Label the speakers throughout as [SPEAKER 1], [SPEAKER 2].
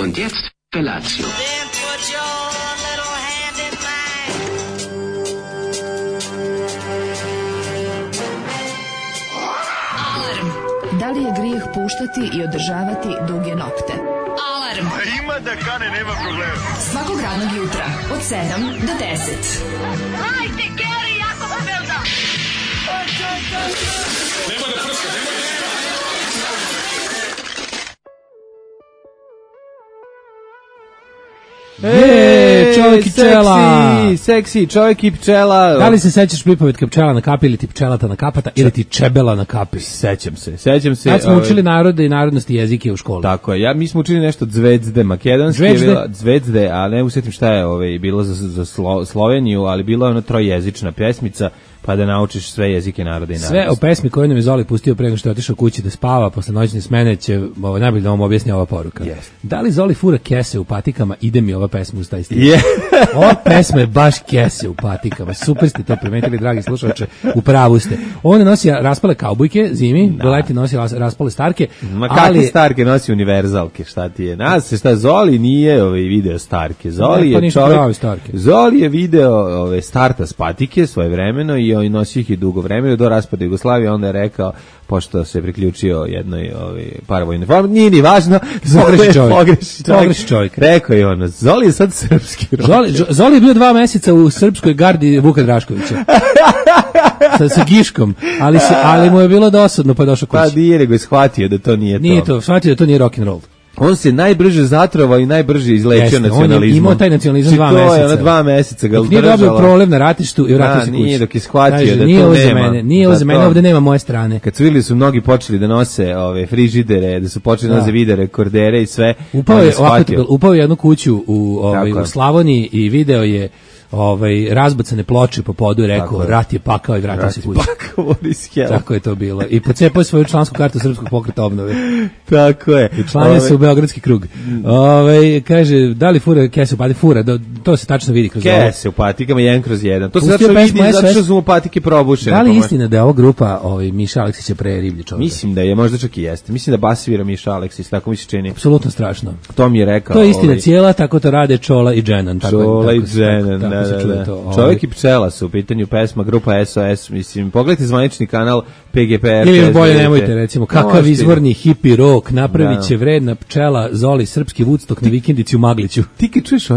[SPEAKER 1] Und jetzt Felatio.
[SPEAKER 2] Da li je grijeh puštati i održavati duge nokte? Alarm!
[SPEAKER 3] Ima da kane, nema problema.
[SPEAKER 2] Svakog radnog jutra, od 7 do 10.
[SPEAKER 4] Hajde, Geri, jako se velda!
[SPEAKER 3] Nema da prska, nema da...
[SPEAKER 5] Čovjek i pčela.
[SPEAKER 6] Seksi, čovjek i pčela.
[SPEAKER 5] Da li se sećaš pripovetka pčela na kapi ili ti pčelata na kapata ili ti čebela na kapi?
[SPEAKER 6] Sećam se.
[SPEAKER 5] Kad smo učili narode i narodnosti jezike u školi.
[SPEAKER 6] Tako je, mi smo učili nešto Zvezde, makedonski je bila Zvezde, a ne usjetim šta je bilo za Sloveniju, ali bila je ona trojezična pjesmica, pa da naučiš sve jezike naroda i narodnosti.
[SPEAKER 5] Sve o pesmi koju nam je Zoli pustio pre nego što je otišao kući da spava, posle noćne smene će najbolje da vam objasni ova poruka.
[SPEAKER 6] Yes.
[SPEAKER 5] Da li Zoli fura kese u patikama, ide mi ova pesma uz taj stil.
[SPEAKER 6] Yeah.
[SPEAKER 5] Ova pesma je baš kese u patikama. Super ste to primetili, dragi slušalče, u pravu ste. On nosi raspale kaubojke zimi, do leti nosi raspale starke.
[SPEAKER 6] Ma kakve starke nosi univerzalke, šta ti je? Šta Zoli nije video starke. Zoli je čovjek. Zoli je video starta s patike svojevremeno i nosi ih i dugo vremena do raspada Jugoslavije, onda je rekao, pošto se priključio jednoj paravojnoj formi, nije ni važno, pogreši čovjek. Rekao je ono, Zoli je sad srpski rocker.
[SPEAKER 5] Zoli je bio 2 meseca u srpskoj gardi Vuka Draškovića. sa Giškom, ali mu je bilo dosadno pa je došao kući.
[SPEAKER 6] Pa nije, nego je shvatio da to nije to.
[SPEAKER 5] Nije to, shvatio da to nije rock'n'roll.
[SPEAKER 6] On se najbrže zatrovao i najbrže izlečio nacionalizmom.
[SPEAKER 5] On je imao taj nacionalizam 2 meseca.
[SPEAKER 6] To je 2 meseca ga
[SPEAKER 5] udržala. Nije dobio problem na ratištu i vratio se kući.
[SPEAKER 6] Nije dok je shvatio da
[SPEAKER 5] nije
[SPEAKER 6] to
[SPEAKER 5] nema. Nije za mene, ovde nema moje strane.
[SPEAKER 6] Kad su vidjeli su mnogi počeli da nose frižidere, da su počeli da nose videre, kordere i sve.
[SPEAKER 5] Upao je jednu kuću u Slavoniji i video je razbacane ploče po podu i rekao rat je pakao i vratio se kući. Tako je to bilo. I pocepao svoju člansku kartu Srpskog pokreta obnove.
[SPEAKER 6] Tako je.
[SPEAKER 5] I članio se u Beogradski krug. Kaže, da li fura kese u patike? Fura, to se tačno vidi kroz ovo.
[SPEAKER 6] Kese u patikama 1/1. To se tačno vidi zato što su mu patike probušene.
[SPEAKER 5] Da li je istina da je ova grupa Miša Aleksić je pre riblji čovjek?
[SPEAKER 6] Mislim da je, možda čak i jeste. Mislim da bas svira Miša Aleksić, tako mi se čini.
[SPEAKER 5] Apsolutno strašno.
[SPEAKER 6] To mi je rekao.
[SPEAKER 5] To je istina cijela, tako to rade Čola i Dženan.
[SPEAKER 6] Čola i Dženan. Čovjek i pčela su u pitanju pesma, grupa SOS, mislim, pogledajte zvanični kanal PGPR.
[SPEAKER 5] Ili bolje nemojte, recimo, kakav izvorni hippie rock, napravit će vredna pčela Zoli, srpski Woodstock na vikendici u Magliću.
[SPEAKER 6] Ti kad čuješ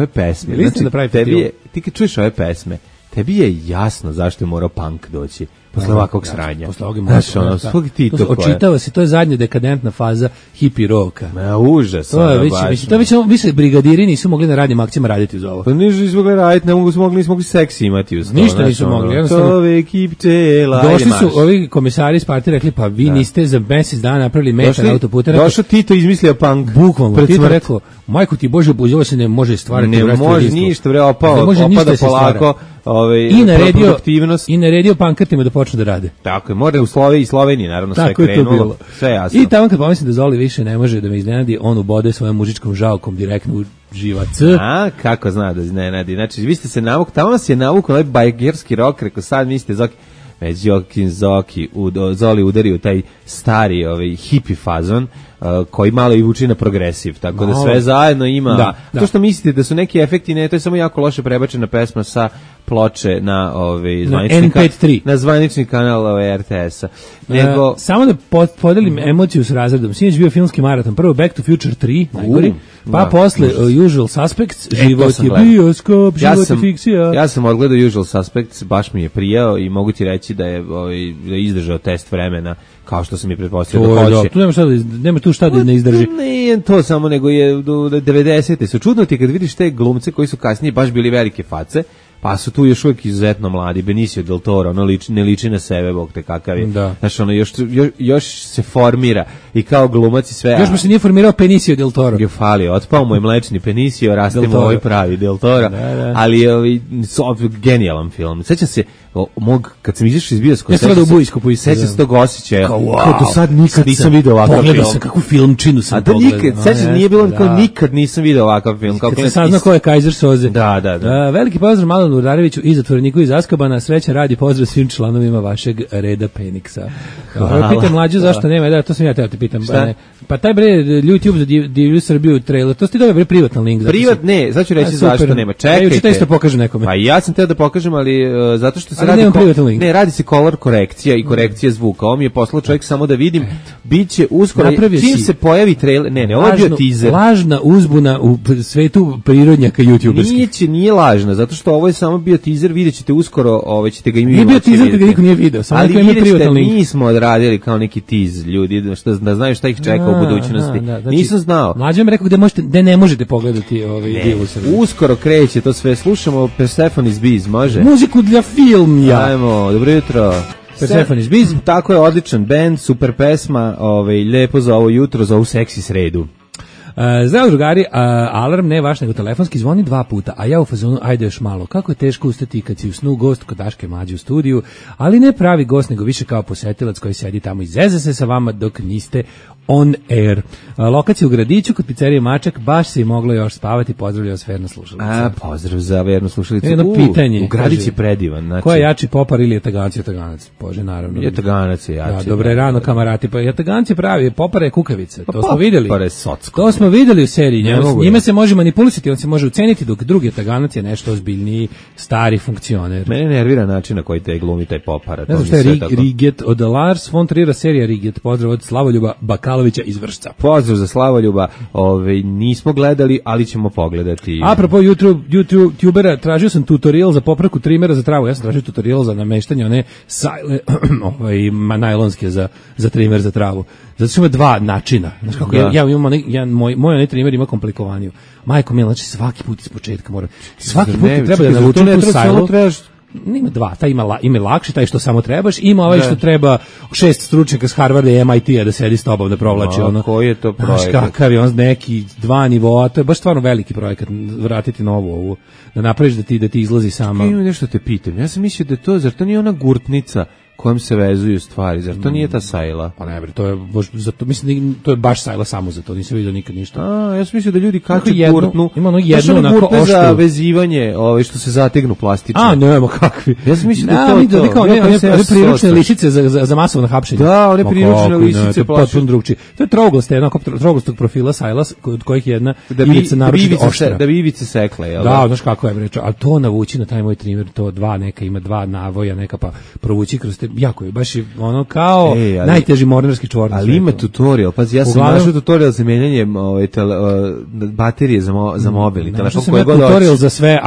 [SPEAKER 6] ove pesme, tebi je jasno zašto je morao punk doći. Posle ovakvog sranja.
[SPEAKER 5] Posle ovog očitava se, to je zadnja dekadentna faza hippie roka.
[SPEAKER 6] Ma užas.
[SPEAKER 5] To je više brigadiri nisu mogli na radnim akcijama raditi uz ovo.
[SPEAKER 6] Pa nisu mogli raditi, nismo mogli seksi imati uz to.
[SPEAKER 5] Ništa nisu mogli, jednostavno. Došli su ovi komisari iz partije rekli, pa vi niste za mesec dana napravili metar autoputa.
[SPEAKER 6] Došao Tito izmislio punk.
[SPEAKER 5] Bukvalno, Tito rekao, majko ti Bože, ovo se ne može stvarati.
[SPEAKER 6] Ne može ništa, opada polako.
[SPEAKER 5] I naredio pankrtima da počnu da rade.
[SPEAKER 6] Tako je, mora u Sloveniji naravno sve krenulo, sve jasno.
[SPEAKER 5] I tamo kad pomislim da Zoli više ne može da me iznenadi, on ubode svojom mužičkom žalkom direktno u živac.
[SPEAKER 6] A, kako zna da iznenadi? Znači, vi ste se navukli, tamo vas je navukao ovaj bajgerski rock, rekao sad mislite Zoki, već Zoki, Zoli udario taj stari hippie fazon, koji malo i vuči na progresiv, tako da sve zajedno ima. To što mislite da su neki efekti, ne, to je samo jako loše prebačena pesma sa ploče na zvanični kanal RTS-a.
[SPEAKER 5] Samo da podelim emociju s razredom. Sinoć bio filmski maraton. Prvo Back to Future 3, najgori, pa posle Usual Suspects, život je bioskop, život je fikcija.
[SPEAKER 6] Ja sam odgledao Usual Suspects, baš mi je prijao i mogu ti reći da je izdržao test vremena, kao što sam i pretpostavio da hoće.
[SPEAKER 5] Tu nema tu šta da ne izdrži.
[SPEAKER 6] Nije to samo, nego je 90. su. Čudno ti kad vidiš te glumce koji su kasnije baš bili velike face, pa su tu još uvijek izuzetno mladi. Benicio del Toro, ne liči na sebe, bog te kakav je. Znači, još se formira i kao glumac i sve.
[SPEAKER 5] Još mu se nije formirao Benicio del Toro.
[SPEAKER 6] Otpao mu je mlečni Benicio, raste mu ovaj pravi del Toro, ali je genijalan film. Sećam se, kad sam izašao iz bioskopa, sećam se tog osjećaja,
[SPEAKER 5] kao do sad nikad
[SPEAKER 6] nisam video ovakav film.
[SPEAKER 5] Pogledao sam kakvu filmčinu sam pogledao.
[SPEAKER 6] A da sećam, nije bilo kao nikad nisam video ovakav film.
[SPEAKER 5] Kad se saznao ko je Kaiser Soze.
[SPEAKER 6] Da.
[SPEAKER 5] Veliki pozdrav Malanu Udareviću i zatvoreniku iz Azkabana, sreća radi pozdrav svim članovima vašeg reda Peniksa. Pitam mlađu zašto nema, to sam ja teo te pitam. Pa taj bre YouTube za Divlju Srbiju trailer, to ste dobili privatni link.
[SPEAKER 6] Ne, sad ću reći zašto nema. Čekajte.
[SPEAKER 5] Ja ću pokažem nekome.
[SPEAKER 6] Pa ja sam teo da pokažem, ali zato što se radi se color korekcija i korekcija zvuka. Ovo mi je poslao čovjek samo da vidim. Biće uskoro, čim se pojavi trailer, ovo je bio teaser.
[SPEAKER 5] Lažna uzbuna u svetu prirodnjaka YouTuberskih.
[SPEAKER 6] Nije lažna, zato što ovo je samo bio teaser, videćete uskoro, ćete ga i mi
[SPEAKER 5] moći vidjeti. Nije bio teaser kad niko nije video, samo neko ima privatni link.
[SPEAKER 6] Ali nismo odradili kao neki teaser, ljudi, da znaju šta ih čeka u budućnosti.
[SPEAKER 5] Znači,
[SPEAKER 6] nisam znao.
[SPEAKER 5] Mlađe mi rekao gde ne možete pogledati Divlju Srbiju.
[SPEAKER 6] Uskoro kreće to sve, slušamo Persephone's Bees, može?
[SPEAKER 5] Muziku dla filmja.
[SPEAKER 6] Ajmo, dobro jutro.
[SPEAKER 5] Persephone's Bees.
[SPEAKER 6] Tako je, odličan band, super pesma, lepo za ovo jutro, za ovu seksi sredu.
[SPEAKER 5] Zdravo drugari, alarm ne vaš nego telefonski zvoni 2 puta, a ja u fazonu ajde još malo. Kako je teško ustati kad si u snu gost kod Daške Mlađe u studiju, ali ne pravi gost nego više kao posetilac koji sedi tamo i zeze se sa vama dok niste on air. Lokacija u Gradiću kod pizzerije Mačak, baš se i moglo još spavati. Pozdravljaju vas verna slušalica.
[SPEAKER 6] Pozdrav za vernu slušalicu.
[SPEAKER 5] Jedno pitanje.
[SPEAKER 6] U Gradić je predivan. Znači...
[SPEAKER 5] Ko je jači, Popar ili Jataganac? Bože, naravno.
[SPEAKER 6] Jataganac je jači.
[SPEAKER 5] Da, dobre rano kamarati. Pa Jataganac je pravi, Popar je kukavica. To smo vidjeli.
[SPEAKER 6] Popar je socko.
[SPEAKER 5] To smo vidjeli u seriji. Njime se može manipulisati, on se može uceniti, dok drugi Jataganac je nešto ozbiljniji, stari funkcioner.
[SPEAKER 6] Mene nervira način na koji te glumi taj Popar.
[SPEAKER 5] Ne znam šta je Riget od Lars von Trier'a serija Riget. Pozdrav od Slavoljuba Bakalovića iz Vršca.
[SPEAKER 6] Pozdrav za Slavoljuba, nismo gledali, ali ćemo pogledati.
[SPEAKER 5] Apropo YouTubera, tražio sam tutorial za popravku trimera za travu. Ja sam tražio tutorial za nameštanje one najlonske za trimer za travu. Zato što ima 2 načina. Znaš kako, ja imam moj onaj trimer ima komplikovaniju. Majko mila, znači svaki put iz početka mora. Svaki put treba da navučem tu sajlu. Ima 2, taj ima lakše, taj što samo trebaš, ima ovaj što treba 6 stručnjaka s Harvarda i MIT-a da sedi s tobom da provlači
[SPEAKER 6] koji je to projekat?
[SPEAKER 5] Znaš kakav je on neki 2 nivoa, to je baš stvarno veliki projekat, vratiti novu ovu, da napraviš da ti izlazi sama.
[SPEAKER 6] Imam nešto te pitam, ja sam mislio da to, zar to nije ona gurtnica kojom se vezuju stvari, zar to nije ta sajla?
[SPEAKER 5] Pa ne bre, to je mislim to je baš sajla samo za to, nisam vidio nikad ništa.
[SPEAKER 6] Ja sam mislio da ljudi kače gurtnu.
[SPEAKER 5] Ima ono jedno onako oštru
[SPEAKER 6] za vezivanje, što se zategnu plastično.
[SPEAKER 5] Nema kakvi.
[SPEAKER 6] Ja sam mislio da to.
[SPEAKER 5] One priručne lisice za masovno hapšenje.
[SPEAKER 6] Da, one priručne lisice
[SPEAKER 5] potpuno drugčije. To je trouglaste, jednako trougastog profila sajla kod kojih jedna ivica naročito oštra.
[SPEAKER 6] Da bi ivice sekle, jel?
[SPEAKER 5] Da, znaš kako je reč, al to navući na taj moj trimer, to 2 neka ima 2 navoja, neka pa provući kroz te, jako je baš ono kao najteži mornarski čvor.
[SPEAKER 6] Ali ima tutorial, pazi, ja sam našao tutorial za menjanje baterije za mobil i telefon koji god hoćeš.
[SPEAKER 5] Tutorial za sve,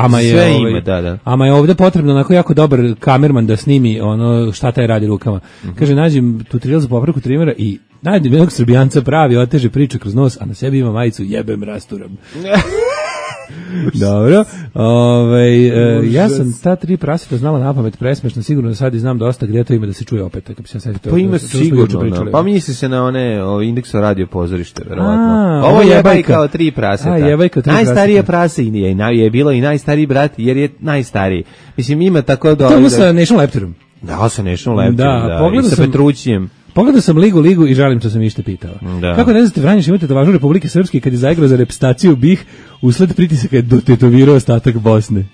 [SPEAKER 5] ama
[SPEAKER 6] je
[SPEAKER 5] ovdje potrebno onako jako dobar kamerman da snimi ono šta taj radi rukama. Kaže, nađem tutorial za popravku trimera i nađem jednog Srbijanca pravi, oteže priču kroz nos, a na sebi ima majicu jebem rasturam. Dobro, ja sam ta 3 praseta znala napamet, presmešno, sigurno da sad i znam dosta gdje to ima da se čuje opet.
[SPEAKER 6] Pa ima sigurno, pa misli se na one indekso radio pozorište, verovatno. Ovo je jebajka od 3 praseta. Najstarije prase je bilo i najstariji brat, jer je najstariji. Mislim, ima tako da...
[SPEAKER 5] To je sa National Laptorom.
[SPEAKER 6] Da, sa National Laptorom, i sa Petrućijem.
[SPEAKER 5] Pogledao sam Ligu i žalim što sam ište pitao. Kako ne znate, Vranješ imate tetovažu Republike Srpske kad je zaigrao za reprezentaciju BiH, usled pritisaka je dotetovirao ostatak Bosne.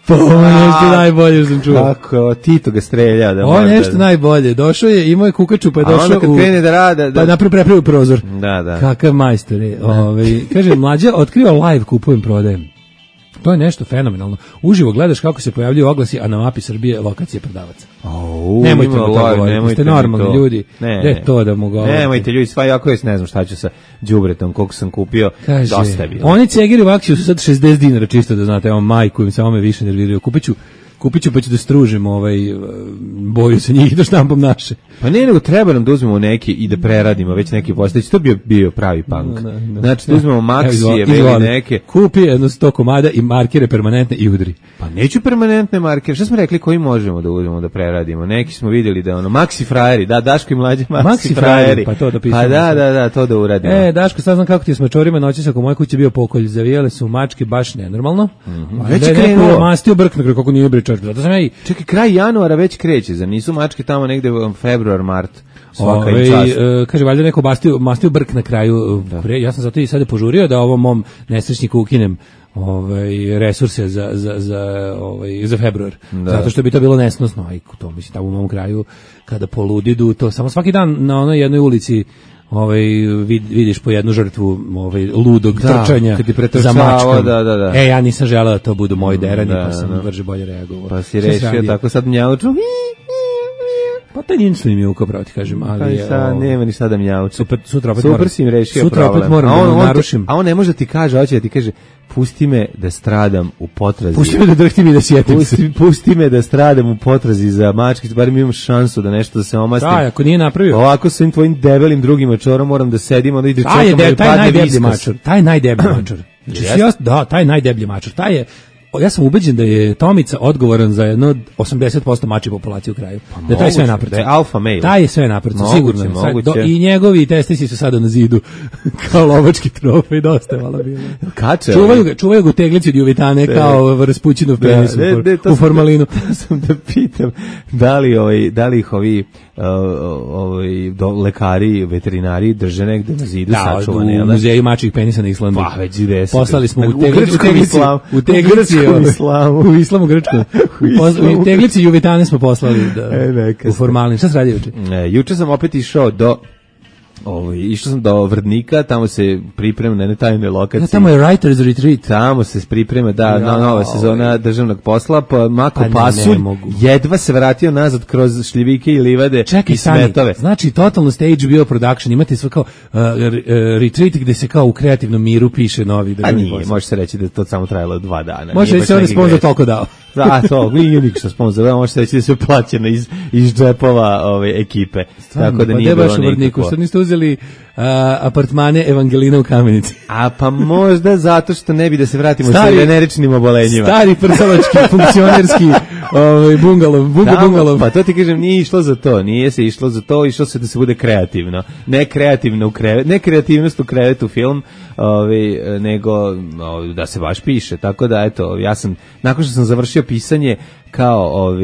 [SPEAKER 5] Pa ovo je nešto najbolje što sam čuo.
[SPEAKER 6] Kako, Tito ga strelja.
[SPEAKER 5] Ovo je nešto najbolje. Došao je, imao je kukaču, pa je došao
[SPEAKER 6] kad krene da rada...
[SPEAKER 5] Pa napravio prozor.
[SPEAKER 6] Da.
[SPEAKER 5] Kakav majstor je. Kaže, mlađa, otkriva live, kupujem, prodajem. To je nešto fenomenalno. Uživo gledaš kako se pojavljuju oglasi, a na mapi Srbije lokacije prodavaca. Nemojte mi to govoriti, ste normalni ljudi. Ne, to da mu govorite.
[SPEAKER 6] Nemojte ljudi, sva jako je, ne znam šta ću sa đubretom, koliko sam kupio, dosta bilo.
[SPEAKER 5] Oni cegiri u akciju su sad 60 dinara, čisto da znate, evo majku im se ome više nerviraju. Kupit ću pa ću da stružim boju sa njih da štampam naše.
[SPEAKER 6] Pa ne, nego treba nam da uzmemo neke i da preradimo već neki postojeći. To bi bio pravi punk. Znači da uzmemo maksije, neke.
[SPEAKER 5] Kupi jedno 100 komada i markere permanentne i udri.
[SPEAKER 6] Pa neću permanentne markere. Šta smo rekli koji možemo da uzmemo da preradimo? Neki smo vidjeli da Maxi frajeri, da, Daško i mlađe Maxi frajeri.
[SPEAKER 5] Pa to da pisamo.
[SPEAKER 6] Pa da, to da uradimo.
[SPEAKER 5] Daško, sad znam kako ti s mačorima noći oko moje kuće bio pokolj. Zavijale su mačke baš nenormalno.
[SPEAKER 6] Već je krenulo.
[SPEAKER 5] Mastio brk, kako nije bre čovjek. Zato sam ja i...
[SPEAKER 6] Čekaj, kraj januara već kreće, zar nisu mačke tamo negde februar, mart?
[SPEAKER 5] Kaže, valjda neko mastio brk na kraju. Ja sam zato i sada požurio da ovom mom nesrećniku ukinem resurse za februar. Zato što bi to bilo nesnosno. Aj, to mislim, tamo u mom kraju, kada poludidu, to samo svaki dan na onoj jednoj ulici vidiš po jednu žrtvu ludog trčanja za mačkom.
[SPEAKER 6] Da.
[SPEAKER 5] Ja nisam želeo da to budu moji derani, pa sam brže bolje reagovao.
[SPEAKER 6] Pa si rešio, tako sad mjauču.
[SPEAKER 5] Pa taj nisu ni mjuko, pravo ti kažem, ali
[SPEAKER 6] nema ni sada mjauču.
[SPEAKER 5] Sutra
[SPEAKER 6] si im rešio
[SPEAKER 5] sutra
[SPEAKER 6] problem.
[SPEAKER 5] Opet moram da narušim.
[SPEAKER 6] A on ne može da ti kaže, hoće da ti kaže, pusti me da stradam u potrazi.
[SPEAKER 5] Pusti me da drhtim i da sjetim se.
[SPEAKER 6] Pusti me da stradam u potrazi za mačkić, bar mi imam šansu da nešto da se omastim.
[SPEAKER 5] Da, ako nije napravio.
[SPEAKER 6] Ovako svim tvojim debelim drugim mačorom moram da sedim, onda ide čekam da mi padne viskas.
[SPEAKER 5] Taj najdeblji mačor. Da, taj najdeblji mačor. Ja sam ubeđen da je Tomica odgovoran za jedno 80% mačje populacije u kraju. Da je taj sve napravo.
[SPEAKER 6] Da je alfa male.
[SPEAKER 5] Taj je sve napravo, sigurno. I njegovi testisi su sada na zidu kao lovački trofej, dosta je malo bilo.
[SPEAKER 6] Kače?
[SPEAKER 5] Čuvaju ga u teglici od juvitane kao Raspućinov penis u formalinu.
[SPEAKER 6] Sam da pitam da li ih ovi lekari, veterinari drže negde na zidu sačuvane.
[SPEAKER 5] Da, u muzeju mačjih penisa na Islandu.
[SPEAKER 6] Pa, već ide.
[SPEAKER 5] Poslali smo
[SPEAKER 6] u teglici
[SPEAKER 5] u islamu grčkom. U teglici juvitane smo poslali u formalnim. Šta se radi juče?
[SPEAKER 6] Juče sam opet išao do Vrdnika, tamo se priprema na jednoj tajnoj lokaciji.
[SPEAKER 5] Tamo je Writer's Retreat.
[SPEAKER 6] Tamo se priprema, nova sezona državnog posla, pa mako pasulj, jedva se vratio nazad kroz šljivike i livade i smetove.
[SPEAKER 5] Znači, totalno stage bio production, imate sve kao retreat gde se kao u kreativnom miru piše novi državni posao.
[SPEAKER 6] Može se reći da to samo trajalo 2 dana.
[SPEAKER 5] Može reći da je sponsor toliko dao.
[SPEAKER 6] Da, to, nije nikšta sponsor, može se reći da se plaćeno iz džepova ekipe. Tako da nije bilo nikako.
[SPEAKER 5] Što niste uzeli apartmane Evangelina u Kamenici?
[SPEAKER 6] A pa možda zato što ne bi da se vratimo sa veneričnim obolenjima.
[SPEAKER 5] Stari prcaločki, funkcionerski bungalov.
[SPEAKER 6] Pa to ti kažem, nije išlo za to, nije se išlo za to, išlo se da se bude kreativno. Ne kreativnost u krevetu film, nego da se baš piše. Tako da, eto, ja sam, nakon što sam završio pisanje kao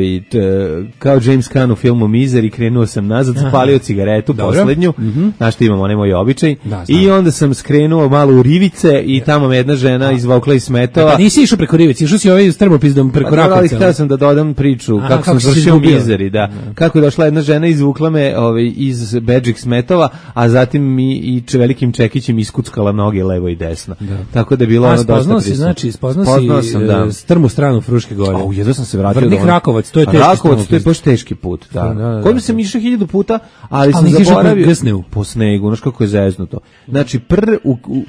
[SPEAKER 6] James Caan u filmu Misery, krenuo sam nazad, zapalio cigaretu poslednju, znaš što imam onaj moj običaj, i onda sam skrenuo malo u rivice i tamo me jedna žena izvukla iz smetova.
[SPEAKER 5] Pa nisi išao preko rivice, išao si s termopizdom preko Rakovca.
[SPEAKER 6] Ali htio sam da dodam priču kako sam završio Misery, da. Kako je došla jedna žena, izvukla me iz bedžik smetova, a zatim mi i velikim čekićem iskuckala noge levo i desno. Tako da je bilo ono dosta prisutno.
[SPEAKER 5] Spoznao si strmu stranu Fruške gore.
[SPEAKER 6] Jedno sam se vratio
[SPEAKER 5] Vrnik Rakovac, to je teški
[SPEAKER 6] Rakovac, to je baš teški put, da. Kojim sam išao 1000 puta, ali sam zaboravio po snegu, znaš kako je zeznuto. Znači,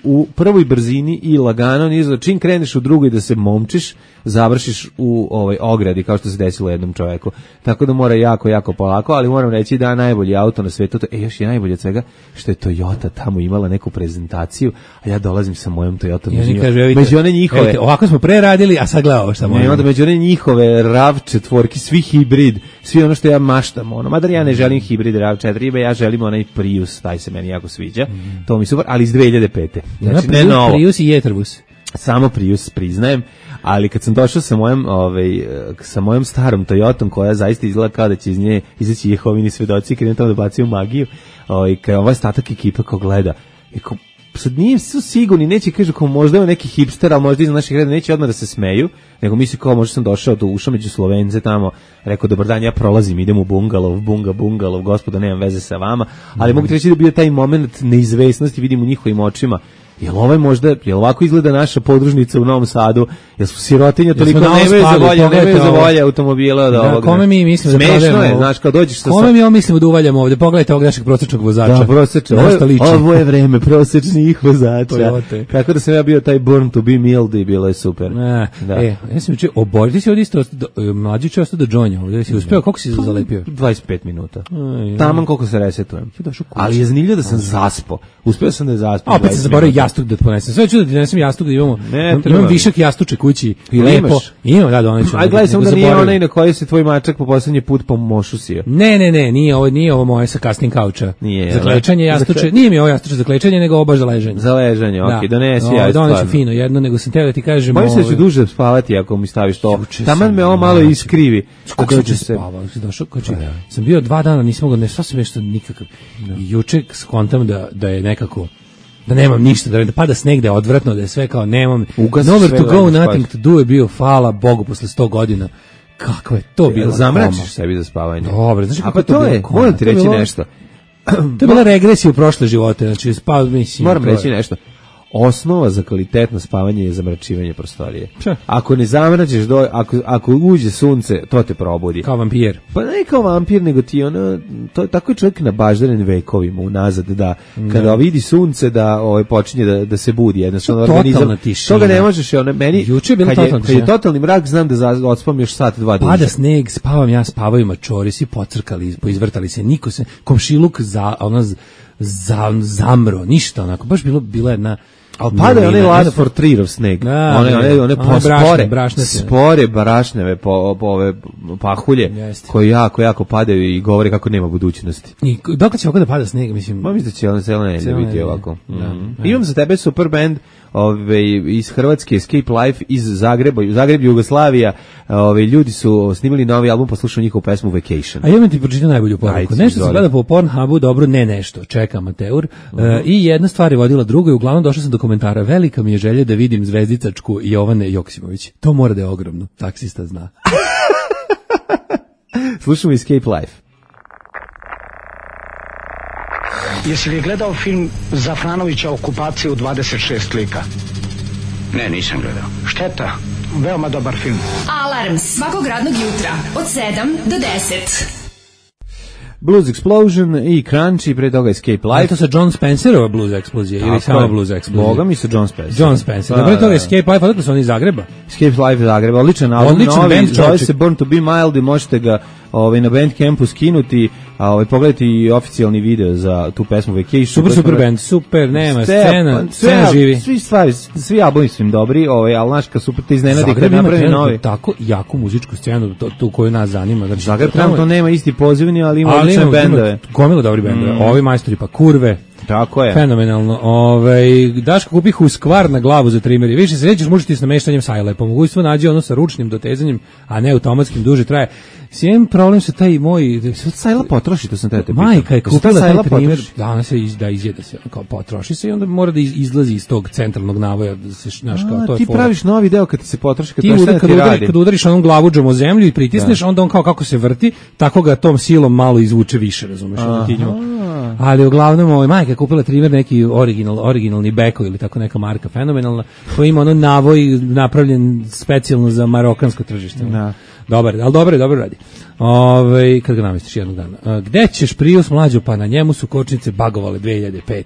[SPEAKER 6] u prvoj brzini i lagano, čim kreneš u drugoj da se momčiš, završiš u ogradi, kao što se desilo jednom čoveku. Tako da mora jako, jako polako, ali moram reći da najbolji auto na svetu, još je najbolje od svega, što je Toyota tamo imala neku prezentaciju, a ja dolazim sa mojom Toyotom. Među one njihove...
[SPEAKER 5] Ovako smo pre radili, a sad gledao šta možemo.
[SPEAKER 6] Onda među one njihove RAV4, svi hibrid, svi ono što ja maštam, madar ja ne želim hibrid RAV4, ja želim onaj Prius, taj se meni jako sviđa, to mi super, ali iz 2005. Znači, ne novo.
[SPEAKER 5] Prius i Jetrbus.
[SPEAKER 6] Samo Prius, priznajem, ali kad sam došao sa mojom starom Toyotom, koja zaista izgleda kao da će iz nje izaći Jehovini svedoci, kad je tamo da bacio magiju, kao ovaj statak ekipa ko gleda, sad nije su sigurni, neće kažu kao možda je neki hipster, ali možda iza naših reda neće odmah da se smeju, nego misli kao možda sam došao do uša među Slovence tamo, rekao dobar dan, ja prolazim, idem u bungalov, gospodo, nemam veze sa vama, ali mogu ti reći da bio taj moment neizvesnosti, vidim u njihovim očima, jel ovako izgleda naša podružnica u Novom Sadu, jel su sirotinja toliko nemaju za volje automobila od ovog.
[SPEAKER 5] Kome mi mislimo da
[SPEAKER 6] smešno je, znaš, kao dođeš sa...
[SPEAKER 5] Kome mi mislimo da uvaljamo ovde, pogledajte ovog našeg prosječnog vozača.
[SPEAKER 6] Da, prosječan, ovo je vreme prosječnih vozača. Kako da sam ja bio taj born to be mild i bilo je super.
[SPEAKER 5] Ja sam učio, oboriti si ovdje isto, mlađi će ostao do džonja, ovdje si uspio, koliko si zalepio?
[SPEAKER 6] 25 minuta. Taman koliko se resetujem. Ali je zanimljivo da sam zaspo. Uspio sam da je zaspo.
[SPEAKER 5] Opet se zaboravio jastuk da ponesem. Sve ću da ti donesem jastuk da imam višak jastuče kući. Lepo. Imam, da doneću.
[SPEAKER 6] Aj gledaj samo da nije onaj na koji se tvoj mačak po poslednji put pomošusio.
[SPEAKER 5] Ne, nije ovo moje sa kasnim kauča. Za klečanje jastuče. Nije mi ovo jastuče za klečanje, nego ovo baš za ležanje.
[SPEAKER 6] Za ležanje, okej, donesi ja.
[SPEAKER 5] Doneću fino jedno, nego sam teo da ti kažem.
[SPEAKER 6] Bojim se da ću duže spavati ako mi staviš to. Taman me ovo malo iskrivi.
[SPEAKER 5] Kako će spavao? Došao, sam bio 2 dana, nisam mogao, ne sasvim nešto nikakav. Juče skontam da je nekako, da nemam ništa, da pada sneg, da je odvratno, da je sve kao nemam, nowhere to go, nothing to do je bio, hvala Bogu, posle 100 godina. Kako je to bilo?
[SPEAKER 6] Zamračiš sebi za spavanje.
[SPEAKER 5] Dobre, znaš kako
[SPEAKER 6] to je? Moram ti reći nešto.
[SPEAKER 5] To je bila regresija u prošle živote, znači mislim.
[SPEAKER 6] Moram reći nešto. Osnova za kvalitetno spavanje je zamračivanje prostorije. Ako ne zamračiš, ako uđe sunce, to te probudi.
[SPEAKER 5] Kao vampir.
[SPEAKER 6] Pa ne kao vampir, nego ti tako je čovjek nabaždaren vekovima unazad, da kada vidi sunce da počinje da se budi, jednostavno organizam. Toga ne možeš, meni
[SPEAKER 5] juče je bilo
[SPEAKER 6] kad je totalni mrak, znam da odspam još sat, 2 duže.
[SPEAKER 5] Pada sneg, spavam ja, spavaju mačori, svi pocrkali, poizvrtali se, niko se, komšiluk zamro, ništa onako, baš bila jedna.
[SPEAKER 6] Ali pada je onaj last for tree sneg. One spore brašneve ove pahulje koji jako padaju i govore kako nema budućnosti.
[SPEAKER 5] I dok će ovako da pada sneg, mislim?
[SPEAKER 6] Mislim da će ono celo nedelje biti ovako. Imam za tebe super band iz Hrvatske, Escape Life iz Zagreb, Jugoslavija. Ljudi su snimili novi album, poslušao njihovu pesmu Vacation.
[SPEAKER 5] A ja ti pročitam najbolju poruku. Nešto se gleda po Pornhubu, dobro, ne nešto, čeka amateur. I jedna stvar je vodila drugo i uglavnom došao sam do komentara. Velika mi je želja da vidim zvezdicačku Jovane Joksimović. To mora da je ogromno. Taksista zna.
[SPEAKER 6] Slušamo Escape Life.
[SPEAKER 1] Jesi li gledao film Zafranovića Okupacija u 26 lika?
[SPEAKER 7] Ne, nisam gledao.
[SPEAKER 1] Šteta, veoma dobar film.
[SPEAKER 2] Alarm svakog radnog jutra od 7 do 10.
[SPEAKER 6] Blues Explosion i Crunchy, pre toga Escape Life.
[SPEAKER 5] To sa John Spencerova Blues eksplozija ili samo Blues eksplozija?
[SPEAKER 6] Boga mi sa John Spencer.
[SPEAKER 5] John Spencer. Pre toga Escape Life, odakle su oni iz Zagreba?
[SPEAKER 6] Escape Life iz Zagreba, odličan album, novi, zove se Born to be Mild i možete ga na Bandcampu skinuti, a pogledajte i oficijalni video za tu pesmu Vacation.
[SPEAKER 5] Super band, super, nema, scena živi.
[SPEAKER 6] Svi albumi su im dobri, ali naš kad super te iznenadi kad napravi novi.
[SPEAKER 5] Tako jaku muzičku scenu, tu koju nas zanima.
[SPEAKER 6] Zagreb trenutno nema isti pozivni, ali ima odlične bendove.
[SPEAKER 5] Gomila dobri bendove, ovi majstori pa kurve.
[SPEAKER 6] Tako je.
[SPEAKER 5] Fenomenalno. Daško kupi Husqvarna na glavu za trimeri. Više se nećeš mučiti s nameštanjem sajle. Po mogućstvu nađe ono sa ručnim dotezanjem, a ne automatskim, duže traje. Svijem problem sa taj moj...
[SPEAKER 6] Sajla potroši, to sam te pitao.
[SPEAKER 5] Majka je kupila taj trimer. Danas se izjede se, kao potroši se i onda mora da izlazi iz tog centralnog navoja. Da se, znaš, kao, to je
[SPEAKER 6] ti praviš novi deo kad ti se potroši,
[SPEAKER 5] kad udariš onom glavuđom o zemlju i pritisneš, onda on kao kako se vrti, tako ga tom silom malo izvuče više, razumeš? Ali uglavnom, majka je kupila trimer neki originalni Beko ili tako neka marka fenomenalna, koji ima ono navoj napravljen specijalno za marokansko tržište. Dobar, ali dobro radi. Kad ga namestiš jednog dana. Gde ćeš Prius mlađo, pa na njemu su kočnice bagovale 2005.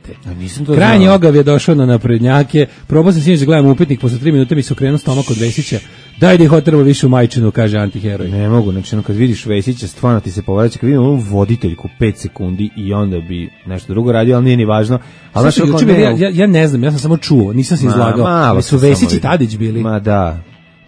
[SPEAKER 5] Krajnji ogav je došao na naprednjake. Probao sam sinoć da gledam upitnik, posle 3 minute mi se okrenuo stomak od Vesića. Daj da ih otrvo više u majčinu, kaže antiheroj.
[SPEAKER 6] Ne mogu, znači kad vidiš Vesića, stvarno ti se povraća, kad vidim ovu voditeljku 5 sekundi i onda bi nešto drugo radio, ali nije ni važno. Ali
[SPEAKER 5] ja ne znam, ja sam samo čuo, nisam se izlagao. Su Vesić i Tadić bili.
[SPEAKER 6] Ma da.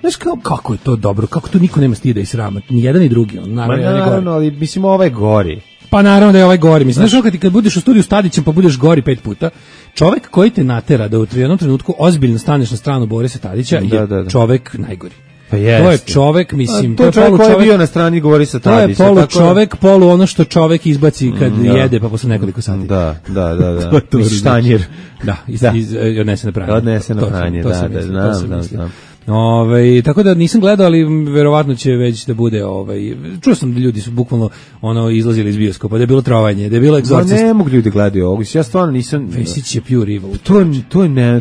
[SPEAKER 5] Znaš kako je to dobro, kako tu niko nema stida i srama, ni jedan ni drugi.
[SPEAKER 6] Naravno, ali mislim ovaj gori.
[SPEAKER 5] Pa naravno da je ovaj gori. Mislim, znaš kad budeš u studiju s Tadićem pa budeš gori 5 puta, čovek koji te natera da u jednom trenutku ozbiljno staneš na stranu Borisa Tadića je čovek najgori.
[SPEAKER 6] Pa
[SPEAKER 5] to je čovek, mislim,
[SPEAKER 6] to je čovek koji je bio na strani Borisa Tadića.
[SPEAKER 5] To je čovek, ono što čovek izbaci kad jede pa posle nekoliko sati.
[SPEAKER 6] Da. Štanjir.
[SPEAKER 5] Da, odnese na pranje.
[SPEAKER 6] Odnese na pranje, znam.
[SPEAKER 5] Tako da nisam gledao, ali verovatno će već da bude čuo sam da ljudi su bukvalno izlazili iz bioskopa, da je bilo trovanje, da je bilo egzorcist.
[SPEAKER 6] Ne mogu ljudi gledati ovo, ja stvarno nisam.
[SPEAKER 5] Vesić je pure evil.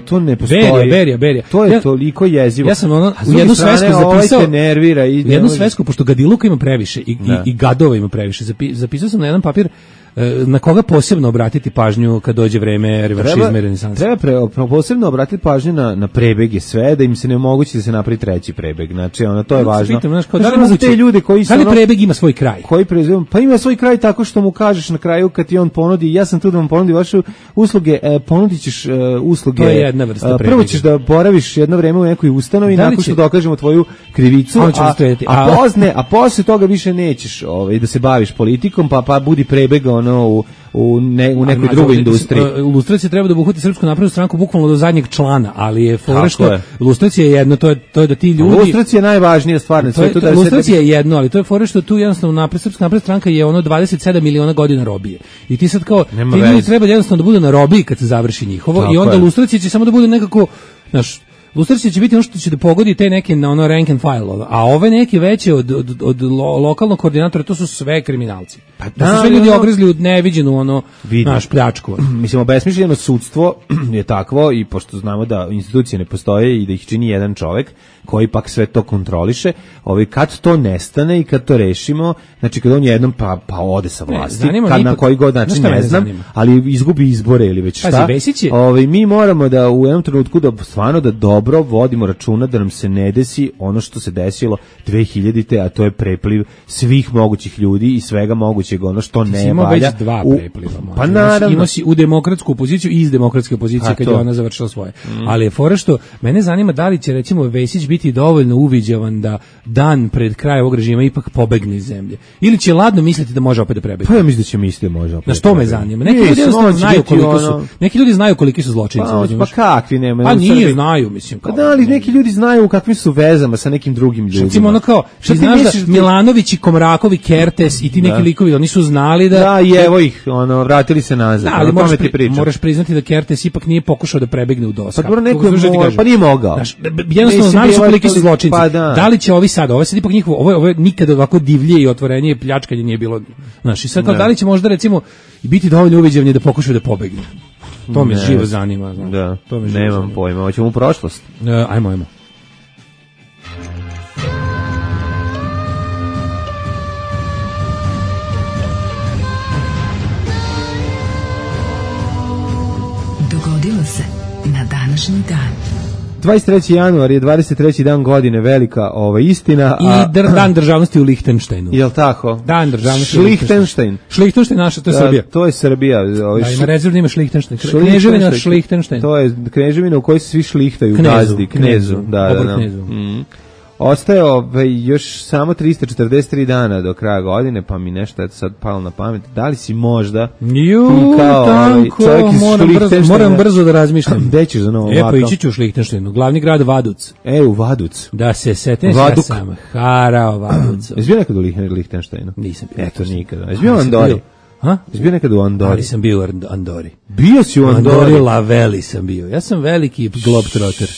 [SPEAKER 6] To ne postoji.
[SPEAKER 5] Berija.
[SPEAKER 6] To je toliko jezivo.
[SPEAKER 5] Ja sam u jednu svesku zapisao, jednu svesku, pošto gadiluka ima previše i gadova ima previše, zapisao sam na jedan papir na koga posebno obratiti pažnju kad dođe vreme revanšizma i renesansa?
[SPEAKER 6] Treba posebno obratiti pažnju na prebege sve, da im se ne omogući da se napravi treći prebeg. Znači, to je važno.
[SPEAKER 5] Pitam, da li
[SPEAKER 6] te ljude koji su...
[SPEAKER 5] Da li prebeg ima svoj kraj?
[SPEAKER 6] Pa ima svoj kraj tako što mu kažeš na kraju kad ti on ponudi, ja sam tu da vam ponudi vaše usluge, ponudit ćeš usluge.
[SPEAKER 5] To je jedna vrsta prebega.
[SPEAKER 6] Prvo ćeš da boraviš jedno vreme u nekoj ustanovi, nakon što dokažemo tvoju krivicu, a posle toga više nećeš da se baviš politikom, pa budi prebeg u nekoj drugoj industriji.
[SPEAKER 5] Lustracija treba da obuhvati Srpsku naprednu stranku bukvalno do zadnjeg člana, ali je fora što lustracija je jedno, to je da ti ljudi...
[SPEAKER 6] Lustracija je najvažnija stvar na svetu.
[SPEAKER 5] Lustracija je jedno, ali to je fora što tu jednostavno Srpska napredna stranka je 27 miliona godina robije. I ti sad kao, ti ljudi treba jednostavno da budu na robiji kad se završi njihovo, i onda lustracija će samo da bude nekako, znaš, lustracija će biti ono što će da pogodi te neke na rank and file, a ove neke veće od lokalnog koordinatora, to su sve kriminalci. To su sve ljudi ogrizli u neviđenu naš pljačku.
[SPEAKER 6] Mislim, obesmišljeno sudstvo je takvo, i pošto znamo da institucije ne postoje i da ih čini jedan čovek koji pak sve to kontroliše, kad to nestane i kad to rešimo, znači kad on jednom pa ode sa vlasti, kad na koji god način ne znam, ali izgubi izbore ili već šta, mi moramo da u jednom trenutku da stvarno da dobro vodimo računa da nam se ne desi ono što se desilo 2000-te, a to je prepliv svih mogućih ljudi i svega mogućeg, ono što ne valja.
[SPEAKER 5] Već dva prepliva.
[SPEAKER 6] Pa naravno.
[SPEAKER 5] Ima si u demokratsku opoziciju i iz demokratske opozicije kad je ona završila svoje. Ali je fora što mene zanima da li će recimo Vesić biti dovoljno uviđavan da dan pred kraj ovog režima ipak pobegne iz zemlje. Ili će ladno misliti da može opet da prebegne.
[SPEAKER 6] Pa ja mislim da će misliti da može opet.
[SPEAKER 5] Na što me zanima? Neki ljudi znaju koliki su zločinci.
[SPEAKER 6] Pa kakvi nema.
[SPEAKER 5] Pa nije znaju, mislim.
[SPEAKER 6] Pa da li neki ljudi znaju u kakvim su vezama sa nekim drugim ljudima.
[SPEAKER 5] Recimo ono kao, što znaš da Milanović i Komrakov i Kertes i ti neki likovi, oni su znali da...
[SPEAKER 6] Da, i evo ih, vratili se nazad.
[SPEAKER 5] Da, ali moraš priznati da Kertes ipak nije pokušao da prebegne u DOS.
[SPEAKER 6] Pa nije mogao.
[SPEAKER 5] Jednostavno znali su koliki su zločinci. Da li će ovi sad, ovo sad ipak njihovo, ovo nikada ovako divlje i otvorenije pljačkanje nije bilo. Znaš, i sad kao da li će možda recimo biti dovoljno uviđavni da pokušaju da pobegne. To me živo zanima.
[SPEAKER 6] Da, nemam pojma. Hoćemo u prošlost.
[SPEAKER 5] Ajmo.
[SPEAKER 2] Dogodilo se na današnji dan.
[SPEAKER 6] 23. januar je 23. dan godine, velika istina.
[SPEAKER 5] I dan državnosti u Lihtenštajnu.
[SPEAKER 6] Jel' tako?
[SPEAKER 5] Dan državnosti
[SPEAKER 6] u Lihtenštajn.
[SPEAKER 5] Šlihtenštajn naša, to je Srbija.
[SPEAKER 6] To je Srbija.
[SPEAKER 5] Ima rezervno ime Šlihtenštajn. Kneževina Šlihtenštajn.
[SPEAKER 6] To je kneževina u kojoj se svi šlihtaju. Knezu. Da. Ostaje još samo 343 dana do kraja godine, pa mi nešto je sad palo na pamet. Da li si možda čovjek iz Šlihtenštajna?
[SPEAKER 5] Moram brzo da razmišljam.
[SPEAKER 6] Gde ćeš za novo
[SPEAKER 5] pa ići ću u Šlihtenštajnu, glavni grad Vaduc.
[SPEAKER 6] U Vaduc.
[SPEAKER 5] Da se setim ja sam harao Vaduc.
[SPEAKER 6] Jesi bio nekad u Lihtenštajnu?
[SPEAKER 5] Nisam bio.
[SPEAKER 6] Eto, nikada. Jesi bio u Andori? Jesi bio nekad u Andori?
[SPEAKER 5] Ali sam bio u Andori.
[SPEAKER 6] Bio si u Andori?
[SPEAKER 5] Laveli sam bio. Ja sam veliki globetrotter.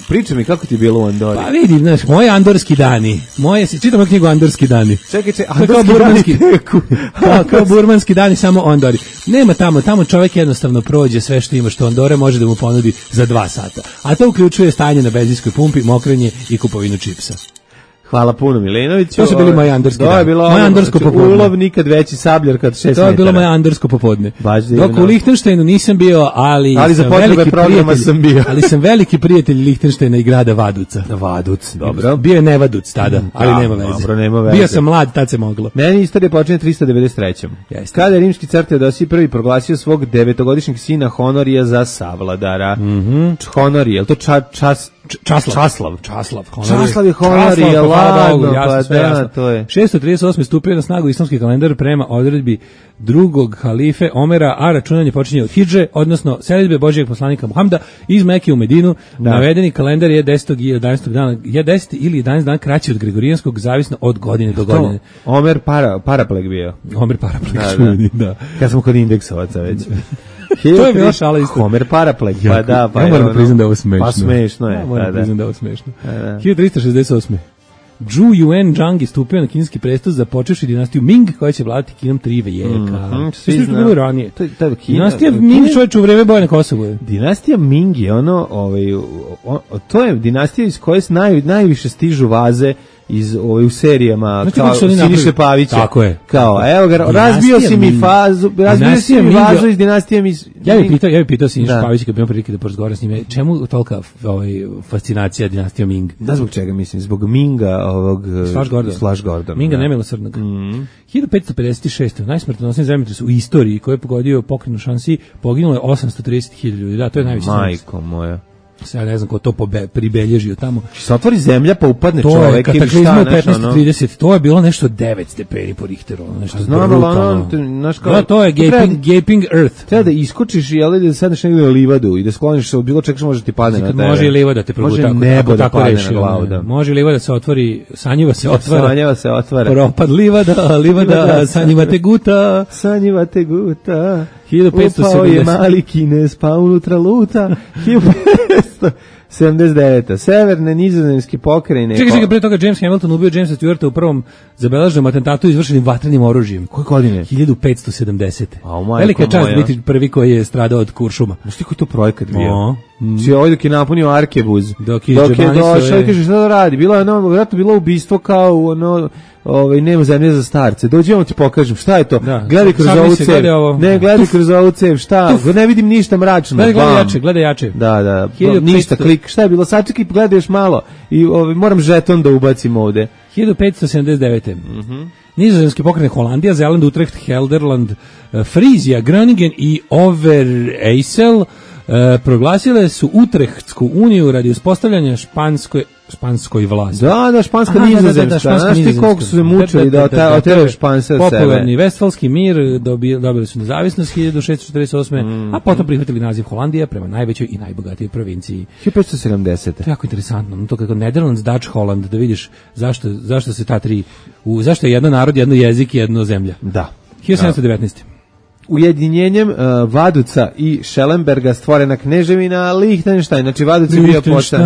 [SPEAKER 6] Priča mi kako ti je bilo u Andori.
[SPEAKER 5] Pa vidi, znaš, moji andorski dani. Čitam knjigu Andorski dani.
[SPEAKER 6] Čekaj,
[SPEAKER 5] kao burmanski dani, samo u Andori. Nema tamo čovjek jednostavno prođe sve što ima što Andore može da mu ponudi za 2 sata. A to uključuje stanje na benzinskoj pumpi, mokrenje i kupovinu čipsa.
[SPEAKER 6] Hvala puno Milenoviću.
[SPEAKER 5] To su bili moji andorski dani. Moje andorsko popodne.
[SPEAKER 6] Ulov nikad veći, sabljar kad 6 metara.
[SPEAKER 5] To je bilo moje andorsko popodne. Dok u Lihtenštajnu nisam bio, ali
[SPEAKER 6] za potrebe programa sam bio.
[SPEAKER 5] Ali sam veliki prijatelj Lihtenštajna i grada Vaduca.
[SPEAKER 6] Vaduc, dobro.
[SPEAKER 5] Bio je Nevaduc tada, ali nema veze.
[SPEAKER 6] Dobro, nema veze.
[SPEAKER 5] Bio sam mlad, tad se moglo.
[SPEAKER 6] Meni istorija počinje 393. Kada je rimski car Teodosij I proglasio svog 9-godišnjeg sina Honorija za savladara. Honorije, je li to Časlav je Honorije, ladno,
[SPEAKER 5] jasno. To je. 638. stupio na snagu islamski kalendar prema odredbi drugog halife Omera, a računanje počinje od Hidže, odnosno selidbe Božijeg poslanika Muhameda iz Mekke u Medinu. Navedeni kalendar je 10. i 11. dana, je 10 ili 11 dana kraći od gregorijanskog, zavisno od godine do godine.
[SPEAKER 6] Omer parapleg bio.
[SPEAKER 5] Omer parapleg, da.
[SPEAKER 6] Kad smo kod indeksovaca već.
[SPEAKER 5] To je bila šala isto.
[SPEAKER 6] Homer parapleg, pa da.
[SPEAKER 5] Ja moram da priznam da je ovo smešno.
[SPEAKER 6] Pa smešno je.
[SPEAKER 5] Moram da priznam da je ovo smešno. 1368. Zhu Yuan je stupio na kineski presto započevši dinastiju Ming koja će vladati Kinom 3 vijeka. Svi što bilo ranije. Dinastija Ming čovječe u vreme boja na Kosovu.
[SPEAKER 6] Dinastija Ming je to je dinastija iz koje najviše stižu vaze u serijama kao Siniše Pavića.
[SPEAKER 5] Tako je.
[SPEAKER 6] Kao, evo ga, razbio si mi vazu iz dinastije
[SPEAKER 5] Ja bih pitao Siniša Pavića kad bi imao prilike da porazgovaram s njime, čemu tolika fascinacija dinastijom Ming?
[SPEAKER 6] Da, zbog čega mislim? Zbog Minga, Slash Gordon.
[SPEAKER 5] Minga nemilosrdnog. 1556. najsmrtonosniji zemljotres u istoriji koji je pogodio pokrenu šansi, poginulo je 830.000 ljudi. Da, to je najveći zemljotres.
[SPEAKER 6] Majko moja.
[SPEAKER 5] Ja ne znam ko to pribelježio tamo.
[SPEAKER 6] Se otvori zemlja pa upadne čovek ili šta,
[SPEAKER 5] nešto. 1530, to je bilo nešto 9 stepeni po Richteru, nešto brutalno. To je gaping earth.
[SPEAKER 6] Treba da iskočiš i da sedneš negdje na livadu i da skloniš od bilo čega što može ti padne na tebe.
[SPEAKER 5] Može i livada da te proguta.
[SPEAKER 6] Može nebo da padne na glavu.
[SPEAKER 5] Može i livada se otvori, sanjiva se otvara. Propad livada, sanjiva te guta.
[SPEAKER 6] Sanjiva te guta.
[SPEAKER 5] 1570.
[SPEAKER 6] Upao je mali Kines, pa unutra luta. 1579. Severne nizozemske pokrajine.
[SPEAKER 5] Čekaj, pre toga James Hamilton ubio Jamesa Stewarta u prvom zabeleženom atentatu izvršenim vatrenim oružjem.
[SPEAKER 6] Koje godine?
[SPEAKER 5] 1570. Velika čast biti prvi koji je stradao od kuršuma.
[SPEAKER 6] Znaš ti koji to projekat bio? Si ovaj dok je napunio Arkebuz. Dok je došao i kaže šta da radi. Vjerojatno bilo ubistvo kao nema zemlje za starce. Dođi vam ti pokažem šta je to. Gledaj kroz ovu cev. Ne, gledaj kroz ovu cev. Šta? Ne vidim ništa mračno.
[SPEAKER 5] Gledaj jače.
[SPEAKER 6] Da. Ništa, klik. Šta je bilo? Sačekaj, gledaj još malo. I moram žeton da ubacim ovde.
[SPEAKER 5] 1579. Nizozemski pokrajine Holandija, Zeland, Utrecht, Helderland, Frizija, Groningen i Overijssel proglasile su Utrechtsku uniju radi uspostavljanja španskoj vlasti.
[SPEAKER 6] Da, španska nizozemska. Znaš ti koliko su se mučili da oteraju Španse od sebe.
[SPEAKER 5] Popularni Vestfalski mir, dobili su nezavisnost 1648. A potom prihvatili naziv Holandija prema najvećoj i najbogatijoj provinciji.
[SPEAKER 6] 1570.
[SPEAKER 5] To je jako interesantno. To kako Netherlands, Dutch, Holland, da vidiš zašto se ta tri, zašto je jedno narod, jedno jezik i jedno zemlja.
[SPEAKER 6] Da.
[SPEAKER 5] 1719.
[SPEAKER 6] Ujedinjenjem Vaduca i Schellenberga stvorena kneževina Lichtenstein. Znači Vaduc je bio poštan.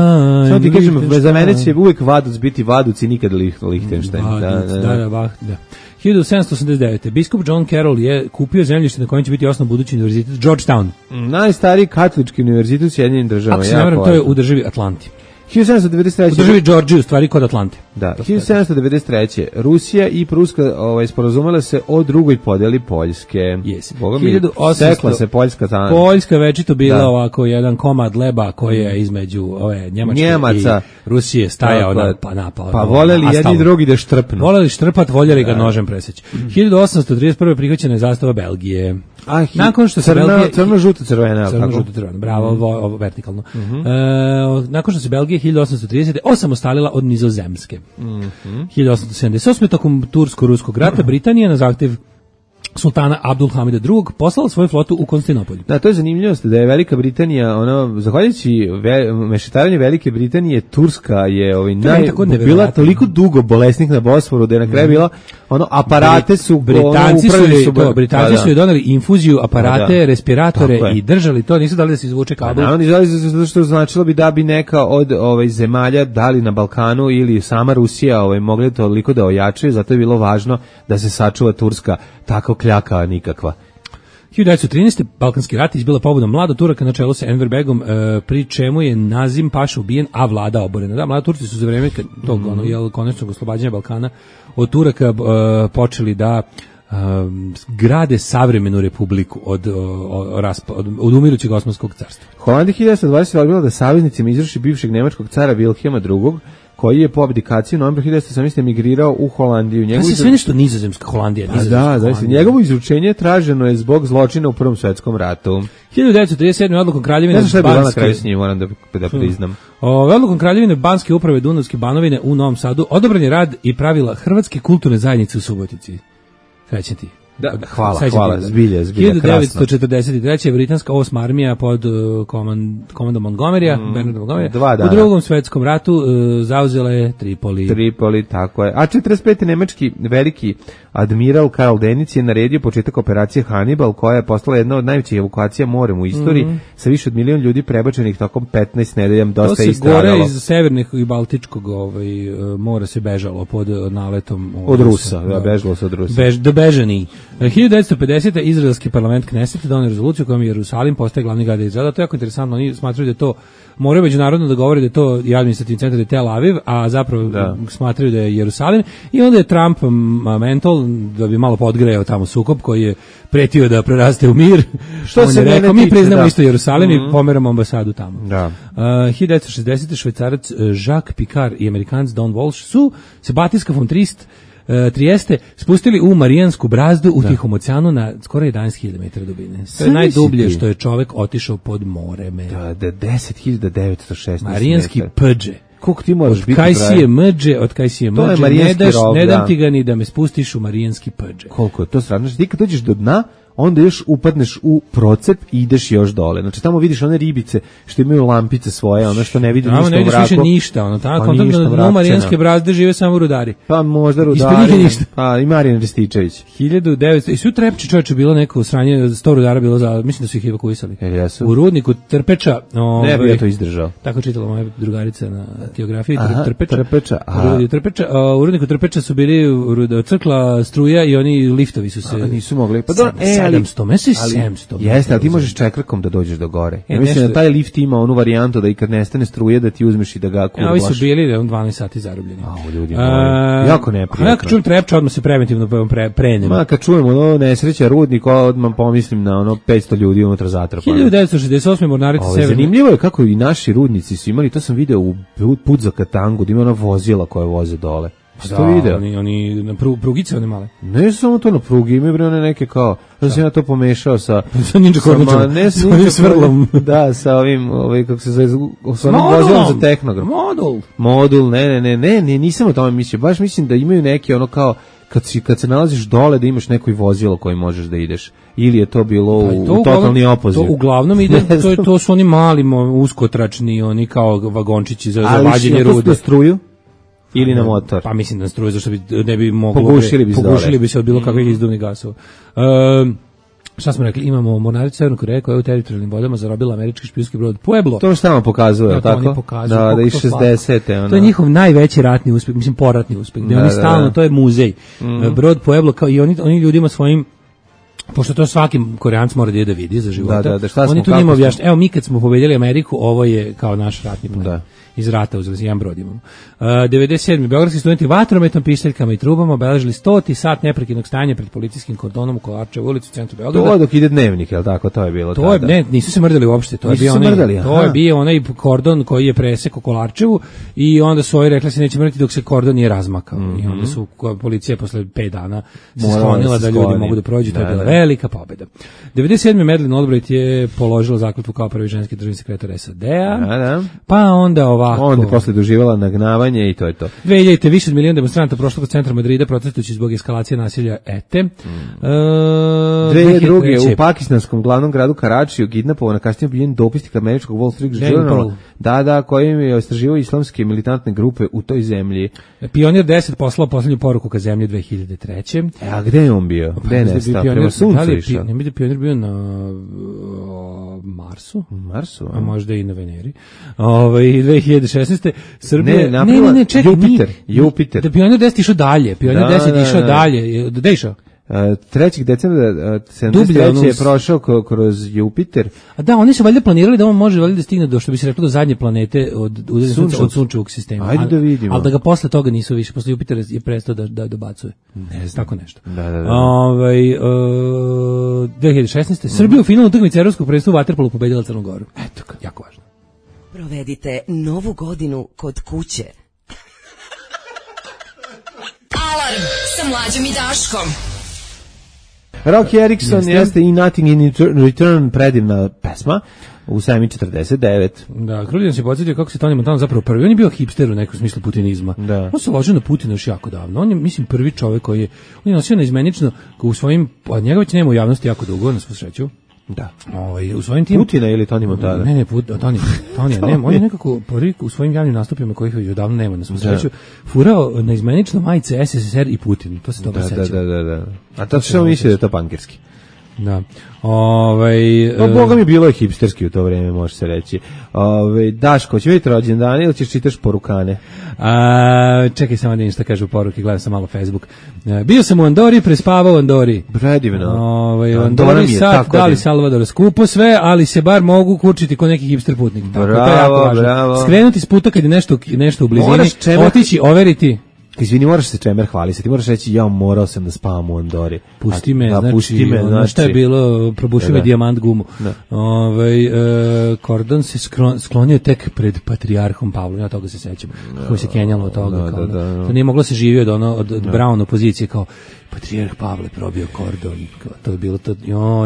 [SPEAKER 6] Samo ti kažem, za mene će uvijek Vaduc biti Vaduc i nikad Lichtenstein.
[SPEAKER 5] Da. 1789. Biskup John Carroll je kupio zemljište na kojem će biti osnov budući univerzitet Georgetown.
[SPEAKER 6] Najstariji katolički univerzitet u Sjedinjenim Državama.
[SPEAKER 5] Ako se ne varam, to je u državi Atlanti.
[SPEAKER 6] 1793.
[SPEAKER 5] U državi Georgiji, u stvari kod Atlante.
[SPEAKER 6] Da, 1793. Rusija i Pruska sporazumele se o drugoj podeli Poljske.
[SPEAKER 5] Yes.
[SPEAKER 6] Boga mi, sekla se Poljska tamo.
[SPEAKER 5] Poljska večito bila ovako jedan komad leba koji je između ove Njemaca i Rusije stajao
[SPEAKER 6] pa voljeli jedni drugi da štrpnu.
[SPEAKER 5] Voljeli štrpat, voljeli ga nožem preseći. 1831. prihvaćena je zastava Belgije. Nakon što se Belgija crveno-žuto-crveno, bravo, ovo vertikalno. Nakon što se Belgija 1830. osamostalila od Nizozemske. 1878. tokom Tursko-ruskog rata Britanija na zahtjev sultana Abdulhamida II. Poslala svoju flotu u Konstantinopolj.
[SPEAKER 6] Da, to je zanimljivost da je Velika Britanija, zahvaljujući mešetarenju Velike Britanije, Turska je bila toliko dugo bolesnik na Bosforu da je na kraju bila aparate su
[SPEAKER 5] Britanci su je doneli infuziju, aparate, respiratore i držali to, nisu dali da se izvuče kabel.
[SPEAKER 6] Oni zato što značilo bi da bi neka od zemalja dali na Balkanu ili sama Rusija mogli toliko da ojačaju, zato je bilo važno da se sačuva Turska tako kljaka nikakva.
[SPEAKER 5] 1913. Balkanski rat izbila pobuna mlada Turaka na čelu sa Enver Begom, pri čemu je Nazim Paša ubijen, a vlada oborena. Da, mlada Turci su za vreme tog konačnog oslobađanja Balkana od Turaka počeli da grade savremenu republiku od umirućeg Osmanskog carstva.
[SPEAKER 6] Holandija 1920. odbila da saveznicima izvrši bivšeg nemačkog cara Wilhelma II. Koji je po abdikaciji u novembru 1918. emigrirao u Holandiju.
[SPEAKER 5] Kada se sve nešto nizozemska Holandija?
[SPEAKER 6] Njegovo izručenje traženo je zbog zločina u Prvom svetskom ratu.
[SPEAKER 5] 1937. odlukom Kraljevine
[SPEAKER 6] Banske... Ne znam šta je bila na kraju s njim, moram da priznam.
[SPEAKER 5] Odlukom Kraljevine Banske uprave Dunavske Banovine u Novom Sadu odobren je rad i pravila Hrvatske kulturne zajednice u Subotici. Srećen ti.
[SPEAKER 6] Da, hvala, zbilja,
[SPEAKER 5] 1943. britanska 8. armija pod komandom Montgomerya, Bernarda Montgomerya, u Drugom svetskom ratu zauzela je Tripoli,
[SPEAKER 6] tako je. A 45. nemački veliki admiral Karl Dönitz je naredio početak operacije Hannibal, koja je postala jedna od najvećih evakuacija morem u istoriji, sa više od 1 milion ljudi prebačenih tokom 15 nedelja, dosta je istradalo.
[SPEAKER 5] To se gore iz severnih i baltičkog mora se bežalo pod naletom
[SPEAKER 6] od Rusa, bežalo se od Rusa.
[SPEAKER 5] Bežani. 1950. izraelski parlament Knesset donio rezoluciju kojom Jerusalim postaje glavni grad Izraela. To je jako interesantno. Oni smatraju da je to, moraju međunarodno da govore da je to i administrativni centar, da je Tel Aviv, a zapravo smatraju da je Jerusalim. I onda je Trump mentol, da bi malo podgrejao tamo sukob koji je pretio da preraste u mir. Što se rekao, mi priznamo isto Jerusalim i pomeramo ambasadu tamo. 1960. švajcarac Jacques Picard i Amerikanac Don Walsh su se Batinska von Trieste spustili u Marijansku brazdu u Tihom oceanu na skoro 11.000 metara dubine. To je najdublje što je čovek otišao pod morem.
[SPEAKER 6] Da, 10.916
[SPEAKER 5] Marijanski pđe.
[SPEAKER 6] Koliko ti moraš biti
[SPEAKER 5] od Kajsije mđe, ne dam ti ga ni da me spustiš u Marijanski pđe.
[SPEAKER 6] Koliko je to strašno? Ti kad dođeš do dna, onda još upadneš u procep i ideš još dole. Znači tamo vidiš one ribice što imaju lampice svoje, ono što ne vidi ništa u mraku.
[SPEAKER 5] Ne vidiš više ništa, ono tako. Na Marijanske brazde žive samo rudari.
[SPEAKER 6] Pa možda rudari. Pa i Marijan Rističević.
[SPEAKER 5] 1900 i su Trepči čoveče bilo neko sranje, 100 rudara bilo za, mislim da su ih evakuisali. U rudniku Trpeča,
[SPEAKER 6] ne bi ja to izdržao.
[SPEAKER 5] Tako čitala moja drugarica na geografiji.
[SPEAKER 6] Trpeča.
[SPEAKER 5] U rudniku Trpeča su bili crkla struja i oni liftovi su se
[SPEAKER 6] nisu mogli. Pa
[SPEAKER 5] 700, mesec 700.
[SPEAKER 6] Jeste, ali ti možeš čekrkom da dođeš do gore. Ja mislim da taj lift ima onu varijantu da i kad nestane struje da ti uzmeš i da ga kurvaš.
[SPEAKER 5] Ovi su bili 12 sati zarobljeni.
[SPEAKER 6] Ljudi jako neprijatno.
[SPEAKER 5] Ja kad čujem Trepča, odmah se preventivno prenem.
[SPEAKER 6] Kad čujem ono nesreća rudnik, odmah pomislim na ono 500 ljudi unutra zatrpano.
[SPEAKER 5] 1968. mornarica Severne.
[SPEAKER 6] Zanimljivo je kako i naši rudnici su imali, to sam video u put za Katangu, da ima ona vozila koje voze dole.
[SPEAKER 5] Da, oni na prugice one male.
[SPEAKER 6] Ne samo to na prugi, imaju bre one neke kao, da sam ja to pomešao sa
[SPEAKER 5] ninja kormačom,
[SPEAKER 6] ne s ninja svrlom. Da, sa ovim, kako se zove, sa onim vozilom za tehnogram. Modul, ne, nisam o tome mislio, baš mislim da imaju neke ono kao, kad se nalaziš dole da imaš neko vozilo koje možeš da ideš. Ili je to bilo u totalni opoziv?
[SPEAKER 5] To uglavnom ide, to su oni mali uskotračni, oni kao vagončići za vađenje rude.
[SPEAKER 6] Ali što struju? Ili na motor.
[SPEAKER 5] Pa mislim da struju, zašto ne bi moglo...
[SPEAKER 6] Pogušili
[SPEAKER 5] bi se od bilo kakvih izduvnih gasova. Šta smo rekli, imamo mornaricu Severne Koreje koja je u teritorijalnim vodama zarobila američki špijunski brod Pueblo.
[SPEAKER 6] To što nam pokazuje, tako? Da, i 60.
[SPEAKER 5] To je njihov najveći ratni uspeh, mislim poratni uspeh, gde oni stalno, to je muzej. Brod Pueblo, kao i oni ljudima svojim, pošto to svaki Koreanac mora da vidi za života, oni tu njima objašnjaju, evo mi kad smo pobedili Ameriku, ovo je kao naš ratni plan. Iz rata uzeli jedan brod imamo. 97. Beogradski studenti vatrometom, pištaljkama i trubama obeležili 100. sat neprekidnog stajanja pred policijskim kordonom u Kolarčevoj ulici u centru Beograda.
[SPEAKER 6] To dok ide dnevnik, je li tako? To je bilo tada.
[SPEAKER 5] Ne, nisu se mrdali uopšte. To je bio onaj kordon koji je presekao Kolarčevu i onda su ovi rekli se neće mrdati dok se kordon nije razmakao. I onda su policija posle 5 dana se sklonila da ljudi mogu da prođu. To je bila velika pobeda. 97. Madeleine Albright je položila zakletvu kao prvi ženski državni sekretar SAD-a. Pa onda
[SPEAKER 6] onda posle doživala nagnavanje i to je to.
[SPEAKER 5] 2000 više od miliona demonstranata prošlo kod centra Madrida protestujući zbog eskalacije nasilja ETE.
[SPEAKER 6] 2002. u pakistanskom glavnom gradu Karačiju kidnapovana kasnije ubijen dopisnik američkog Wall Street Journala. Da, kojim je istraživao islamske militantne grupe u toj zemlji.
[SPEAKER 5] Pionir 10 poslao poslednju poruku ka zemlji 2003.
[SPEAKER 6] A gde je on bio? Gde je nestao? Prema suncu išao?
[SPEAKER 5] Ne bi Pionir bio na Marsu? A možda i na Veneri. 2016. Srbija... Ne, čekaj.
[SPEAKER 6] Jupiter.
[SPEAKER 5] Da Pionir 10 išao dalje. Pionir 10 išao dalje. Gde išao?
[SPEAKER 6] 3. decembra 73. je prošao kroz Jupiter.
[SPEAKER 5] A da, oni su valjda planirali da on može valjda da stigne do, što bi se reklo, do zadnje planete od sunčevog sistema.
[SPEAKER 6] Ajde da vidimo.
[SPEAKER 5] Ali da ga posle toga nisu više, posle Jupitera je prestao da dobacuje.
[SPEAKER 6] Ne znam.
[SPEAKER 5] Tako nešto.
[SPEAKER 6] Da.
[SPEAKER 5] 2016. Srbija u finalu utakmice evropskog prvenstva u vaterpolu pobedila Crnu Goru. Eto, jako važno.
[SPEAKER 8] Provedite novu godinu kod kuće.
[SPEAKER 2] Alarm sa Mlađom i Daškom.
[SPEAKER 6] Rocky Erickson jeste i Nothing in Return, predivna pesma u 7:49.
[SPEAKER 5] Da, Kruljan se podsjetio kako se Tony Montana zapravo prvi. On je bio hipster u nekom smislu putinizma.
[SPEAKER 6] Da.
[SPEAKER 5] On se ložio na Putina još jako davno. On je, mislim, prvi čovjek koji je, on je nosio neizmenično u svojim, a njega već nema u javnosti jako dugo, na svu sreću.
[SPEAKER 6] Da.
[SPEAKER 5] U svojim tim
[SPEAKER 6] Putina ili Tony Montana?
[SPEAKER 5] Ne, Tony, nema. On je nekako prvi u svojim javnim nastupima kojih već odavno nema na svu sreću furao na izmenično majice SSSR i Putin. To se dobro seća.
[SPEAKER 6] Da. A to što misli da je to pankirski?
[SPEAKER 5] Da.
[SPEAKER 6] Boga mi bilo je hipsterski u to vreme, može se reći. Daško, će vidjeti rođendane ili ćeš čitaš porukane?
[SPEAKER 5] Čekaj samo da im šta kažu poruke, gledam sam malo Facebook. Bio sam u Andori, prespavao u Andori.
[SPEAKER 6] Predivno.
[SPEAKER 5] U Andori sad dali Salvador skupo sve, ali se bar mogu kurčiti kod neki hipster putnik.
[SPEAKER 6] Bravo.
[SPEAKER 5] Skrenuti s puta kad je nešto u blizini, otići, overiti.
[SPEAKER 6] Izvini, moraš se čemer hvalisati, ti moraš reći ja morao sam da spavam u Andori.
[SPEAKER 5] Pusti me, znači, šta je bilo, probušio me dijamant gumu. Kordon se sklonio tek pred patrijarhom Pavlom, ja toga se sećam, kako se kenjalo od toga. To nije moglo se živio od Brown opozicije, kao patrijarh Pavle probio kordon, to je bilo to,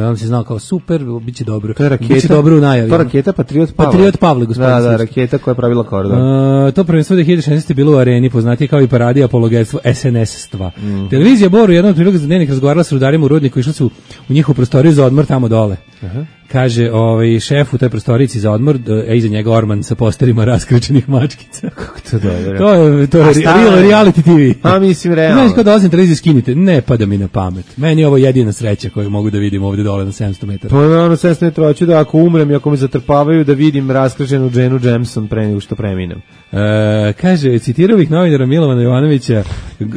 [SPEAKER 5] on se znao kao super, biće dobro, biće dobro u najavi.
[SPEAKER 6] To raketa Patriot Pavle.
[SPEAKER 5] Patriot Pavle, gospodin.
[SPEAKER 6] Da, raketa koja je pravila kordon.
[SPEAKER 5] To prvenstvo 2016. bilo u Areni, poznatije kao i paradi apologetstvo SNS-stva. Televizija Bor u jednom prilogu za dnevnik razgovarala s rudarima u rudniku, išli su u njihovu prostoriju za odmor tamo dole. Kaže, šef u toj prostorici za odmor, iza njega Orman sa posterima raskrečenih mačkica.
[SPEAKER 6] Kako to dobro?
[SPEAKER 5] To je reality TV.
[SPEAKER 6] A mislim, realno.
[SPEAKER 5] Znaš, kao dolazim televiziju, skinite, ne pada mi na pamet. Meni je ovo jedina sreća koju mogu da vidim ovdje dole na 700 metara.
[SPEAKER 6] To je ono 700 metara, hoću da ako umrem i ako me zatrpavaju da vidim raskrečenu Jenu Jameson pre nego što preminem.
[SPEAKER 5] Kaže, citirao bih novinara Milovana Jovanovića,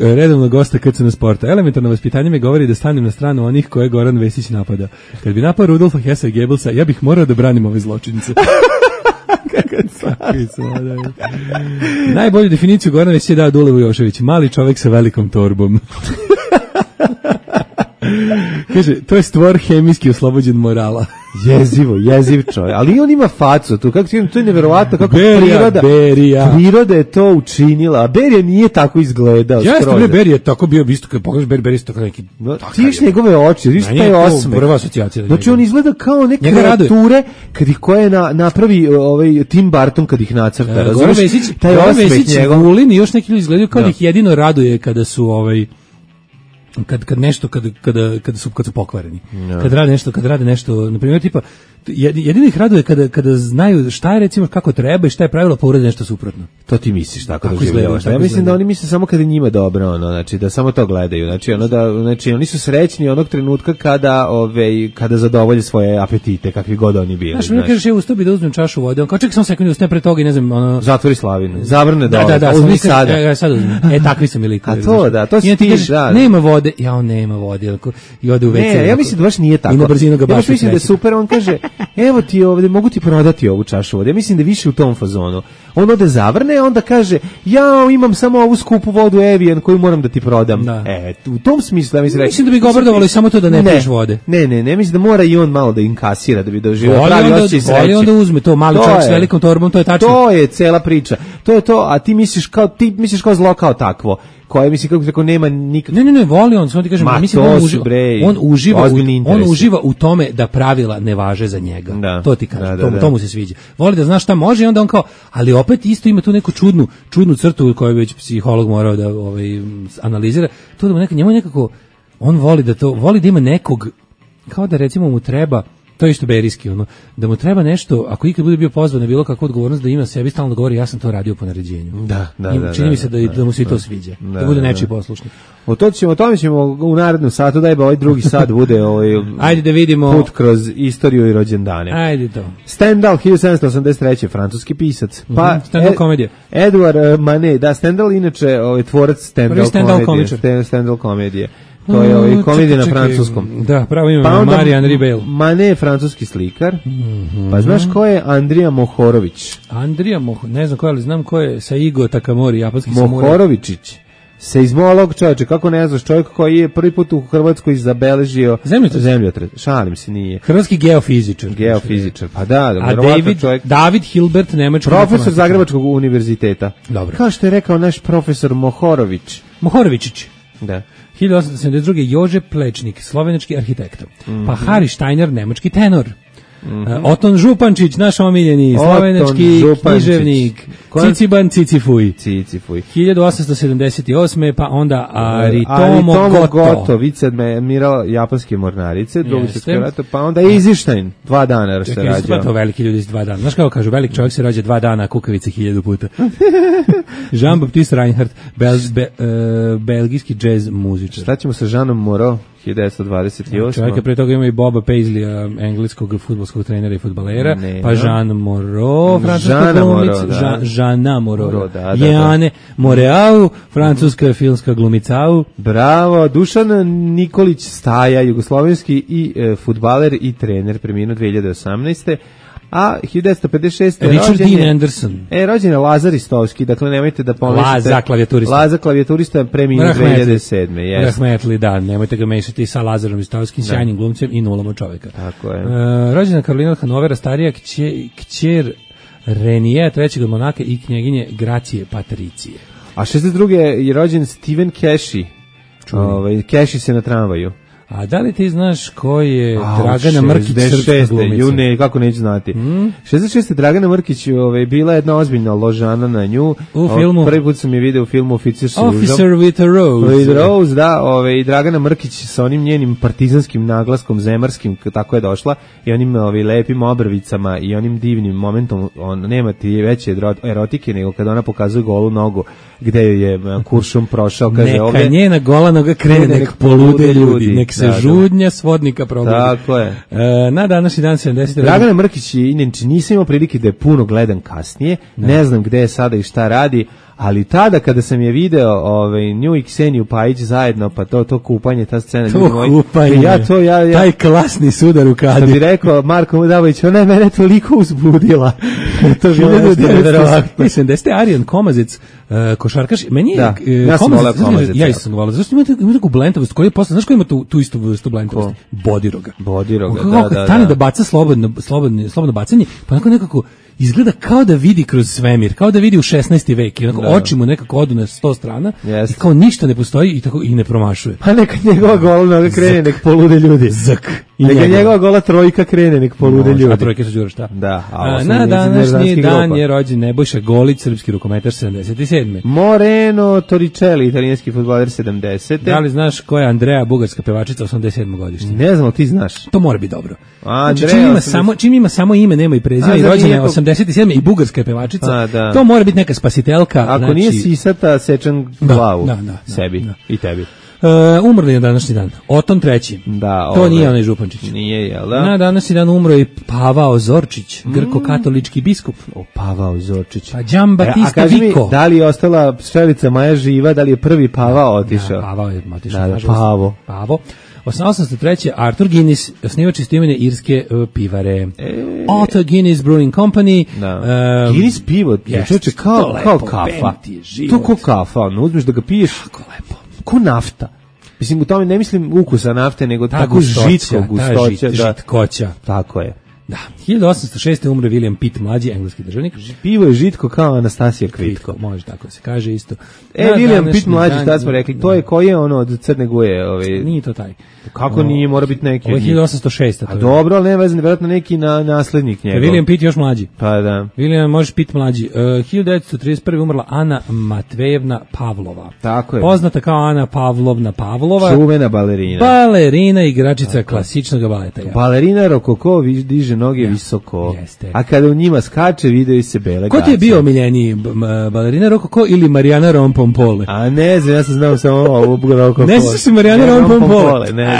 [SPEAKER 5] redovno gosta KCN Sporta. Elementarno vaspitanje me govori da stanem na stranu onih koje Goran Vesić napada. Kad bi napao Rudolfa Hessa i Goebbelsa, ja bih morao da branim ove zločince. Najbolju definiciju Goran Vesić je dao Dule Vujošević, mali čovek sa velikom torbom. Kaže, to je stvor hemijski oslobođen morala.
[SPEAKER 6] Jeziv čovjek. Ali on ima facu tu, kako to je neverovatno kako priroda je to učinila. A Berija nije tako izgledao.
[SPEAKER 5] Jeste, Berija je tako bio, isto kad pogledaš Berija je tako neki.
[SPEAKER 6] Ti viš njegove oči, viš taj osmeh.
[SPEAKER 5] Prva asocijacija.
[SPEAKER 6] Znači on izgleda kao neke kreature kad ih koje napravi Tim Burton kad ih nacrta.
[SPEAKER 5] Goran Vesić, Vulin i još neki ljudi izgledaju kao da ih jedino raduje kada su kad su pokvareni. Kad rade nešto, na primjer tipa jedino ih raduje kada znaju šta je recimo kako treba i šta je pravilo pa urade nešto suprotno.
[SPEAKER 6] To ti misliš tako doživljavaš. Ja mislim da oni misle samo kada njima dobro, znači da samo to gledaju. Znači oni su srećni onog trenutka kada zadovolje svoje apetite, kakvi god oni bili.
[SPEAKER 5] Znaš, mi kažeš ja ustao bi da uzmem čašu vode, on kao čekaj samo sekund, ustane pre toga i ne znam,
[SPEAKER 6] zatvori slavinu, zavrne dole,
[SPEAKER 5] uzmi sada. Ja sad uzmem. Takvi su mi likovi.
[SPEAKER 6] A to si ti, da.
[SPEAKER 5] Nema vode, on nema vode, i ode u WC.
[SPEAKER 6] Ne, ja mislim da baš nije tako.
[SPEAKER 5] I na brzinu ga baš.
[SPEAKER 6] Ja mislim da je super, on kaže evo ti ovdje, mogu ti prodati ovu čašu vode. Ja mislim da je više u tom fazonu. On ode zavrne, onda kaže, ja imam samo ovu skupu vodu Evian koju moram da ti prodam. Da. U tom smislu, ja
[SPEAKER 5] mislim da bi ga obradovalo i samo to da ne piješ vode.
[SPEAKER 6] Ne, mislim da mora i on malo da inkasira, da bi doživio pravi osjećaj sreće.
[SPEAKER 5] Ali onda uzme to, mali čovjek s velikom torbom, to je tačno.
[SPEAKER 6] To je cela priča. To je to, a ti misliš kao zlo kao takvo. Koje mislim kako rekao nema nikak.
[SPEAKER 5] Ne, voli on, samo ti kažem, mislim on uživa u tome da pravila ne važe za njega. Da, to ti kažem, to mu se sviđa. Voli da zna šta može i onda on kao, ali opet isto ima tu neku čudnu crtu koju već psiholog morao da analizira. To da mu njemu nekako on voli da ima nekog kao da recimo mu treba. To je isto berijski, da mu treba nešto, ako ikad bude bio pozvan na bilo kakvu odgovornost, da ima sebi stalno da govori ja sam to radio po naređenju. Čini mi se da mu se i to sviđa, da bude nečiji poslušnik.
[SPEAKER 6] O tome ćemo u narednom satu, daj ovaj drugi sat bude
[SPEAKER 5] ajde da vidimo
[SPEAKER 6] put kroz istoriju i rođendane.
[SPEAKER 5] Ajde to.
[SPEAKER 6] Stendhal, 1783. francuski pisac. Pa
[SPEAKER 5] Stendhal komedija.
[SPEAKER 6] Edouard Manet, da, Stendhal inače tvorac Stendhal komedije. To je komedija na francuskom.
[SPEAKER 5] Da, pravo ime Marie-Henri Beyle.
[SPEAKER 6] Manet je francuski slikar. Pa znaš ko je Andrija Mohorović?
[SPEAKER 5] Ne znam ko je, ali znam ko je Saigo Takamori, japanski samuraj.
[SPEAKER 6] Mohorovičić. Seizmolog, čovječe, kako ne znaš, čovjek koji je prvi put u Hrvatskoj zabeležio zemljotres. Šalim se, nije.
[SPEAKER 5] Hrvatski geofizičar.
[SPEAKER 6] Pa da,
[SPEAKER 5] a David Hilbert, nemački
[SPEAKER 6] profesor Zagrebačkog univerziteta.
[SPEAKER 5] Dobro.
[SPEAKER 6] Kao što je rekao naš profesor
[SPEAKER 5] Mohorovičić.
[SPEAKER 6] Da.
[SPEAKER 5] 1872. Jože Plečnik, slovenački arhitekta. Pa Hari Steiner, nemački tenor. Oton Župančić, naš omiljeni slovenački književnik. Ciciban Cicifuj. 1878. Pa onda Aritomo Goto,
[SPEAKER 6] viceadmiral japanske mornarice, drugi svjetski rat, pa onda Eisenstein, 2 dana se rađa.
[SPEAKER 5] To veliki ljudi s 2 dana. Znaš kako kažu, velik čovjek se rađa 2 dana, a kukavice 1000 puta. Jean-Baptiste Reinhardt, belgijski džez muzičar.
[SPEAKER 6] Šta ćemo sa Jeanom Moreau? 1928.
[SPEAKER 5] Čovjeka pre toga ima i Boba Paisleya, engleskog fudbalskog trenera i fudbalera, pa Jean Moreau, francuska glumica, Jeanna Moreau, Jeanne Moreau, francuska filmska glumicau.
[SPEAKER 6] Bravo, Dušan Nikolić Staja, jugoslovenski i fudbaler i trener, preminuo 2018. A 1956.
[SPEAKER 5] Richard Dean Anderson.
[SPEAKER 6] Rođen je Lazar Ristovski, dakle nemojte da pomešate. Laza klavijaturista preminuo 2007.
[SPEAKER 5] Rahmetli, da, nemojte ga mešati sa Lazarom Ristovskim, sjajnim glumcem i nulom od čoveka.
[SPEAKER 6] Tako je.
[SPEAKER 5] Rođena Karolina od Hanovera, starija kćer Renije, trećeg od Monaka i knjeginje Gracije Patricije.
[SPEAKER 6] A 62. je rođen Steven Keshi. Keshi se na tramvaju.
[SPEAKER 5] A da li ti znaš ko je Dragana Mrkić, srpska glumica?
[SPEAKER 6] Ne, kako neću znati. 66. Dragana Mrkić bila jedna ozbiljna ložana na nju.
[SPEAKER 5] U filmu?
[SPEAKER 6] Prvi put sam je video u filmu Officer
[SPEAKER 5] with a Rose.
[SPEAKER 6] With a Rose, da. I Dragana Mrkić sa onim njenim partizanskim naglaskom, zemarskim, tako je došla, i onim lepim obrvicama i onim divnim momentom, nema ti veće erotike nego kada ona pokazuje golu nogu gde je kuršum prošao. Kaže,
[SPEAKER 5] neka
[SPEAKER 6] ovdje,
[SPEAKER 5] njena gola noga krene, nek polude ljudi, nek se žudnja svodnika probudi.
[SPEAKER 6] Tako je.
[SPEAKER 5] Na današnji dan 70.
[SPEAKER 6] Dragana Mrkić, inače nisam imao prilike da je puno gledam kasnije, ne znam gde je sada i šta radi, ali tada kada sam je video nju i Kseniju Pajić zajedno, pa to kupanje, ta scena,
[SPEAKER 5] taj klasni sudar u kadru.
[SPEAKER 6] Kad bi rekao Marko Mudavović, ona je mene toliko uzbudila. To je
[SPEAKER 5] 1970. Arijan Komazec, košarkaš, meni je
[SPEAKER 6] ja sam volao Komazec.
[SPEAKER 5] Ja sam volao. Zašto ima takvu blentavost koji je posle, znaš ko ima tu istu vrstu blentavosti? Bodiroga, da. Tane da baca slobodno bacanje, pa nekako izgleda kao da vidi kroz svemir, kao da vidi u 16. vek, i oči mu nekako odu na 100 strana i kao ništa ne postoji i ne promašuje.
[SPEAKER 6] Pa neka njegova gola noga krene, nek polude ljudi. Neka njegova gola trojka krene, nek polude ljudi.
[SPEAKER 5] A trojke su đura šta?
[SPEAKER 6] Da.
[SPEAKER 5] Na današnji dan je rođen Nebojša Golić, srpski rukometaš 77.
[SPEAKER 6] Moreno Torricelli, italijanski fudbaler 70.
[SPEAKER 5] Da li znaš ko je Andrea, bugarska pevačica 87. godišnja?
[SPEAKER 6] Ne znam, ti znaš.
[SPEAKER 5] To mora biti dobro. Čim ima samo ime, nema i prezime, i rođena je 87. i bugarska je pevačica, to mora biti neka spasitelka.
[SPEAKER 6] Ako nije sisata, sečem glavu sebi i tebi.
[SPEAKER 5] Umrli je današnji dan. Oton III. To nije onaj Župančić.
[SPEAKER 6] Nije, jel da?
[SPEAKER 5] Na današnji dan umro i Pavao Zorčić, grko-katolički biskup.
[SPEAKER 6] Pavao Zorčić.
[SPEAKER 5] Pa Giambattista Vico.
[SPEAKER 6] A kaži mi, da li je ostala pšelica Maja živa, da li je prvi Pavao otišao?
[SPEAKER 5] Pavao je otišao.
[SPEAKER 6] Pavo.
[SPEAKER 5] 1803. Arthur Guinness, osnivač istoimene irske pivare. Arthur Guinness Brewing Company.
[SPEAKER 6] Guinness pivo, kao kafa. To kao kafa, uzmeš da ga piješ.
[SPEAKER 5] Kako lepo.
[SPEAKER 6] Ko nafta. Mislim, u tome ne mislim ukusa nafte, nego tako žitko gustoća.
[SPEAKER 5] Žitkoća.
[SPEAKER 6] Tako je.
[SPEAKER 5] Da. 1806. umre William Pitt, mlađi engleski državnik.
[SPEAKER 6] Pivo je žitko kao Anastasija Kvitko.
[SPEAKER 5] Može tako se kaže isto.
[SPEAKER 6] William Pitt mlađi, šta smo rekli, to je koji je ono od Crne Guje?
[SPEAKER 5] Nije to taj.
[SPEAKER 6] Kako nije, mora biti neki.
[SPEAKER 5] Ovo je 1806.
[SPEAKER 6] A dobro, ali ne vezan, vjerojatno neki naslednik njegov.
[SPEAKER 5] William Pitt još mlađi.
[SPEAKER 6] Pa da.
[SPEAKER 5] William možeš Pitt mlađi. 1931. umrla Ana Matvejevna Pavlova.
[SPEAKER 6] Tako je.
[SPEAKER 5] Poznata kao Ana Pavlovna Pavlova.
[SPEAKER 6] Čuvena balerina.
[SPEAKER 5] Balerina, igračica klasičnog baleta.
[SPEAKER 6] Balerina rokoko diže noge visoko.
[SPEAKER 5] Jeste.
[SPEAKER 6] A kada u njima skače, video se bele gaće.
[SPEAKER 5] Ko ti je bio omiljeniji, balerina rokoko ili Marijana Rompompole?
[SPEAKER 6] A ne znam, ja sam znao samo ovu rokoko.
[SPEAKER 5] Ne znaš si Marijana Rompompole?
[SPEAKER 6] Ne.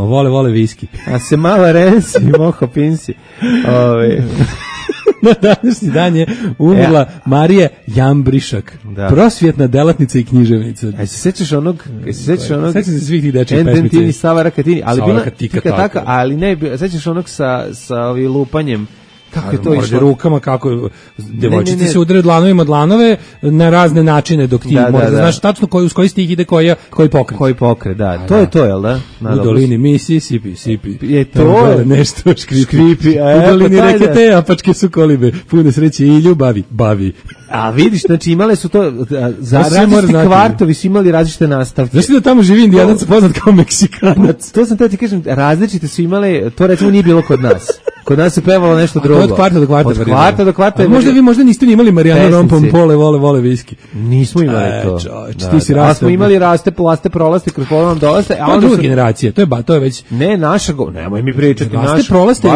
[SPEAKER 5] Vole viski.
[SPEAKER 6] A se mala rensi, moho pinsi.
[SPEAKER 5] Na današnji dan je umrla Marija Jambrišak, prosvjetna delatnica i književnica.
[SPEAKER 6] A se sećaš onog?
[SPEAKER 5] Sećam se svih tih dečjih pesmica.
[SPEAKER 6] Ententini, Sava Rakatini, ali bila tika taka, ali ne, sećaš onog sa ovim lupanjem. Kako je to išlo?
[SPEAKER 5] Rukama, kako devojčice se udaraju dlanovima dlanove na razne načine, dok ti možda znaš tačno uz koji stih ide koji pokret.
[SPEAKER 6] Koji pokret, da. To je to, jel da?
[SPEAKER 5] U dolini Mississippi,
[SPEAKER 6] je to
[SPEAKER 5] nešto škripi. U dolini reke te apačke su kolibe, pune sreće i ljubavi, bavi.
[SPEAKER 6] A vidiš, znači imale su to, za različiti kvartovi su imali različite nastavke.
[SPEAKER 5] Znaš da tamo živi Indijanac poznat kao Meksikanac?
[SPEAKER 6] To sam te ti kažem, različite su imale, to recimo nije bilo kod nas. Kod nas se pevalo nešto drugo.
[SPEAKER 5] Od kvarta do kvarta.
[SPEAKER 6] Od kvarta do kvarta.
[SPEAKER 5] Možda niste ni imali Marijana Rompompole, vole viski.
[SPEAKER 6] Nismo imali to.
[SPEAKER 5] Ti si rastao.
[SPEAKER 6] A smo imali raste, prolaste, kroz polovnom dolaste.
[SPEAKER 5] A onda druga generacija, to je već...
[SPEAKER 6] Ne, naša, nemoj mi pričati.
[SPEAKER 5] Raste, prolaste,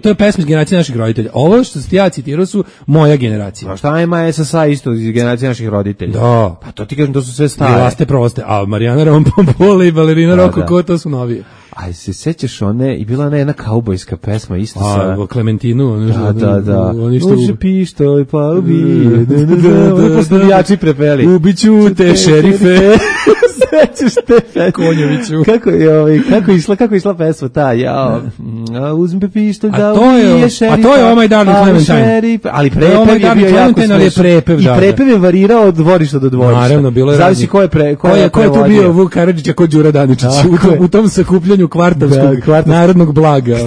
[SPEAKER 5] to je pesma iz generacije naših roditelja. Ovo što ste ja citirao su moja generacija.
[SPEAKER 6] A šta ima SSA isto iz generacije naših roditelja?
[SPEAKER 5] Da.
[SPEAKER 6] Pa to ti kažem, to su sve stare.
[SPEAKER 5] Bilaste proste, a Marijana Rompompola i Balerina Roko, ko to su novije?
[SPEAKER 6] Aj, se sećaš one, i bila ona jedna kaubojska pesma, isto sa...
[SPEAKER 5] Klementinu.
[SPEAKER 6] Da. Uđe pištolj, pa ubije. Oni postavljači prepeli.
[SPEAKER 5] Ubiću te, šerife.
[SPEAKER 6] Sećaš te pesme?
[SPEAKER 5] Konjoviću.
[SPEAKER 6] Kako je išla pesma ta? Uzme pištolj da
[SPEAKER 5] ubije šerifa. A to je Oh My Darling Clementine.
[SPEAKER 6] Ali prepev je bio jako smešan. I prepev je varirao od dvorišta do dvorišta.
[SPEAKER 5] Naravno, bilo je...
[SPEAKER 6] Zavisi ko je prevodio.
[SPEAKER 5] Ko je tu bio Vuk Karadžić, a ko Đura Daničić? U tom sakupljanju kvartovskog narodnog blaga.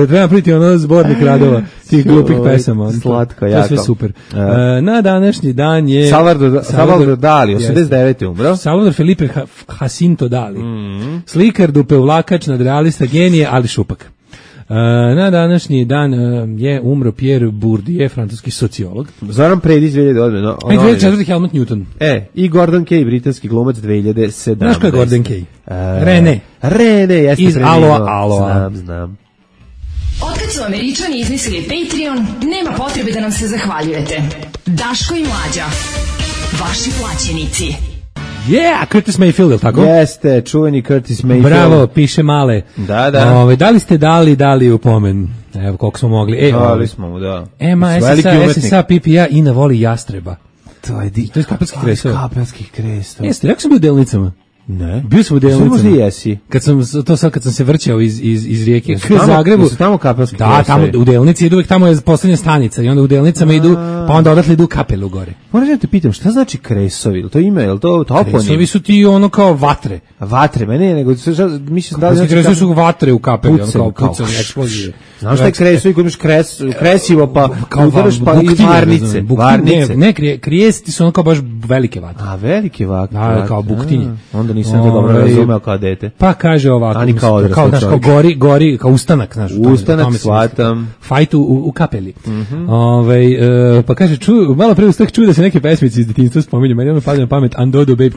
[SPEAKER 5] Treba napraviti ono zbornik radova tih glupih pesama.
[SPEAKER 6] Slatko,
[SPEAKER 5] jako. To je sve super. Na današnji dan je...
[SPEAKER 6] Salvador Dali, 89. umro.
[SPEAKER 5] Salvador Felipe Jacinto Dali. Slikar, dupevlakač, nadrealista, genije, ali šupak. Na današnji dan je umro Pierre Bourdieu, francuski sociolog.
[SPEAKER 6] Zoran Predić 2008.
[SPEAKER 5] 2004. Helmut Newton.
[SPEAKER 6] I Gordon Kay, britanski glumac 2017.
[SPEAKER 5] Znaš ko je Gordon Kay?
[SPEAKER 6] Rene, jeste
[SPEAKER 5] iz Aloha.
[SPEAKER 6] Znam.
[SPEAKER 2] Otkad su Američani izmislili Patreon, nema potrebe da nam se zahvaljujete. Daško i Mlađa, vaši plaćenici.
[SPEAKER 5] Curtis Mayfield, je tako?
[SPEAKER 6] Jeste, čuveni Curtis Mayfield.
[SPEAKER 5] Bravo, piše male.
[SPEAKER 6] Da.
[SPEAKER 5] Da li ste dali upomen? Evo, koliko smo mogli.
[SPEAKER 6] Dali smo mu, da.
[SPEAKER 5] SSA, PPA, Ina voli jastreba.
[SPEAKER 6] To je
[SPEAKER 5] iz Kapelskih kresova. Jeste, jak sam bio u Delnicama?
[SPEAKER 6] Ne.
[SPEAKER 5] Bio sam u Delnicama.
[SPEAKER 6] Možda jesi.
[SPEAKER 5] Kad sam se vrćao iz rijeke k Zagrebu.
[SPEAKER 6] Su tamo Kapelski
[SPEAKER 5] kresovi? Da, tamo u Delnici idu, uvek tamo je poslednja stanica i onda u Delnicama idu, pa onda odatle idu Kapelu gore.
[SPEAKER 6] Moram da te pitam, šta znači kresovi? Je to ime, je to toponim?
[SPEAKER 5] Kresovi su ti ono kao vatre.
[SPEAKER 6] Vatre, mene nego mislim da
[SPEAKER 5] znači kresovi su vatre u Kapeli, ono kao pucanje, eksplozije.
[SPEAKER 6] Znaš šta je kresovi, kod imaš kresivo, pa udaraš pa i varnice.
[SPEAKER 5] Ne, krijesti su ono kao baš velike vatre.
[SPEAKER 6] A, velike vatre.
[SPEAKER 5] Da, kao buktinje.
[SPEAKER 6] Onda nisam to dobro razumeo kao dete.
[SPEAKER 5] Pa kaže ovako, kao gori, kao ustanak, znaš.
[SPEAKER 6] Ustanak, shvatam.
[SPEAKER 5] Fajt u Kapeli. Pa kaže, malo pre ustak čuo da se neke pesmice iz detinjstva spominju, meni ono pada na pamet, Andodo baby,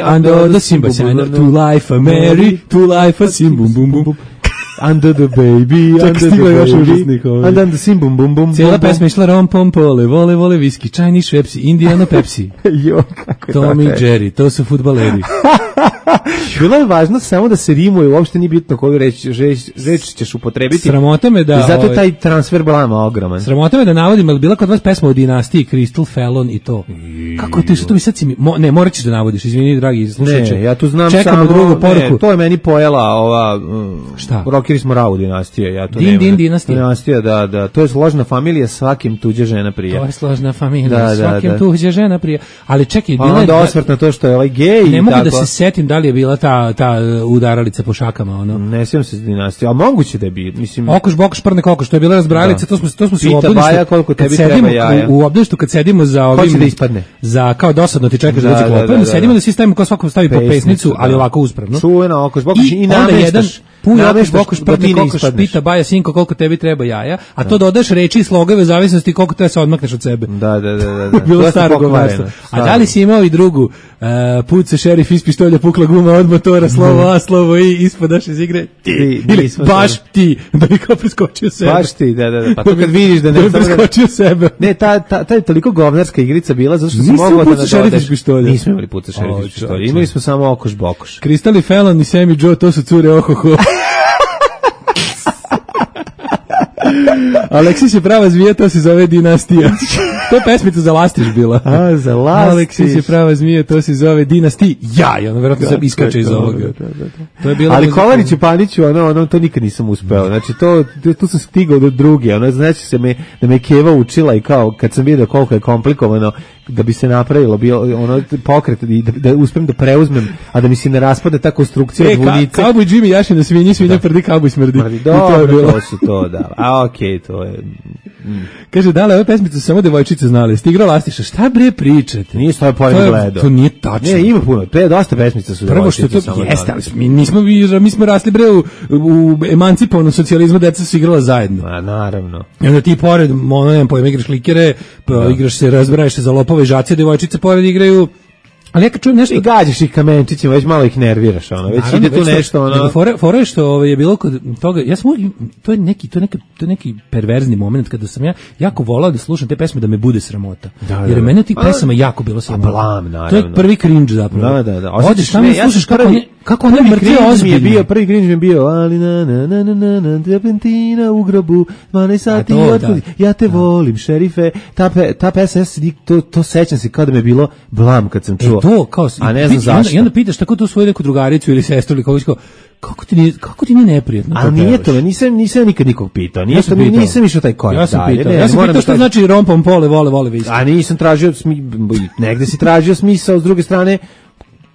[SPEAKER 5] Andodo Simba, to life a Mary, to life a Sim, bum bum bum.
[SPEAKER 6] Under the baby, under the sim, bum bum bum.
[SPEAKER 5] Cijela pesma išla Rompompola, vole viski, čajni švepsi, Indiana Pepsi. Tommy Jerry, to su fudbaleri.
[SPEAKER 6] Bilo je važno samo da se rimuje, uopšte nije bitno koju reč ćeš upotrebiti.
[SPEAKER 5] Sramota me da...
[SPEAKER 6] I zato je taj transfer blama ogroman.
[SPEAKER 5] Sramota me da navodim, ali bila kod vas pesma o dinastiji, Crystal Fallon i to. Kako ti što to mi sad si mi... Ne, morat ćeš da navodiš, izvini, dragi slušajući.
[SPEAKER 6] Ne, ja tu znam
[SPEAKER 5] čekamo
[SPEAKER 6] samo...
[SPEAKER 5] drugu poruku.
[SPEAKER 6] Ne, to je meni pojela ova...
[SPEAKER 5] Šta?
[SPEAKER 6] Rockeri smo Rau dinastije, ja to
[SPEAKER 5] Din dinastija.
[SPEAKER 6] Dinastija, da. To je složna familija, svakim tuđe žena prija.
[SPEAKER 5] To je složna familija, svakim tuđe žena prija. Ali čekaj,
[SPEAKER 6] bila je... Pa onda osvrt na to što je ovaj gej i
[SPEAKER 5] ne mogu
[SPEAKER 6] tako.
[SPEAKER 5] Da se setim da li je bila ta udaralica po šakama, ono.
[SPEAKER 6] Ne sjećam se dinastije, a moguće da je bio, mislim.
[SPEAKER 5] Okoš bokoš prne kokoš, to je bila razbralica, to smo se u obdaništu.
[SPEAKER 6] Baja koliko tebi treba jaja.
[SPEAKER 5] U obdaništu kad sedimo za ovim.
[SPEAKER 6] Hoće da ispadne.
[SPEAKER 5] Za kao dosadno ti čekaš da dođe klopa, sedimo da svi stavimo kao svako stavi po pesnicu, ali ovako uspravno.
[SPEAKER 6] Čuveno okoš bokoš i nameštaš.
[SPEAKER 5] Puno bokoš prne kokoš pita baja sinko koliko tebi treba jaja, a to dodaš reči i slogove zavisnosti koliko te se odmakneš od sebe.
[SPEAKER 6] Da.
[SPEAKER 5] Bilo staro govarstvo. A da li si imao i drugu puca šerif iz pištolja, pukla guma od motora, slovo A, slovo I, ispadaš iz igre ti, ili baš ti, da bi kao preskočio sebe.
[SPEAKER 6] Baš ti, da. Pa to kad vidiš da ne
[SPEAKER 5] preskočio sebe.
[SPEAKER 6] Ne, ta je toliko govnarska igrica bila, zato što se moglo da
[SPEAKER 5] šerif iz pištolja.
[SPEAKER 6] Nismo imali puca šerif iz pištolja, imali smo samo okoš bokoš.
[SPEAKER 5] Crystal Fallon i Sammy Joe, to su cure ohoho. Aleksis je prava zmija, to se zove dinastija. To je pesmica za Lastiš bila.
[SPEAKER 6] A, za Lastiš.
[SPEAKER 5] Aleksis je prava zmija, to se zove dinastija. I ono verovatno se iskače iz ovoga.
[SPEAKER 6] To je bilo. Ali Kolarić i Paniću, ono to nikad nisam uspeo. Znači tu sam stigao do druge. Ono znači se da me Keva učila i kao kad sam vidio koliko je komplikovano da bi se napravilo ono pokret i da uspem da preuzmem, a da mi se ne raspada ta konstrukcija od vunice.
[SPEAKER 5] Cowboy Jimmy jaši na svinja prdi, cowboy smrdi.
[SPEAKER 6] To su to, da. A okej, to je...
[SPEAKER 5] Kaže, da li ove pesmice su samo devojčice znali? Ste igrao Lastiša, šta bre pričate?
[SPEAKER 6] Nije stoje pojem gledao.
[SPEAKER 5] To nije tačno.
[SPEAKER 6] Ne, ima puno, dosta pesmica su devojčice.
[SPEAKER 5] Prvo što to jeste, ali mi smo rasli bre u emancipovanom socijalizmu, deca su igrala zajedno.
[SPEAKER 6] A, naravno.
[SPEAKER 5] I onda ti pored, nemam pojma, igraš klikere, igraš se, razbraješ se za lopove i žacije, devojčice pored igraju Ali ja kad čujem nešto...
[SPEAKER 6] I gađaš ih kamenčićima, već malo ih nerviraš, ono, već naravno, ide tu nešto, ono...
[SPEAKER 5] Fora je što je bilo kod toga, ja sam to je neki perverzni moment kada sam ja jako volao da slušam te pesme da me bude sramota. Jer mene tih pesama jako bilo sramota. To je prvi cringe zapravo.
[SPEAKER 6] Da.
[SPEAKER 5] Odeš tamo i slušaš kako one mrtve ozbiljne.
[SPEAKER 6] Prvi cringe mi je bio, ali na, depentina u grobu, 12 sati, ja te volim, šerife, ta pesma, to sećam se kao da me je bilo blam kad sam čuo.
[SPEAKER 5] To, kao,
[SPEAKER 6] a ne znam zašto.
[SPEAKER 5] I onda pitaš tako tu svoju neku drugaricu ili sestru ili kao, kako ti nije neprijatno?
[SPEAKER 6] A nije to, nisam nikad nikog pitao. Nisam išao taj korak.
[SPEAKER 5] Ja sam pitao što znači rompom pole, vole viski.
[SPEAKER 6] A nisam tražio, negde si tražio smisao, s druge strane,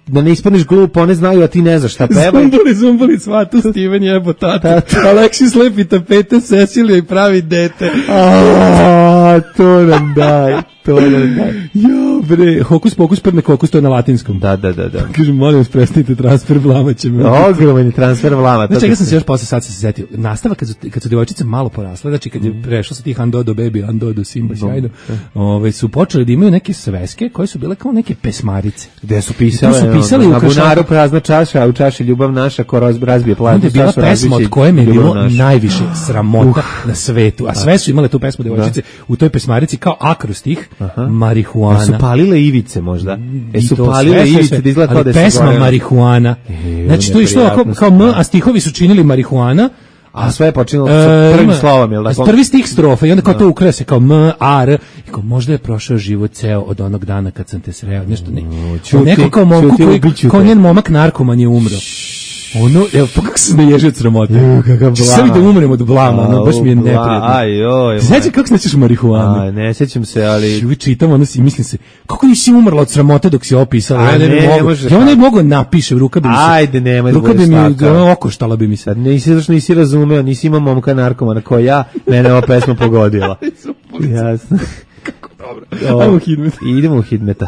[SPEAKER 6] da ne ispadneš glupo, one znaju, a ti ne znaš šta pevaju.
[SPEAKER 5] Zumbuli, svatu, Steven jebo tata. Aleksis lepi tapete, Cecilija i pravi dete.
[SPEAKER 6] To nam daj.
[SPEAKER 5] Jo, bre, hokus pokus prne kokus, to je na latinskom.
[SPEAKER 6] Da.
[SPEAKER 5] Kažem, molim vas, prestanite transfer vlama će me.
[SPEAKER 6] Ogroman transfer vlama.
[SPEAKER 5] Znači, ja sam se još posle sad se setio. Nastava kad su devojčice malo porasle, znači kad je prešlo sa tih Andodo baby, Andodo Simba sjajno, su počeli da imaju neke sveske koje su bile kao neke pesmarice.
[SPEAKER 6] Gde su pisale
[SPEAKER 5] na
[SPEAKER 6] bunaru prazna čaša, a u čaši ljubav naša ko razbije platu.
[SPEAKER 5] Onda je bila pesma od koje mi je bilo najviše sramota na svetu, a sve su imale tu pesmu devojčice u toj pesmarici kao akrostih. Marihuana.
[SPEAKER 6] Su palile ivice možda. Su palile ivice da izgleda kao da se
[SPEAKER 5] pesma marihuana. Znači to je išlo kao M, a stihovi su činili marihuana.
[SPEAKER 6] A sve je počinilo sa prvim slovom, jel da?
[SPEAKER 5] Prvi stih strofa i onda kao to ukrase kao M, A, R. I kao možda je prošao život ceo od onog dana kad sam te sreo. Nešto ne. Neko kao momku kao njen momak narkoman je umro. Ono, evo, pa kako se naježio od sramote? Sad da umrem od blama, ono, baš mi je neprijatno. Znači, kako se nećeš marihuanu?
[SPEAKER 6] Ne sjećam se, ali...
[SPEAKER 5] Čuvi, čitam, ono si, mislim se, kako nisi umrla od sramote dok si opisala? Ja ne mogu napišem, ruka bi mi se...
[SPEAKER 6] Ajde, nemoj da
[SPEAKER 5] budeš taka. Ruka bi mi, okoštala bi mi se.
[SPEAKER 6] Nisi razumeo, nisi imao momka narkomana ko ja, mene ova pesma pogodila. Jasno.
[SPEAKER 5] Kako dobro. Ajmo u Hidmet.
[SPEAKER 6] Idemo u Hidmeta.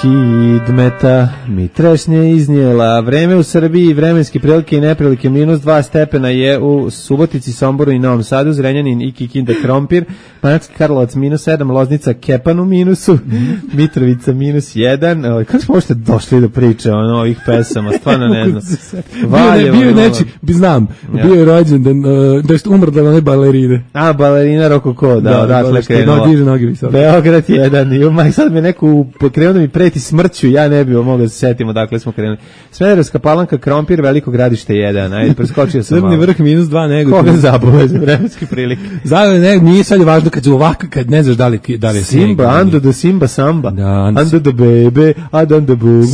[SPEAKER 6] Hidmeta mi trešnje iznijela. Vreme u Srbiji, vremenske prilike i neprilike, -2 stepena je u Subotici, Somboru i Novom Sadu, Zrenjanin i Kikinda Krompir, Banatski Karlovac -7, Loznica Kepan u minusu, Mitrovica -1. Kako smo možete došli do priče o ovih pesama, stvarno ne znam.
[SPEAKER 5] Bio je neći, znam, bio je rođendan, da je umrla one balerine.
[SPEAKER 6] A, balerina Rokoko, da, odatle krenula. Beograd 1, sad me neko krenuo da mi preti smrću, ja ne bih mogao da se setimo dakle smo krenuli. Smederevska Palanka, Krompir, Veliko Gradište 1. Ajde, preskočio sam malo.
[SPEAKER 5] Crni vrh -2 nego.
[SPEAKER 6] Koga zabave za vremenske prilike?
[SPEAKER 5] Nije sad važno kad ne znaš da li je
[SPEAKER 6] Simba, Ando do Simba Samba. Ando do Bebe, Adan do Bugu.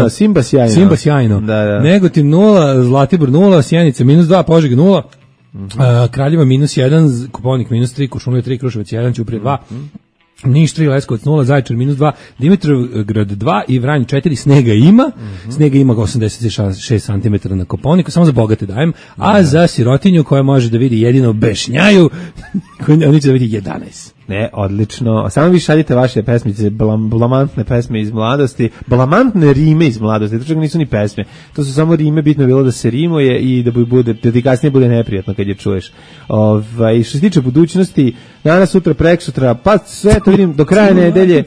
[SPEAKER 5] Simba sjajno. Negotin 0, Zlatibor 0, Sjenica -2, Požega 0. Kraljeva -1, Koponik -3, Kuršumlija 3, Kruševac 1, Ćuprija 2. Niš 3, Leskovac 0, Zaječar -2, Dimitrovgrad 2 i Vranj 4, snega ima. Snega ima 86 cm na Koponiku, samo za bogate dajem, a za sirotinju koja može da vidi jedino bešnjaju, oni će da vidi 11.
[SPEAKER 6] Ne, odlično. Samo vi šaljite vaše pesmice, blamantne pesme iz mladosti, blamantne rime iz mladosti, to čak nisu ni pesme. To su samo rime, bitno je bilo da se rimuje i da ti kasnije bude neprijatno kad je čuješ. Što se tiče budućnosti, danas, sutra, preksutra, pa sve to vidim do kraja nedelje.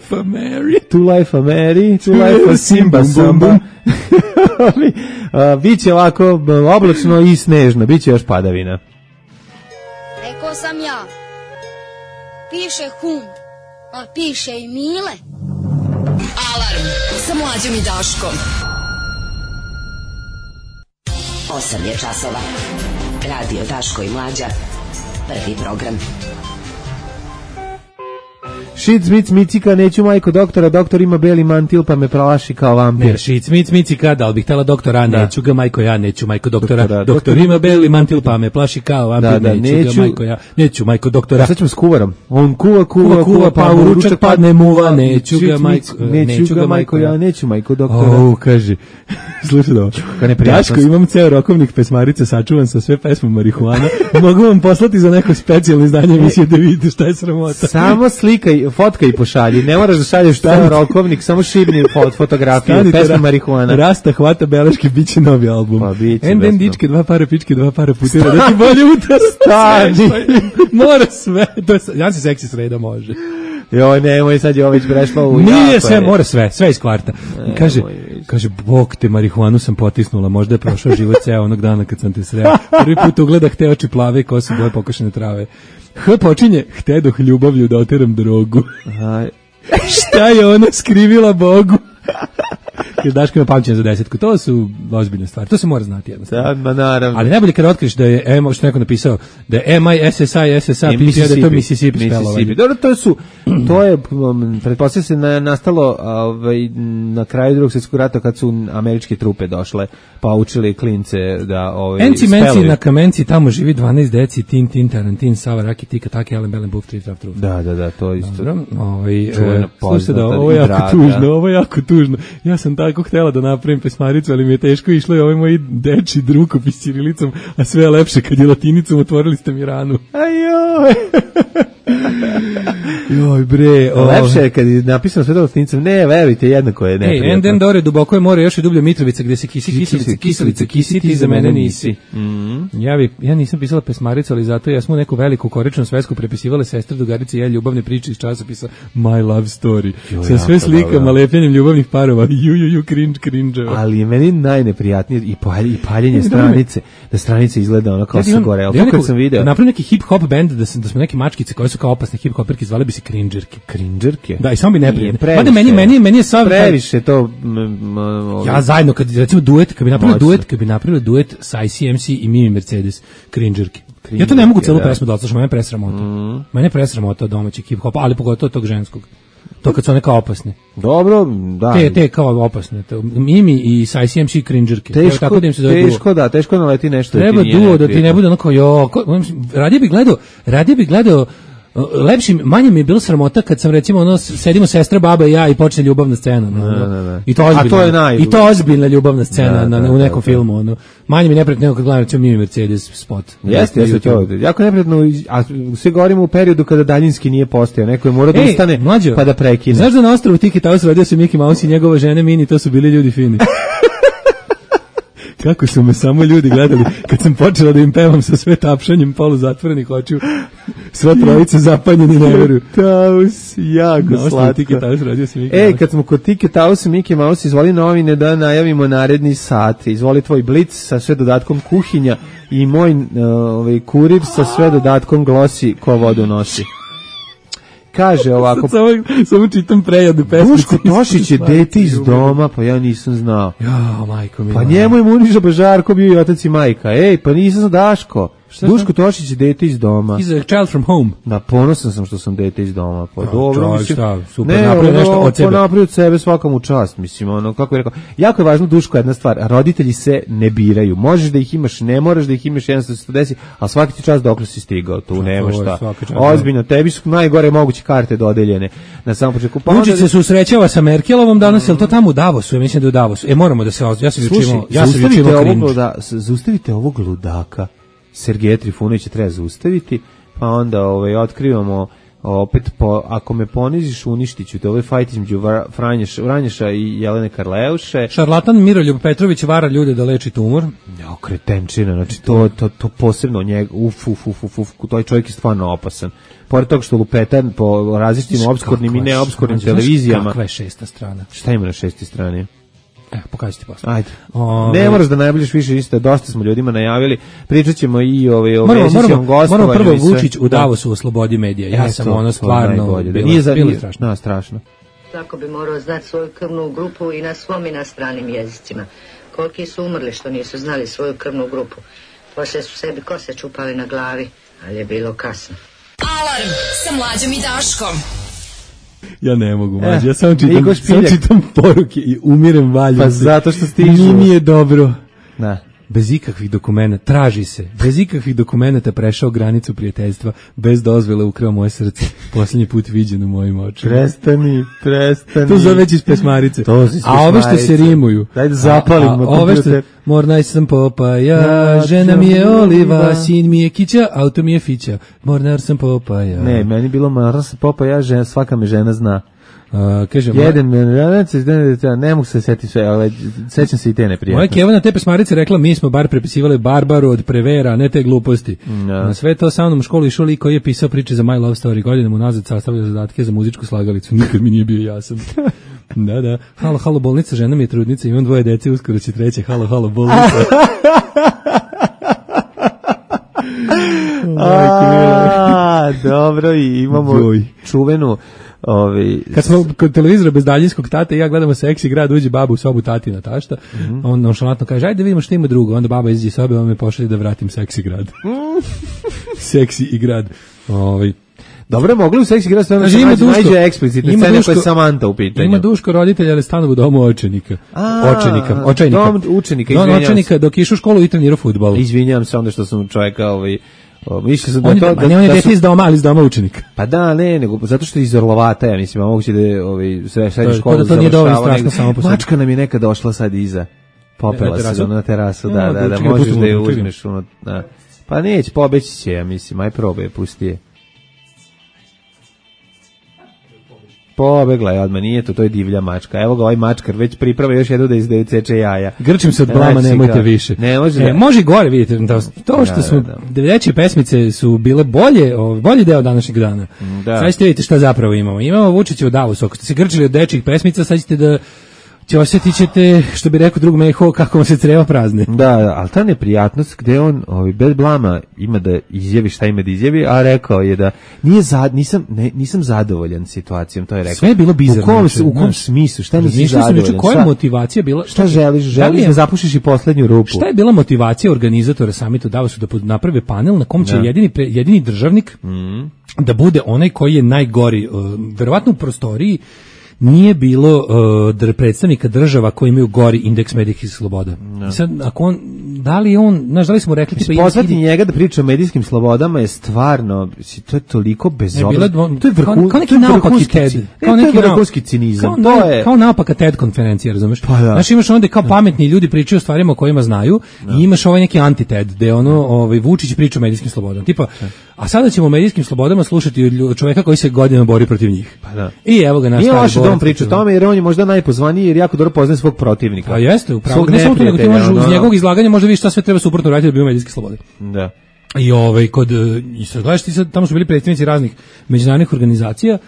[SPEAKER 6] To life a Mary, to life a Simba Samba. Biće ovako oblačno i snežno, biće još padavina.
[SPEAKER 9] Rekao sam ja. Piše hum, a piše i Mile.
[SPEAKER 2] Alarm sa Mlađom i Daškom.
[SPEAKER 8] 8 je časova. Radio Daško i Mlađa. Prvi program.
[SPEAKER 6] Šit, smic, micika, neću majko doktora, doktor ima beli mantil pa me pralaši kao vampir.
[SPEAKER 5] Ne, šit, smic, micika, da li bih htjela doktora, neću ga majko ja, neću majko doktora, doktor ima beli mantil pa me plaši kao vampir, neću ga majko ja, neću majko doktora.
[SPEAKER 6] Sad ćemo s kuvarom, on kuva, pa u ručak padne muva, neću ga majko ja, neću majko doktora.
[SPEAKER 5] Kaže, slušaj da ovo, Daško, imam ceo rokovnik pesmarice sačuvan sa sve pesmom marihuana, mogu vam poslati za neko specijalno izdanje emisije da vidite šta je sramota.
[SPEAKER 6] Samo slikaj fotka i pošalji. Ne moraš da šalješ taj rokovnik, samo šibni fotografiju, pesma marihuana.
[SPEAKER 5] Rasta hvata beleške, bit će novi album.
[SPEAKER 6] Pa biće.
[SPEAKER 5] Enden dičke, 2 para pičke, 2 para putira, da ti bolje utar.
[SPEAKER 6] Stani.
[SPEAKER 5] Mora sve. Ja se seksi sreda može.
[SPEAKER 6] Joj, nemoj, sad je ovo već prešla u...
[SPEAKER 5] Nije sve, mora sve iz kvarta. Kaže, bog te, marihuanu sam potisnula, možda je prošao život ceo onog dana kad sam te sreo. Prvi put ugledah te oči plave i kose boje pokošene trave. Počinje, htedoh ljubavlju da oteram drogu. Šta je ona skrivila Bogu? Jer Daško ima pamćenje za 10. To su ozbiljne stvari. To se mora znati jednostavno.
[SPEAKER 6] Da, naravno.
[SPEAKER 5] Ali najbolje kada otkriš da je što neko napisao da je MISSI da to Mississippi spelovanje.
[SPEAKER 6] Dobro, to je pretpostavlja se nastalo na kraju Drugog svjetskog rata kad su američke trupe došle pa učili klince da
[SPEAKER 5] Enci menci na kamenci, tamo živi 12 deci, Tin Tarantin, Sava Raki Tika Taki Ellen Bellen Buf Trif Traf Truf.
[SPEAKER 6] Da, to isto.
[SPEAKER 5] Dobro, slušajte, ovo je jako tužno. Ja sam tako htjela da napravim pesmaricu, ali mi je teško išlo i ovaj moj deči rukopis ćirilicom, a sve je lepše kad je latinicom, otvorili ste mi ranu.
[SPEAKER 6] Ajoj!
[SPEAKER 5] Joj bre,
[SPEAKER 6] lepše je kad je napisano sve latinicom, ne, verujte, jednako je neprijatno.
[SPEAKER 5] Enden dore, duboko je more, još je dublja Mitrovica, gde se kiselica, ti za mene nisi. Ja nisam pisala pesmaricu, ali zato ja smo neku veliku koričnu svesku prepisivale sestre, drugarice i ja ljubavne priče iz časopisa My Love Story. Sa sve slikama, lepljenjem ljubavnih parova, cringe.
[SPEAKER 6] Ali je meni najneprijatnije i paljenje stranice, da stranice izgleda ono kao sa gore. Ali kad sam video...
[SPEAKER 5] Napravim neki hip-hop band, da smo neke mačkice koje su kao opasne hip-hoperke, zvale bi se cringerke.
[SPEAKER 6] Cringerke?
[SPEAKER 5] Da, i samo bi neprijatno. Mada meni je sav...
[SPEAKER 6] Previše to...
[SPEAKER 5] Ja zajedno, kad recimo duet, kad bi napravili duet sa ICMC i Mimi Mercedes, cringerke. Ja to ne mogu celu pesmu da odslušam, mene presramota. Mene presramota domaćeg hip-hopa, ali pogotovo tog ženskog. To kad su one kao opasne.
[SPEAKER 6] Dobro, da.
[SPEAKER 5] Te kao opasne. Mimi i sa ICMC cringerke.
[SPEAKER 6] Teško, da im se zove duo. Teško naleti nešto.
[SPEAKER 5] Treba duo da ti ne bude onako, radije bi gledao manje mi je bilo sramota kad sam recimo sedimo sestra, baba i ja i počne ljubavna scena. I to ozbiljna ljubavna scena u nekom filmu. Manje mi je neprijatno nego kad gledam recimo Mimi Mercedes spot.
[SPEAKER 6] Jeste, jako neprijatno, a sve govorimo u periodu kada daljinski nije postojao. Neko je morao da ustane pa da prekine.
[SPEAKER 5] Znaš da na ostrvu Tiki Taus rodio se Mickey Mouse i njegova žena Mini, to su bili ljudi fini. Kako su me samo ljudi gledali kad sam počela da im pevam sa sve tapšanjem poluzatvorenih očiju, sva trojica zapanjeni ne veruju.
[SPEAKER 6] Taus, jako slatko. Kad smo kod Tike Taus i Mickey Mouse, izvoli novine da najavimo naredni sat. Izvoli tvoj blic sa sve dodatkom kuhinja i moj kurir sa sve dodatkom glosi ko vodu nosi. Kaže ovako...
[SPEAKER 5] Samo čitam prejadu pesmice.
[SPEAKER 6] Duško Tošić je dete iz doma, pa ja nisam znao.
[SPEAKER 5] Ja, majko mi.
[SPEAKER 6] Pa njemu je Muniža Bažarko bio i otac i majka. Pa nisam znao Daško. Duško Tošić je dete iz doma.
[SPEAKER 5] He's a child from home.
[SPEAKER 6] Da, ponosan sam što sam dete iz doma. Pa dobro, mislim.
[SPEAKER 5] Šta, super, napravio nešto od sebe.
[SPEAKER 6] Napravio od sebe, svaka mu čast, mislim, kako je rekao. Jako je važno, Duško, jedna stvar, roditelji se ne biraju. Možeš da ih imaš, ne moraš da ih imaš, jednostavno se to desi, ali svaki ti čas dokle si stigao, tu nema šta. Ozbiljno, tebi su najgore moguće karte dodeljene na samom početku.
[SPEAKER 5] Vučić se susrećava sa Merkelovom danas, je to tamo u Davosu? Ja mislim da je u Davosu. Moramo da se
[SPEAKER 6] zaustavite ovog ludaka. Sergeja Trifunovića treba zaustaviti, pa onda otkrivamo opet, ako me poniziš uništit ću te, ovaj fajt između Vranješa i Jelene Karleuše.
[SPEAKER 5] Šarlatan Miroljub Petrović vara ljude da leči tumor.
[SPEAKER 6] Kretenčina, znači to posebno njega, taj čovjek je stvarno opasan. Pored toga što lupetan po različitim obskurnim i neobskurnim televizijama.
[SPEAKER 5] Kakva je 6. strana?
[SPEAKER 6] Šta ima na 6. strani?
[SPEAKER 5] Pokaži ti posle.
[SPEAKER 6] Ajde. Ne moraš da najavljaš više, isto dosta smo ljudima najavili. Pričat ćemo i o većinskom gostovanju.
[SPEAKER 5] Moramo prvo Vučić u Davosu u slobodi medija. Ja sam stvarno bilo strašno.
[SPEAKER 6] Strašno.
[SPEAKER 10] Tako bi morao znati svoju krvnu grupu i na svom i na stranim jezicima. Koliki su umrli što nisu znali svoju krvnu grupu. Poslije su sebi kose čupali na glavi, ali je bilo kasno.
[SPEAKER 2] Alarm sa Mlađom i Daškom.
[SPEAKER 5] Ja ne mogu, Mađe, ja samo čitam poruke i umirem valjom.
[SPEAKER 6] Pa zato što stižu.
[SPEAKER 5] Nije mi je dobro.
[SPEAKER 6] Da.
[SPEAKER 5] bez ikakvih dokumenta, traži se, bez ikakvih dokumenta prešao granicu prijateljstva, bez dozvole ukrao moje srce, posljednji put viđen u mojim očima.
[SPEAKER 6] Prestani.
[SPEAKER 5] To zove već iz pesmarice. A ove što se rimuju.
[SPEAKER 6] Daj da zapalimo kompjuter.
[SPEAKER 5] Mornaj sam Popaja, žena mi je Oliva, sin mi je Kića, auto mi je Fića. Mornar sam Popaja.
[SPEAKER 6] Ne, meni bilo mornar sam Popaja, svaka me žena zna.
[SPEAKER 5] Kažem,
[SPEAKER 6] ne mogu se setiti sve, ali sećam se i te neprijatno.
[SPEAKER 5] Moja Keva na te pesmarice rekla, mi smo bar prepisivali Barbaru od Prevera, ne te gluposti. Na sve to sa mnom u školi išao lik koji je pisao priče za My Love Story, godinama unazad sastavljao zadatke za muzičku slagalicu, nikad mi nije bio jasan. Da. Halo, bolnica, žena mi je trudnica, imam 2 dece, uskoro će 3. Halo, bolnica.
[SPEAKER 6] Dobro, i imamo čuvenu
[SPEAKER 5] kad smo kod televizora bez daljinskog tate i ja gledamo Seksi grad, uđe baba u sobu tatina tašta, on nonšalantno kaže, ajde da vidimo što ima drugo, onda baba izađe iz sobe, on me pošalje da vratim Seksi grad. Seksi i grad.
[SPEAKER 6] Dobro, mogli u Seksi grad stvarno nađe eksplicitne scene koje je Samanta u pitanju.
[SPEAKER 5] Ima Duško roditelja, ali stanu u domu očenika.
[SPEAKER 6] Dom učenika,
[SPEAKER 5] Don očenika, dok išu u školu i trenirao fudbal.
[SPEAKER 6] Izvinjam se onda što sam čovjeka mislio sam
[SPEAKER 5] on je dete iz doma, ali iz doma učenika.
[SPEAKER 6] Pa da, nego zato što je iz Orlovata, ja mislim, moguće da je srednju školu
[SPEAKER 5] to nije dovoljno strašno samo po sebi.
[SPEAKER 6] Mačka nam je nekad došla sad iza. Popela se na terasu, da, možeš da je uzmeš. Pa neće, pobeći će, ja mislim, aj probaj, pusti je. Pobegla je odmah, nije to je divlja mačka. Evo ga ovaj mačkar, već priprava još jednu da izdeče jaja.
[SPEAKER 5] Grčim se od blama, nemojte više.
[SPEAKER 6] Ne može.
[SPEAKER 5] Može i gore, vidite, to što smo, deveće pesmice su bile bolji deo današnjeg dana. Sad ćete vidjeti šta zapravo imamo. Imamo Vučića u Davosu, ako ste se grčili od dečjih pesmica, sad ćete da osjetit ćete, što bi rekao drug Meho, kako vam se creva prazne.
[SPEAKER 6] Da, ali ta neprijatnost gde on bez blama ima da izjavi šta ima da izjavi, a rekao je da nisam zadovoljan situacijom, to je rekao.
[SPEAKER 5] Sve je bilo bizarno.
[SPEAKER 6] U kom smislu, šta nisi zadovoljan?
[SPEAKER 5] Koja je motivacija bila?
[SPEAKER 6] Šta želiš da zapušiš i poslednju rupu?
[SPEAKER 5] Šta je bila motivacija organizatora samita u Davosu da naprave panel na kom će jedini državnik da bude onaj koji je najgori, verovatno u prostoriji nije bilo predstavnika država koji imaju gori indeks medijskih sloboda. Sad, ako da li smo rekli...
[SPEAKER 6] Pozvati njega da priča o medijskim slobodama je stvarno, to je toliko bezobrazno. To je vrhunski cinizam.
[SPEAKER 5] Kao naopaka TED konferencija, razumeš? Znaš, imaš onda kao pametni ljudi pričaju o stvarima o kojima znaju i imaš ovaj neki anti-TED, gde Vučić priča o medijskim slobodama. Tipa, a sada ćemo o medijskim slobodama slušati od čoveka koji se godinama bori protiv njih. I evo ga naš stari
[SPEAKER 6] on priča o tome jer on je možda najpozvaniji jer jako dobro poznaje svog protivnika.
[SPEAKER 5] A jeste, upravo. Ne samo to, nego ti možeš uz njegovog izlaganja možda vidiš šta sve treba suprotno raditi da bi imao medijske slobode.
[SPEAKER 6] Da.
[SPEAKER 5] I sad gledaš ti sad, tamo su bili predstavnici raznih međunarodnih organizacija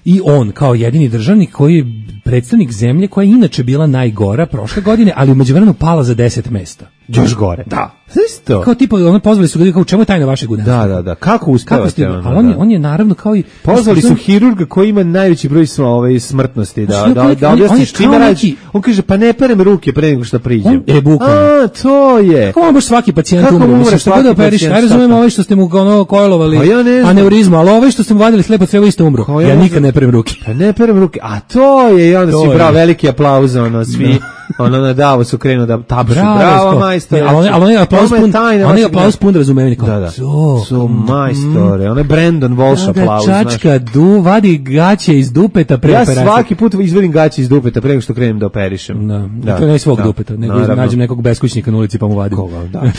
[SPEAKER 5] i on kao jedini državnik koji je predstavnik zemlje koja je inače bila najgora prošle godine, ali u međuvremenu pala za 10 mesta.
[SPEAKER 6] Još gore.
[SPEAKER 5] Da.
[SPEAKER 6] Isto.
[SPEAKER 5] Kao tipa, pozvali su ga kao u čemu je tajna vašeg udarstva.
[SPEAKER 6] Da. Kako uspevate?
[SPEAKER 5] Ali on je naravno kao i...
[SPEAKER 6] Pozvali su hirurga koji ima najveći broj smrtnosti. Da objasniš čime radi. On kaže, pa ne perem ruke pre nego što priđem.
[SPEAKER 5] Bukvalno.
[SPEAKER 6] To je.
[SPEAKER 5] Kako baš svaki pacijent umre? Mislim, što god da operiš, ja razumijem ovaj što ste mu kojlovali aneurizmu, ali ovaj što ste mu vadili slepo crevo isto umro. Ja nikad ne perem ruke.
[SPEAKER 6] Pa ne perem ruke. A to je, i onda si bravo, veliki aplauz, svi, na Davosu krenu da tapšu. Bravo, majstore.
[SPEAKER 5] Ali on je aplauz pun razumevanja.
[SPEAKER 6] Da. To, majstore. On je Brandon Walsh aplauz.
[SPEAKER 5] Čačka, vadi gaće iz dupeta pre operacije.
[SPEAKER 6] Ja svaki put izvadim gaće iz dupeta pre nego što krenem da operišem.
[SPEAKER 5] To ne svog dupeta, nego nađem nekog beskućnika na ulici pa mu vadim.
[SPEAKER 6] Koga, da.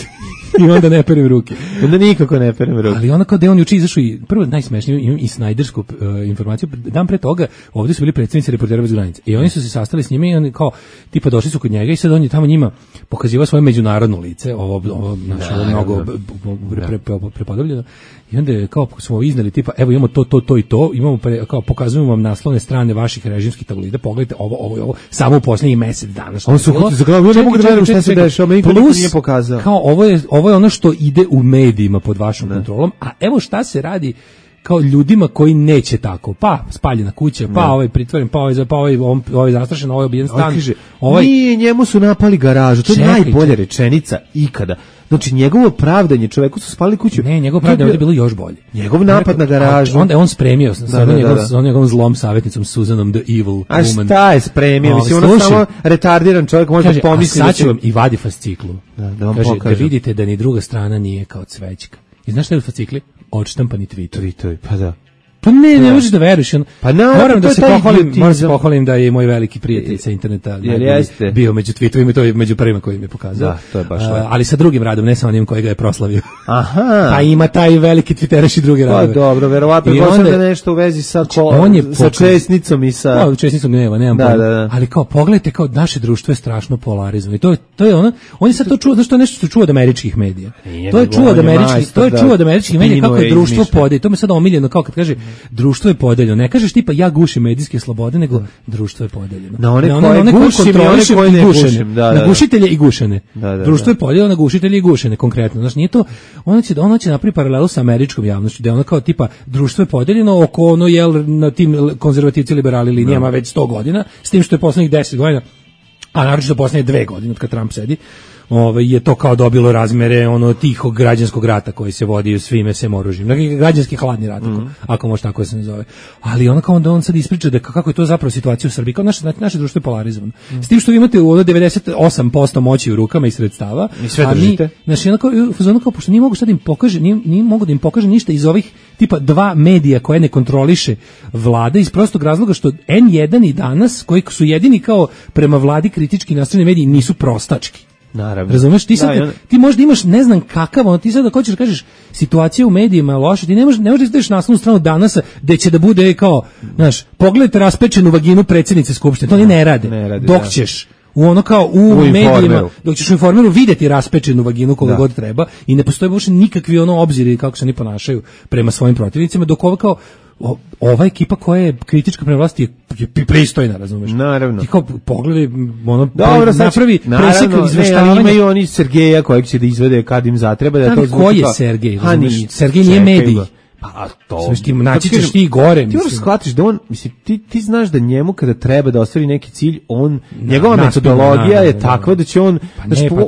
[SPEAKER 5] I onda ne perem ruke.
[SPEAKER 6] Onda nikako ne perem ruke.
[SPEAKER 5] Ali onako da on juče izašao i prvo najsmešnije, imam i snajdersku informaciju, dan pre toga ovdje su bili predstavnici Reportera bez granica i oni su se sastali s njima i oni kao tipa došli su kod njega i sad on je tamo njima pokazivao svoje međunarodno lice, ovo mnogo prepodobljeno. I onda je kao smo iznali tipa evo imamo to i to, imamo kao pokazujemo vam naslovne strane vaših režimskih tabloida, pogledajte ovo samo u posljednjih mjesec dana.
[SPEAKER 6] On su za glavu, ne mogu da verujem šta se dešava, meni niko nije pokazao.
[SPEAKER 5] Kao ovo je ono što ide u medijima pod vašom kontrolom, a evo šta se radi kao ljudima koji neće tako. Pa spaljena kuća, pa ovaj pritvoren, pa ovaj zastrašen, ovaj obijen stan.
[SPEAKER 6] Nije, njemu su napali garažu. To je najbolja rečenica ikada. Znači, njegovo pravdanje, čoveku su spalili kuću.
[SPEAKER 5] Ne, njegovo pravdanje je bilo još bolje.
[SPEAKER 6] Njegov napad na garažu.
[SPEAKER 5] Onda je on spremio sa njegovom zlom savjetnicom Suzanom the Evil Woman.
[SPEAKER 6] A šta je spremio? Mislim, ono samo retardiran čovjek može da pomisli.
[SPEAKER 5] A sad ću vam i vadi fasciklu. Da vidite da ni druga strana nije kao cvećka. I znaš šta je u fascikli? Odštampani tweetovi.
[SPEAKER 6] Pa da.
[SPEAKER 5] Pa ne možeš da veruješ. Moram da se pohvalim da je moj veliki prijatelj sa interneta bio među tweetovima i to je među prvima koji mi je pokazao.
[SPEAKER 6] Da, to je baš
[SPEAKER 5] ali sa drugim radom, ne samo onim koji ga je proslavio.
[SPEAKER 6] Aha.
[SPEAKER 5] Pa ima taj veliki twitteraš i drugi radove.
[SPEAKER 6] Pa dobro, verovatno da nešto u vezi sa česnicom i sa...
[SPEAKER 5] Pa, česnicom nemam pojma. Ali kao, pogledajte, kao naše društvo je strašno polarizovano. I to je ono, on je sad to čuo, znaš, to je nešto što čuo od američkih medija. To je čuo od američkih medija kako je društvo podeljeno. To me sad omiljeno, kao kad kaže društvo je podeljeno. Ne kažeš tipa ja gušim medijske slobode, nego društvo je podeljeno.
[SPEAKER 6] Na one koje gušim i one koje ne gušim.
[SPEAKER 5] Na gušitelje i gušene. Društvo je podeljeno na gušitelje i gušene, konkretno. Znači nije to, ono će napraviti paralelu sa američkom javnošću, da je ono kao tipa društvo je podeljeno oko ono na tim konzervativci liberali linijama već 100 godina, s tim što je poslednjih 10 godina, a naročito poslednje 2 godine od kad Trump sedi, je to kao dobilo razmere ono tihog građanskog rata koji se vodi svime sem oružjem. Dakle, građanski hladni rat, ako može tako da se nazove. Ali ono kao onda on sad ispriča da kako je to zapravo situacija u Srbiji. Kao naše društvo je polarizovano. S tim što vi imate 98% moći u rukama i sredstava.
[SPEAKER 6] I sve držite.
[SPEAKER 5] Znači, ono kao, pošto nije mogu sad im pokaže, nije mogu da im pokaže ništa iz ovih tipa 2 medija koje ne kontroliše vlada iz prostog razloga što N1 i Danas, koji su jedini kao prema vladi kritički nastrojeni mediji, nisu prostački.
[SPEAKER 6] Naravno.
[SPEAKER 5] Razumeš, ti možda imaš ne znam kakav, ti sad da hoćeš da kažeš situacija u medijima je loša, ti ne možeš da ideš na naslovnu stranu Danasa gde će da bude kao, znaš, pogledajte raspečenu vaginu predsjednice Skupštine, to oni ne rade. Dok ćeš u ono kao u medijima, dok ćeš u Informeru vidjeti raspečenu vaginu koga god treba i ne postoje uopšte nikakvi ono obziri kako se oni ponašaju prema svojim protivnicima, dok ovo kao ova ekipa koja je kritička prema vlasti je pristojna, razumeš?
[SPEAKER 6] Naravno.
[SPEAKER 5] Ti kao pogledaj, ono, napravi presek izveštavanja.
[SPEAKER 6] Imaju oni Sergeja kojeg će da izvede kad im zatreba.
[SPEAKER 5] Ko je Sergej? Sergej nije medij.
[SPEAKER 6] Pa to.
[SPEAKER 5] Naći ćeš ti gore.
[SPEAKER 6] Ti moraš shvatiš da on, mislim, ti znaš da njemu kada treba da ostvari neki cilj, njegova metodologija je takva da će on,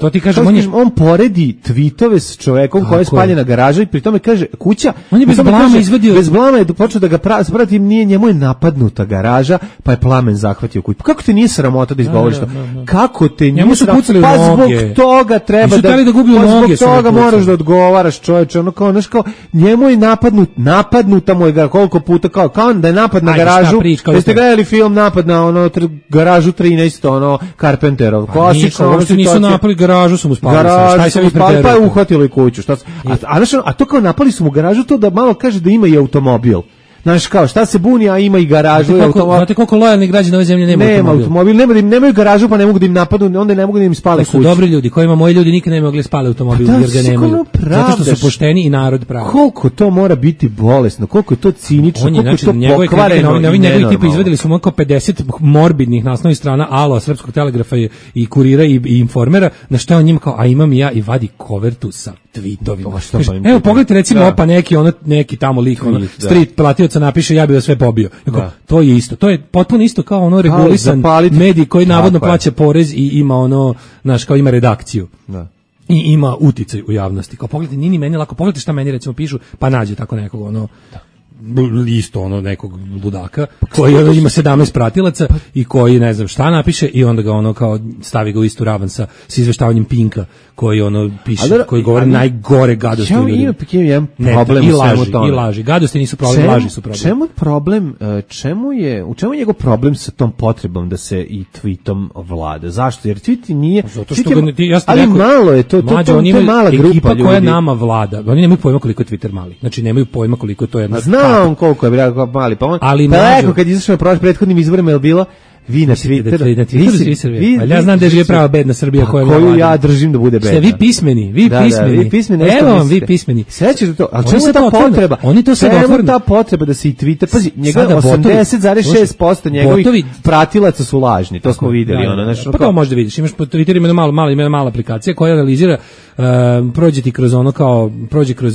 [SPEAKER 5] to ti kažem,
[SPEAKER 6] on poredi tvitove s čovekom koji je spaljena garaža i pri tome kaže kuća,
[SPEAKER 5] on je bez blama izvadio,
[SPEAKER 6] bez blama je počeo da ga prati, njemu je napadnuta garaža, pa je plamen zahvatio kuću. Kako te nije sramota da izgovoriš to? Kako te nije sramota? Pa zbog toga treba zbog toga moraš da odgovaraš, čoveče, ono kao, znaš kao, njemu je napadnuta mu je koliko puta kao da je napad na garažu. Jeste gledali film Napad na garažu 13, Carpenterov.
[SPEAKER 5] Klasično, uopšte nisu napali garažu, su mu spali.
[SPEAKER 6] Pa je uhvatilo i kuću. A to kao napali su mu garažu, to da malo kaže da ima i automobil. Znaš kao, šta se buni, a ima i garažu.
[SPEAKER 5] Znate koliko lojalni građani ove zemlje nema
[SPEAKER 6] automobil. Nemaju garažu, pa ne mogu da im napadnu, onda ne mogu da im spale kuću.
[SPEAKER 5] To su dobri ljudi, kojima moji ljudi nikad ne mogli spale automobil, jer ga nemaju. Zato što su pošteni i narod pravi.
[SPEAKER 6] Koliko to mora biti bolesno, koliko je to cinično, koliko je to pokvareno.
[SPEAKER 5] Njegovi tipa izvedeli su oko 50 morbidnih naslovnih strana Alo, Srpskog telegrafa i Kurira i Informera, na što je on njima kao, a imam i ja, i vadi kovertu sa tweetovima. Evo, pogledajte recimo, pa neki tamo lik, street platioca napiše ja bih vas sve pobio. To je isto, to je potpuno isto kao ono regulisan medij koji navodno plaća porez i ima ono, znaš, kao ima redakciju. I ima uticaj u javnosti. Kao pogledajte, nije ni meni lako, pogledajte šta meni recimo pišu, pa nađe tako nekog ono isto ono nekog ludaka koji ima 17 pratilaca i koji ne znam šta napiše i onda ga ono kao stavi ga u istu ravan sa izveštavanjem Pinka koji ono piše, koji govori najgore gadosti u ljudima. I laži. Gadosti nisu problem, laži su problem.
[SPEAKER 6] Čemu je problem, u čemu je njegov problem sa tom potrebom da se i tweetom vlada? Zašto? Jer tweet nije...
[SPEAKER 5] Zato što
[SPEAKER 6] ali malo je to je mala grupa
[SPEAKER 5] ekipa ljudi. Koja nama vlada. Oni nemaju pojma koliko je Twitter mali. Znači nemaju pojma koliko je to jedna...
[SPEAKER 6] Znam koliko je mali, pa on... Rekao kad izašao na prethodnim izborima je bilo Vi na Twitteru.
[SPEAKER 5] Ja znam da žive prava bedna Srbija
[SPEAKER 6] koju ja držim da bude bedna.
[SPEAKER 5] Ste vi pismeni, vi pismeni. Evo vam vi pismeni.
[SPEAKER 6] Sećate to? Al čemu ta potreba?
[SPEAKER 5] Oni to sad otvoreno.
[SPEAKER 6] Ta potreba da se i Twitter, pazi, njega 80,6% njegovih pratilaca su lažni. To smo videli,
[SPEAKER 5] znači. Pa to možda vidiš, imaš po Twitteru ima mala aplikacija koja analizira, prođe ti kroz prođe kroz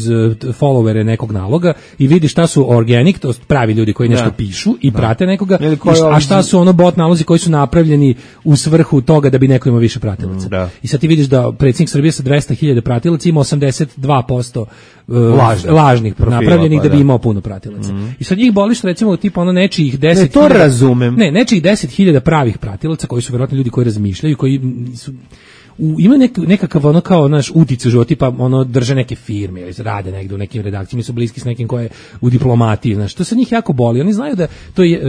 [SPEAKER 5] followere nekog naloga i vidi šta su organic, to pravi ljudi koji nešto pišu i prate nekoga, a šta su bot nalozi koji su napravljeni u svrhu toga da bi neko imao više pratilaca. I sad ti vidiš da predsjednik Srbije sa 200.000 pratilaca ima 82% lažnih napravljenih da bi imao puno pratilaca. I sad njih boli što recimo tipa nečijih 10.000.
[SPEAKER 6] Ne, to razumem.
[SPEAKER 5] Ne, nečijih 10.000 pravih pratilaca koji su verovatno ljudi koji razmišljaju, koji su ima nekakav kao naš uticaj u životu, tipa drže neke firme ili rade negde u nekim redakcijama, su bliski s nekim ko je u diplomatiji, znaš, to se njih jako boli. Oni znaju da to je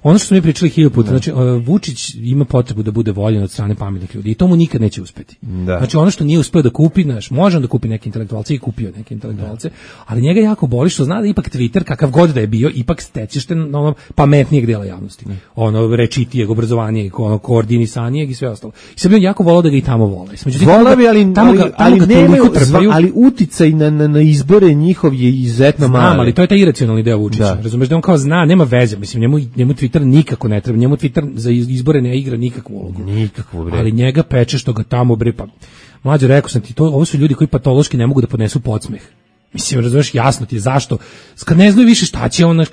[SPEAKER 5] ono što smo mi pričali 1000 puta, znači Vučić ima potrebu da bude voljen od strane pametnih ljudi i to mu nikad neće uspeti. Znači ono što nije uspeo da kupi, znaš, može on da kupi neke intelektualce i kupio neke intelektualce, ali njega jako boli što zna da ipak Twitter, kakav god da je bio, ipak stečeš te pametnijeg dela javnosti. Rečitijeg, obrazovanijeg, koordinisanijeg i sve ostalo. I sad bi on jako volao da ga i tamo vole.
[SPEAKER 6] Ali uticaj na izbore njihov je izuzetno mali.
[SPEAKER 5] Ali to je taj iracionalni deo Vučića. Razumeš da on kao zna, nema veze, mislim, njemu Twitter nikako ne treba, njemu Twitter za izbore ne igra nikakvu ulogu. Ali njega peče što ga tamo pa mlađe, rekao sam ti, ovo su ljudi koji patološki ne mogu da podnesu podsmeh. Mislim, razumeš, jasno ti je zašto. Kad ne znaju više šta će on,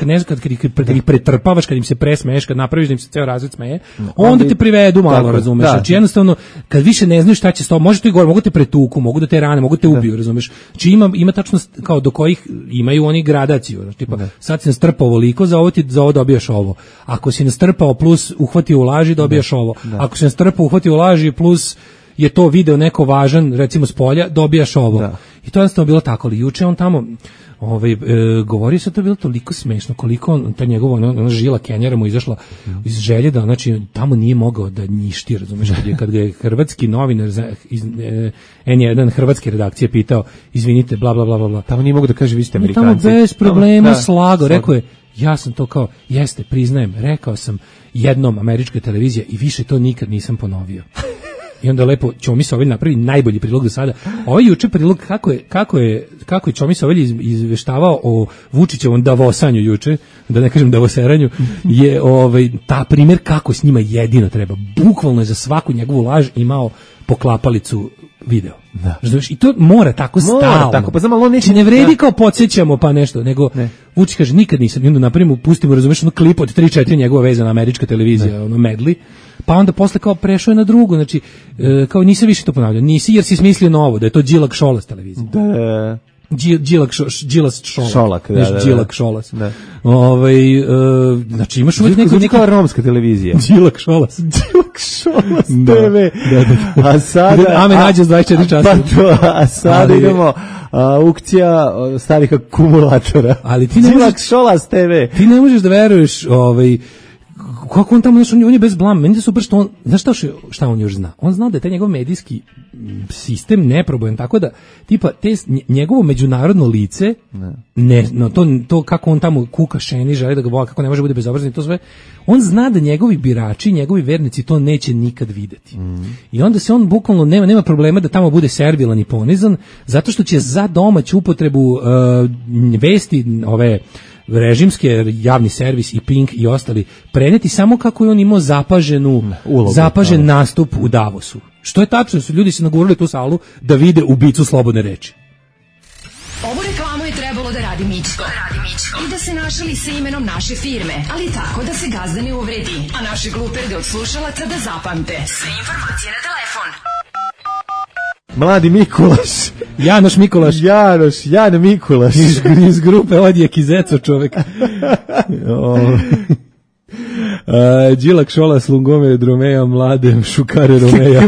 [SPEAKER 5] kad ih pretrpavaš, kad im se presmeješ, kad napraviš da im se ceo razred smeje, onda te privedu malo, razumeš. Znači jednostavno, kad više ne znaju šta će s tobom, može to i gore, mogu te pretuku, mogu da te rane, mogu te ubiju, razumeš. Znači ima tačno kao do kojih imaju oni gradaciju, znači tipa sad si nastrpao ovoliko, za ovo dobijaš ovo. Ako si nastrpao plus uhvatio u laži, dobijaš ovo. Ako si nastrpao uhvatio u laži plus je to video neko važan, recimo s polja, dobijaš ovo. I to je jednostavno bilo tako, ali juče on tamo govorio se, to je bilo toliko smešno, koliko ta njegova žila Kenjara mu izašla iz želje da, znači, tamo nije mogao da njišti, razumeš, kad ga je hrvatski novinar iz N1 hrvatske redakcije pitao, izvinite, bla, bla, bla, bla.
[SPEAKER 6] Tamo nije mogao da kaže, vi ste Amerikanci.
[SPEAKER 5] Tamo bez problema slago, rekao je, ja sam to kao, jeste, priznajem, rekao sam jednom američka televizija i više to nikad nisam ponovio. I onda lepo Ćomi Sovelj napravi najbolji prilog do sada. Ovaj juče prilog kako je Ćomi Sovelj izveštavao o Vučićevom davosanju juče, da ne kažem davoseranju, je ta primjer kako s njima jedino treba. Bukvalno je za svaku njegovu laž imao poklapalicu video. Razumiješ? I to mora tako stalno.
[SPEAKER 6] Tako, pa znam, ali on neće...
[SPEAKER 5] Ne vredi kao podsjećamo pa nešto, nego Vučić kaže nikad nisam. I onda napravimo, pustimo, razumiješ, klip od 3-4 njegova vezana američka televizija, medli. Pa onda posle kao prešao je na drugu, znači kao nisi više to ponavljao, nisi jer si smislio novo, da je to Đilak Šolas televizija.
[SPEAKER 6] Da.
[SPEAKER 5] Đilas
[SPEAKER 6] Šolak, da.
[SPEAKER 5] Đilak Šolas. Znači imaš uvijek
[SPEAKER 6] neka romska televizija.
[SPEAKER 5] Đilak Šolas
[SPEAKER 6] TV. A sada
[SPEAKER 5] Ame nađe 24 časa.
[SPEAKER 6] A sada idemo aukcija starih akumulatora.
[SPEAKER 5] Ali ti ne
[SPEAKER 6] Đilak Šolas TV.
[SPEAKER 5] Ti ne možeš da veruješ kako on tamo, on je bez blama, meni je super što on, znaš šta on još zna? On zna da je taj njegov medijski sistem neprobojan, tako da, tipa, njegovo međunarodno lice, to kako on tamo kuka šeni, želi da ga vola, kako ne može bude bezobrazan i to sve, on zna da njegovi birači, njegovi vernici to neće nikad videti. I onda se on bukvalno, nema problema da tamo bude servilan i ponizan, zato što će za domaću upotrebu vesti, režimske, javni servis i Pink i ostali preneti samo kako je on imao zapažen nastup u Davosu. Što je tačno, su ljudi se nagurali tu salu da vide ubicu slobodne reči.
[SPEAKER 2] Ovu reklamu je trebalo da radi Mičko. I da se našali sa imenom naše firme, ali tako da se gazda ne uvredi, a naše gluperde od slušalaca da zapamte. Sve informacije na telefon.
[SPEAKER 6] Mladi Mikulaš.
[SPEAKER 5] Janoš Mikulaš.
[SPEAKER 6] Jano Mikulaš.
[SPEAKER 5] Iz grupe Odjek i Zeco čovek. Đilak Šolas Lungome Dromeja Mlade Šukare Romeja.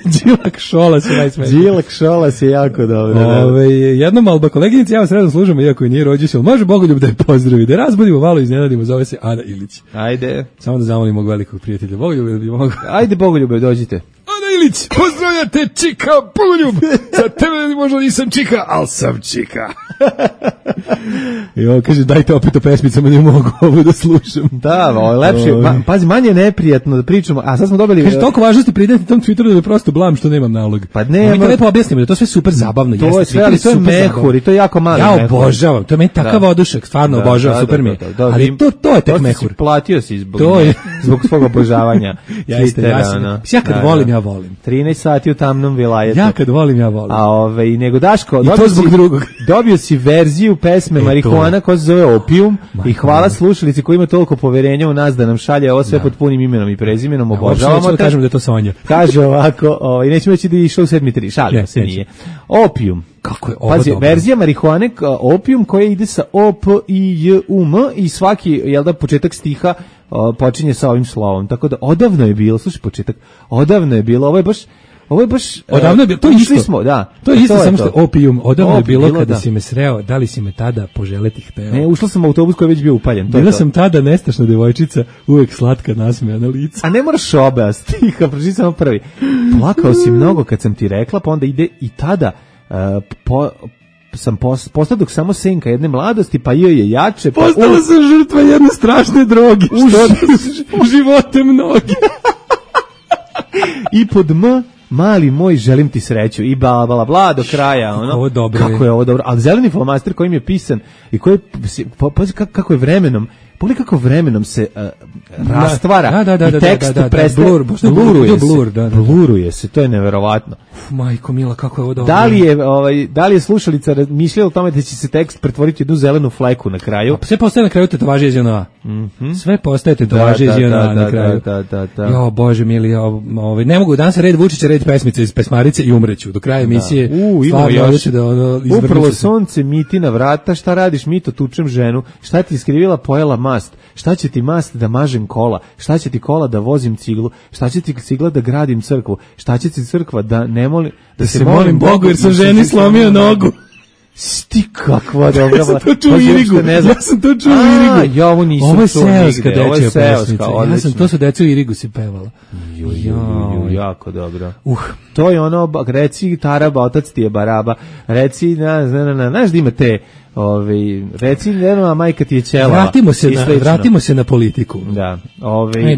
[SPEAKER 5] Đilak Šolas je najsmešniji.
[SPEAKER 6] Đilak Šolas je jako dobro.
[SPEAKER 5] Jednom Alba koleginici, ja vas redom služamo, iako je nije rođiš, može Bogoljub da je pozdravi, da razbudimo malo, iznenadimo, zove se Ana Ilić.
[SPEAKER 6] Ajde.
[SPEAKER 5] Samo da zamolimo velikog prijatelja Bogoljube, da bi mogo.
[SPEAKER 6] Ajde Bogoljube, dođite.
[SPEAKER 5] Ana Ilić, pozdravljate Čika Pogoljub. Za tebe možda nisam Čika, ali sam Čika. I on kaže, dajte opet o pesmicama, ne mogu ovo da slušam.
[SPEAKER 6] Da, lepše, pazi, manje je neprijatno da pričamo, a sad smo dobili...
[SPEAKER 5] Kaže, toliko važnosti pridati tom Twitteru da je prosto blam što nemam nalog.
[SPEAKER 6] Pa ne,
[SPEAKER 5] mi to lepo objasnimo, da to sve super zabavno.
[SPEAKER 6] To je sve, ali to je mehur i to je jako mali mehur.
[SPEAKER 5] Ja obožavam, to je meni takav odušek, stvarno obožavam, super mi je. Ali to je tek mehur.
[SPEAKER 6] Platio si zbog svog obožavanja.
[SPEAKER 5] Ja kad volim, ja volim.
[SPEAKER 6] 13 sati u tamnom vilajetu.
[SPEAKER 5] Ja kad volim, ja volim.
[SPEAKER 6] A nego Daško,
[SPEAKER 5] dobio
[SPEAKER 6] si verziju pesme Marihuana koja se zove Opium i hvala slušalici koji ima toliko poverenja u nas da nam šalje ovo sve pod punim imenom i prezimenom, obožavamo.
[SPEAKER 5] Da kažemo da je to Sonja.
[SPEAKER 6] Kaže ovako, i nećemo reći da je išao u 7.3, šalimo se nije. Opium.
[SPEAKER 5] Kako je ovo
[SPEAKER 6] pazi,
[SPEAKER 5] dobro.
[SPEAKER 6] Verzija marihuane Opium koja ide sa O-P-I-J-U-M i svaki, početak stiha počinje sa ovim slovom. Tako da odavno je bilo, slušaj početak, odavno je bilo, ovo je baš
[SPEAKER 5] odavno je bilo, to isto
[SPEAKER 6] smo, da.
[SPEAKER 5] To je isto, samo što Opium, odavno je bilo kada si me sreo, da li si me tada poželeti hteo?
[SPEAKER 6] Ne, ušla sam u autobus koji je već bio upaljen.
[SPEAKER 5] Bila sam tada nestašna devojčica, uvek slatka nasmejana lica.
[SPEAKER 6] A ne moraš oba stiha, pročiti samo prvi. Plakao si mnogo kad sam ti rekla, pa onda ide i tada sam postao dok samo senka jedne mladosti, pa je jače. Pa
[SPEAKER 5] postala sam žrtva jedne strašne droge. Što živote mnogi.
[SPEAKER 6] I pod mali moj, želim ti sreću i bla do kraja, ono. Kako je ovo dobro. Ali zeleni flomaster kojim je pisan i koji kako je vremenom, pogledaj kako vremenom se rastvara i tekst prestaje. Bluruje se, to je neverovatno.
[SPEAKER 5] Majko mila, kako je ovo dobro.
[SPEAKER 6] Da li je slušalica mišljala o tome da će se tekst pretvoriti u jednu zelenu fleku na kraju?
[SPEAKER 5] Sve postaje na kraju tetovaže iz JNA. Sve postaje tetovaže iz JNA na kraju. Jo, Bože mili, ne mogu, danas je red Vučića, red pesmice iz Pesmarice i umreću. Do kraja emisije stvarno odluči da
[SPEAKER 6] uprlo sunce miti na vrata, šta radiš Mito, tučem ženu, šta ti iskrivila pojela mast, šta će ti mast da mažem kola, šta će ti kola da vozim ciglu, šta će ti cigla da gradim crkvu, šta će ti crkva da ne molim,
[SPEAKER 5] da se molim Bogu jer sam ženi slomio nogu.
[SPEAKER 6] Sti kakva dobra.
[SPEAKER 5] Ja sam to čuo u Irigu.
[SPEAKER 6] Ovo
[SPEAKER 5] je seoska dečja pesmica. To su deca u Irigu si pevala.
[SPEAKER 6] Jako dobro. To je ono, reci Taraba, otac ti je Baraba, reci, znaš da ima te, reci, majka ti je ćelava.
[SPEAKER 5] Vratimo se na politiku.
[SPEAKER 6] Da.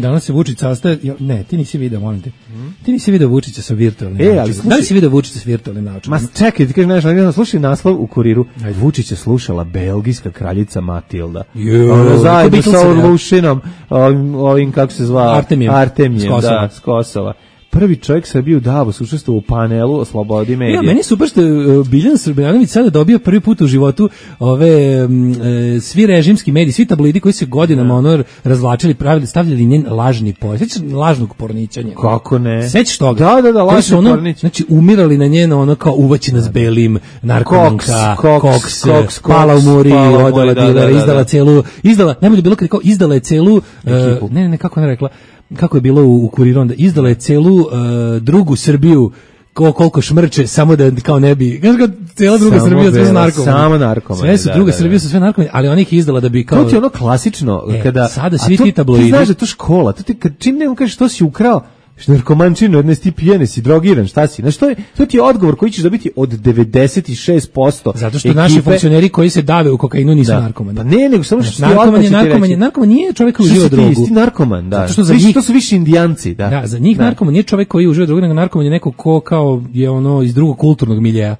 [SPEAKER 5] Danas se Vučić sastaje, ne, ti nisi video, molim te. Ti nisi video Vučića sa virtualnim načinom. Da li si video Vučića sa virtualnim načinom?
[SPEAKER 6] Ma čekaj, ti kažeš nešto, slušaj naslov u Kuriru. Vučića slušala belgijska kraljica Matilda. Zajedno sa Orlušinom, ovim kako se zvao? Artemijem, da, s Kosova. Prvi čovjek Srbije u Davosu učestvovao u panelu o slobodi medija.
[SPEAKER 5] Ja, meni je super što Biljana Srbljanović sada dobio prvi put u životu svi režimski mediji, svi tabloidi koji se godinama razvlačili, pravili, stavljali njen lažni pojas. Sećaš lažnog porničanja?
[SPEAKER 6] Kako ne?
[SPEAKER 5] Sećaš toga?
[SPEAKER 6] Da, lažni pornič.
[SPEAKER 5] Znači, umirali na njeno kao uvaćena s belim, narkomanka, koks, pala u muri, odala dilera, najbolje je bilo kad kao izdala je celu, ne, kako ona rekla, kako je bilo u Kuriru, onda izdala je celu drugu Srbiju koliko šmrče, samo da kao ne bi, znaš kao cijela druga Srbija sve su narkomani.
[SPEAKER 6] Samo narkomani.
[SPEAKER 5] Sve su druga Srbija su sve narkomani, ali ona ih izdala da bi kao...
[SPEAKER 6] To ti je ono klasično, kada...
[SPEAKER 5] Sada svi ti tabloidi...
[SPEAKER 6] Ti znaš da je to škola, čim ne kažeš što si ukrao, narkomančinu, jedne si pijene, si drogiran, šta si? Znaš, to ti je odgovor koji ćeš dobiti od 96%.
[SPEAKER 5] Zato što naši funkcioneri koji se dave u kokainu nisu narkomani.
[SPEAKER 6] Pa ne, nego samo što ti
[SPEAKER 5] narkoman nije čovjek koji uživa drogu.
[SPEAKER 6] Ti narkoman, da.
[SPEAKER 5] Zato što za njih,
[SPEAKER 6] to su više Indijanci, da.
[SPEAKER 5] Da, za njih narkoman nije čovjek koji uživa drogu, nego narkoman je neko ko kao je iz drugog kulturnog miljeja.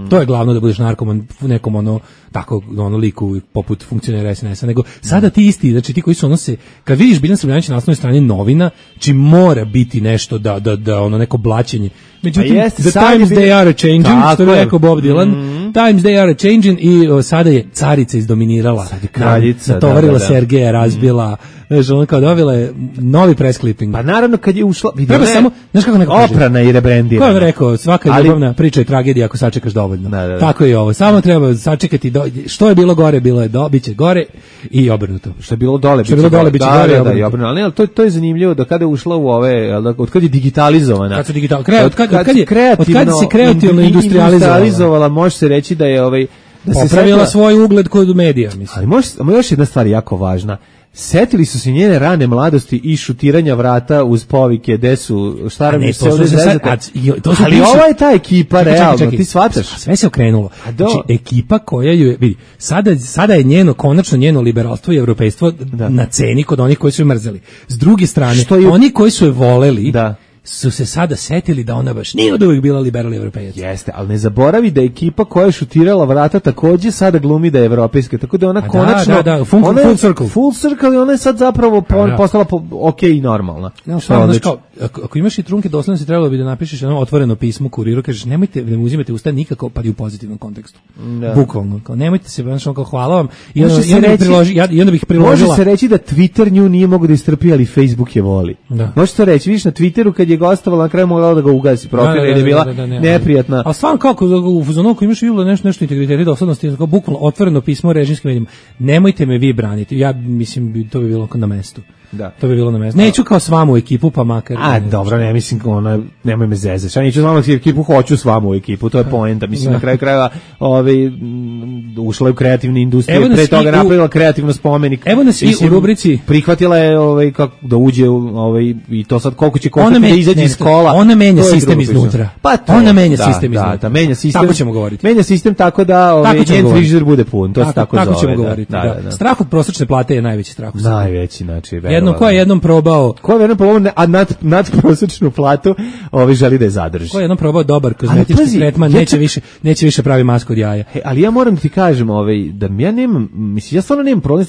[SPEAKER 5] To je glavno da budeš narkoman u nekom tako liku poput funkcionera SNS-a, nego sada ti isti, znači ti koji su kad vidiš Biljana Srbljanović na naslovnoj strani novina, či mora biti nešto da neko blaćenje. Međutim, the times they are changing, što je rekao Bob Dylan, times they are changing i sada je carica izdominirala.
[SPEAKER 6] Sad je kraljica.
[SPEAKER 5] Natovarila Sergeja, razbila, ono kao dobila je novi press clipping.
[SPEAKER 6] Pa naravno kad je ušla,
[SPEAKER 5] treba samo, znaš kako neko kaže?
[SPEAKER 6] Oprana i rebrendirana.
[SPEAKER 5] Ko je rekao, svaka ljubavna priča je tragedija ako sačekaš dovoljno. Tako je ovo, samo treba sačekati, što je bilo gore, bilo je biće gore i obrnuto.
[SPEAKER 6] Što je bilo dole, biće gore i obrnuto. Ali to je zanimljivo da kada je ušla u ove, od kad je digitalizovana.
[SPEAKER 5] Kad se kreativno industrializovala,
[SPEAKER 6] može se reći da je
[SPEAKER 5] da se popravila svoj ugled kod medija, mislim.
[SPEAKER 6] Ali još jedna stvar jako važna. setili su se njene rane mladosti i šutiranja vrata uz povike, gde su, šta rabi se ovdje zezate. Ali ova je ta ekipa, realno, ti shvataš?
[SPEAKER 5] Sve se okrenulo. Znači, ekipa koja ju je, vidi, sada je konačno njeno liberalstvo i evropejstvo na ceni kod onih koji su je mrzeli. S druge strane, oni koji su je voleli, su se sada setili da ona baš nije od uvijek bila liberalni evropejac.
[SPEAKER 6] Jeste, ali ne zaboravi da ekipa koja je šutirala vrata takođe sada glumi da je evropejska, tako da ona konačno...
[SPEAKER 5] Full circle.
[SPEAKER 6] Full circle i ona je sad zapravo postala ok i normalna.
[SPEAKER 5] Ako imaš i trunke doslednosti, trebalo bi da napišeš jedno otvoreno pismo kuriru, kažeš nemojte da mu uzimate usta nikako, pa i u pozitivnom kontekstu. Bukvalno. Nemojte se, kao hvala vam. I onda bih priložila...
[SPEAKER 6] Može se reći da Twitter nju nije mogo da istrpi, ali Facebook je voli. Može se reći, vidiš na Twitteru kad je gostovala, na kraju mogla da ga ugasi profil, jer je bila neprijatna.
[SPEAKER 5] A stvarno kako u fazonu ako imaš nešto integriteta i doslednosti, kao bukvalno otvoreno pismo režimskim medijima. Nemojte me vi braniti. Ja mislim to bi bilo na mestu.
[SPEAKER 6] Da.
[SPEAKER 5] To bi bilo na mestu. Neću kao s vama u ekipu, pa makar.
[SPEAKER 6] Dobro, ne mislim nemoj me zezati. Ja neću s vama u ekipu, hoću s vama u ekipu. To je poenta. Mislim na kraju krajeva, ušla je u kreativnu industriju, pre toga napravila kreativno spomenik.
[SPEAKER 5] Evo nas i u rubrici.
[SPEAKER 6] Prihvatila je kako da uđe i to sad koliko će koštati da izađe iz kola.
[SPEAKER 5] Ona menja sistem iznutra.
[SPEAKER 6] Pa
[SPEAKER 5] ona menja sistem iznutra.
[SPEAKER 6] Da, menja sistem.
[SPEAKER 5] Tako ćemo govoriti.
[SPEAKER 6] Menja sistem tako da njen frižider bude pun. To se tako zove.
[SPEAKER 5] Tako ćemo govoriti. Strah od prosječne plate je najveći strah.
[SPEAKER 6] Najveći, znači.
[SPEAKER 5] Jednom probao,
[SPEAKER 6] a nad prosječnu platu, želi da je zadrži.
[SPEAKER 5] Ko je jednom probao dobar kozmetički tretman, neće više pravi masku od jaja.
[SPEAKER 6] Ali ja moram da ti kažem, da ja nemam, mislim, ja stvarno nemam problem,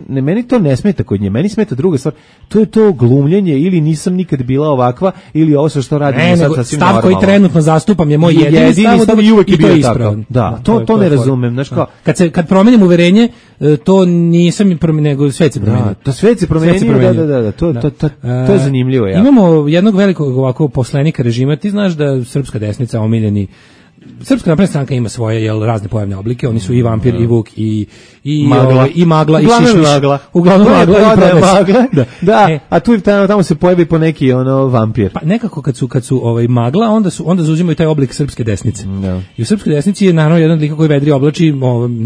[SPEAKER 6] meni to ne smeta kod nje, meni smeta druga stvar, to je to glumljenje, ili nisam nikad bila ovakva, ili ovo što radim sad sasvim normalno.
[SPEAKER 5] Stav koji trenutno zastupam je moj jedini stav
[SPEAKER 6] i uvek je
[SPEAKER 5] to je
[SPEAKER 6] ispravan. Da, to ne razumem, znaš kao.
[SPEAKER 5] Kad promenim uverenje, to nisam promenio, nego svet se promenio.
[SPEAKER 6] To svet se promenio, da. To je zanimljivo.
[SPEAKER 5] Imamo jednog velikog ovako poslenika režima. Ti znaš da srpska desnica, omiljeni Srpska napredna stranka ima svoje razne pojavne oblike, oni su i vampir i vuk i magla i šišmiš. Uglavnom magla i prodaj.
[SPEAKER 6] Da, a tu tamo se pojavi po neki vampir.
[SPEAKER 5] Pa nekako kad su magla, onda zauzimaju taj oblik srpske desnice. I u srpskoj desnici je naravno jedan lik koji vedri oblači,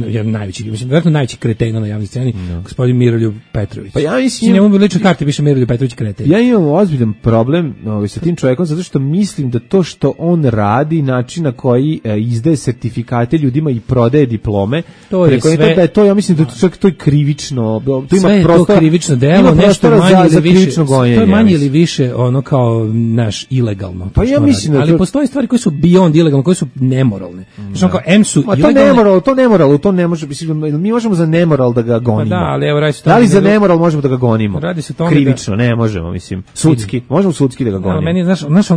[SPEAKER 5] jedan najveći, mislim verovatno najveći kreten na javnoj sceni, gospodin Miroljub Petrović.
[SPEAKER 6] Pa ja mislim,
[SPEAKER 5] njemu lično karti piše Miroljub Petrović kreten.
[SPEAKER 6] Ja imam ozbiljan problem sa tim čovjekom zato što mislim da to što on radi, način na koji izdaje sertifikate ljudima i prodaje diplome,
[SPEAKER 5] to je sve.
[SPEAKER 6] Da je to, ja mislim da čak to je krivično. To
[SPEAKER 5] ima prostor, to krivično delo, nešto manje ili više. To je manje ili više kao naš ilegalno.
[SPEAKER 6] Pa ja mislim,
[SPEAKER 5] ali postoje stvari koje su beyond ilegalne, koje su nemoralne. Znači kao M su
[SPEAKER 6] ilegalne. To ne može, mi možemo za nemoral da ga gonimo.
[SPEAKER 5] Da, ali evo
[SPEAKER 6] da li za nemoral možemo da ga gonimo? Krivično ne možemo, mislim. Sudski, možemo sudski da ga gonimo.
[SPEAKER 5] Meni znaš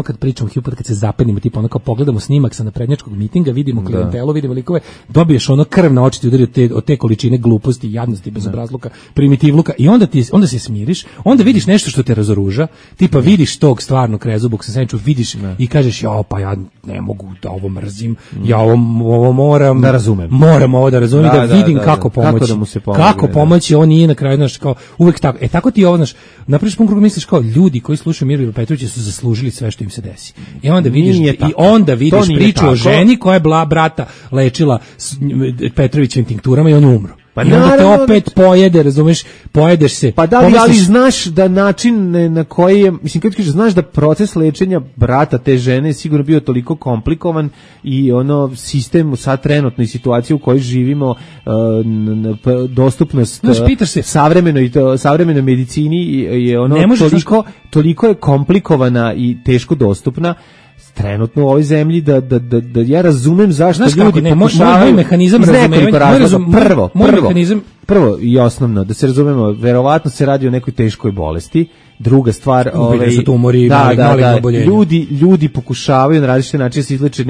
[SPEAKER 5] kad pričamo kad se zapenimo, tipa ono kao pogledamo snimak sa naprednjačkog mitinga, vidimo klijentelu, vidimo likove, dobiješ ono krv na oči ti udari od te količine gluposti, jadnosti, bezobrazluka, primitivluka i onda se smiriš, onda vidiš nešto što te razoruža, tipa vidiš tog stvarnog krezubog sa senču, vidiš i kažeš pa ja ne mogu da ovo mrzim, ja ovo moram
[SPEAKER 6] da razumem.
[SPEAKER 5] Moram ovo da razumem, da vidim kako pomoći. Kako pomoći, on nije na kraju znaš kao uvek tako. Tako ti ovo znaš, napraviš pun krug misliš kao ljudi koji slušaju Miroljub Petrovića su zaslužili sve što im se desi. I onda vidiš priču o ženi koja je brata lečila Petrovićevim tinkturama i on umro. Pa i onda te opet pojede, razumeš, pojedeš se.
[SPEAKER 6] Pa da li, ali znaš da način na koji je, mislim, kad kažeš, znaš da proces lečenja brata te žene je sigurno bio toliko komplikovan i sistem sad trenutnoj situaciji u kojoj živimo, dostupnost savremenoj medicini je toliko je komplikovana i teško dostupna trenutno u ovoj zemlji da ja razumem zašto ljudi pokušavaju.
[SPEAKER 5] Moj mehanizam razumevanja.
[SPEAKER 6] Prvo i osnovno, da se razumemo, verovatno se radi o nekoj teškoj bolesti. Druga stvar, ljudi pokušavaju na različite načine se izleče,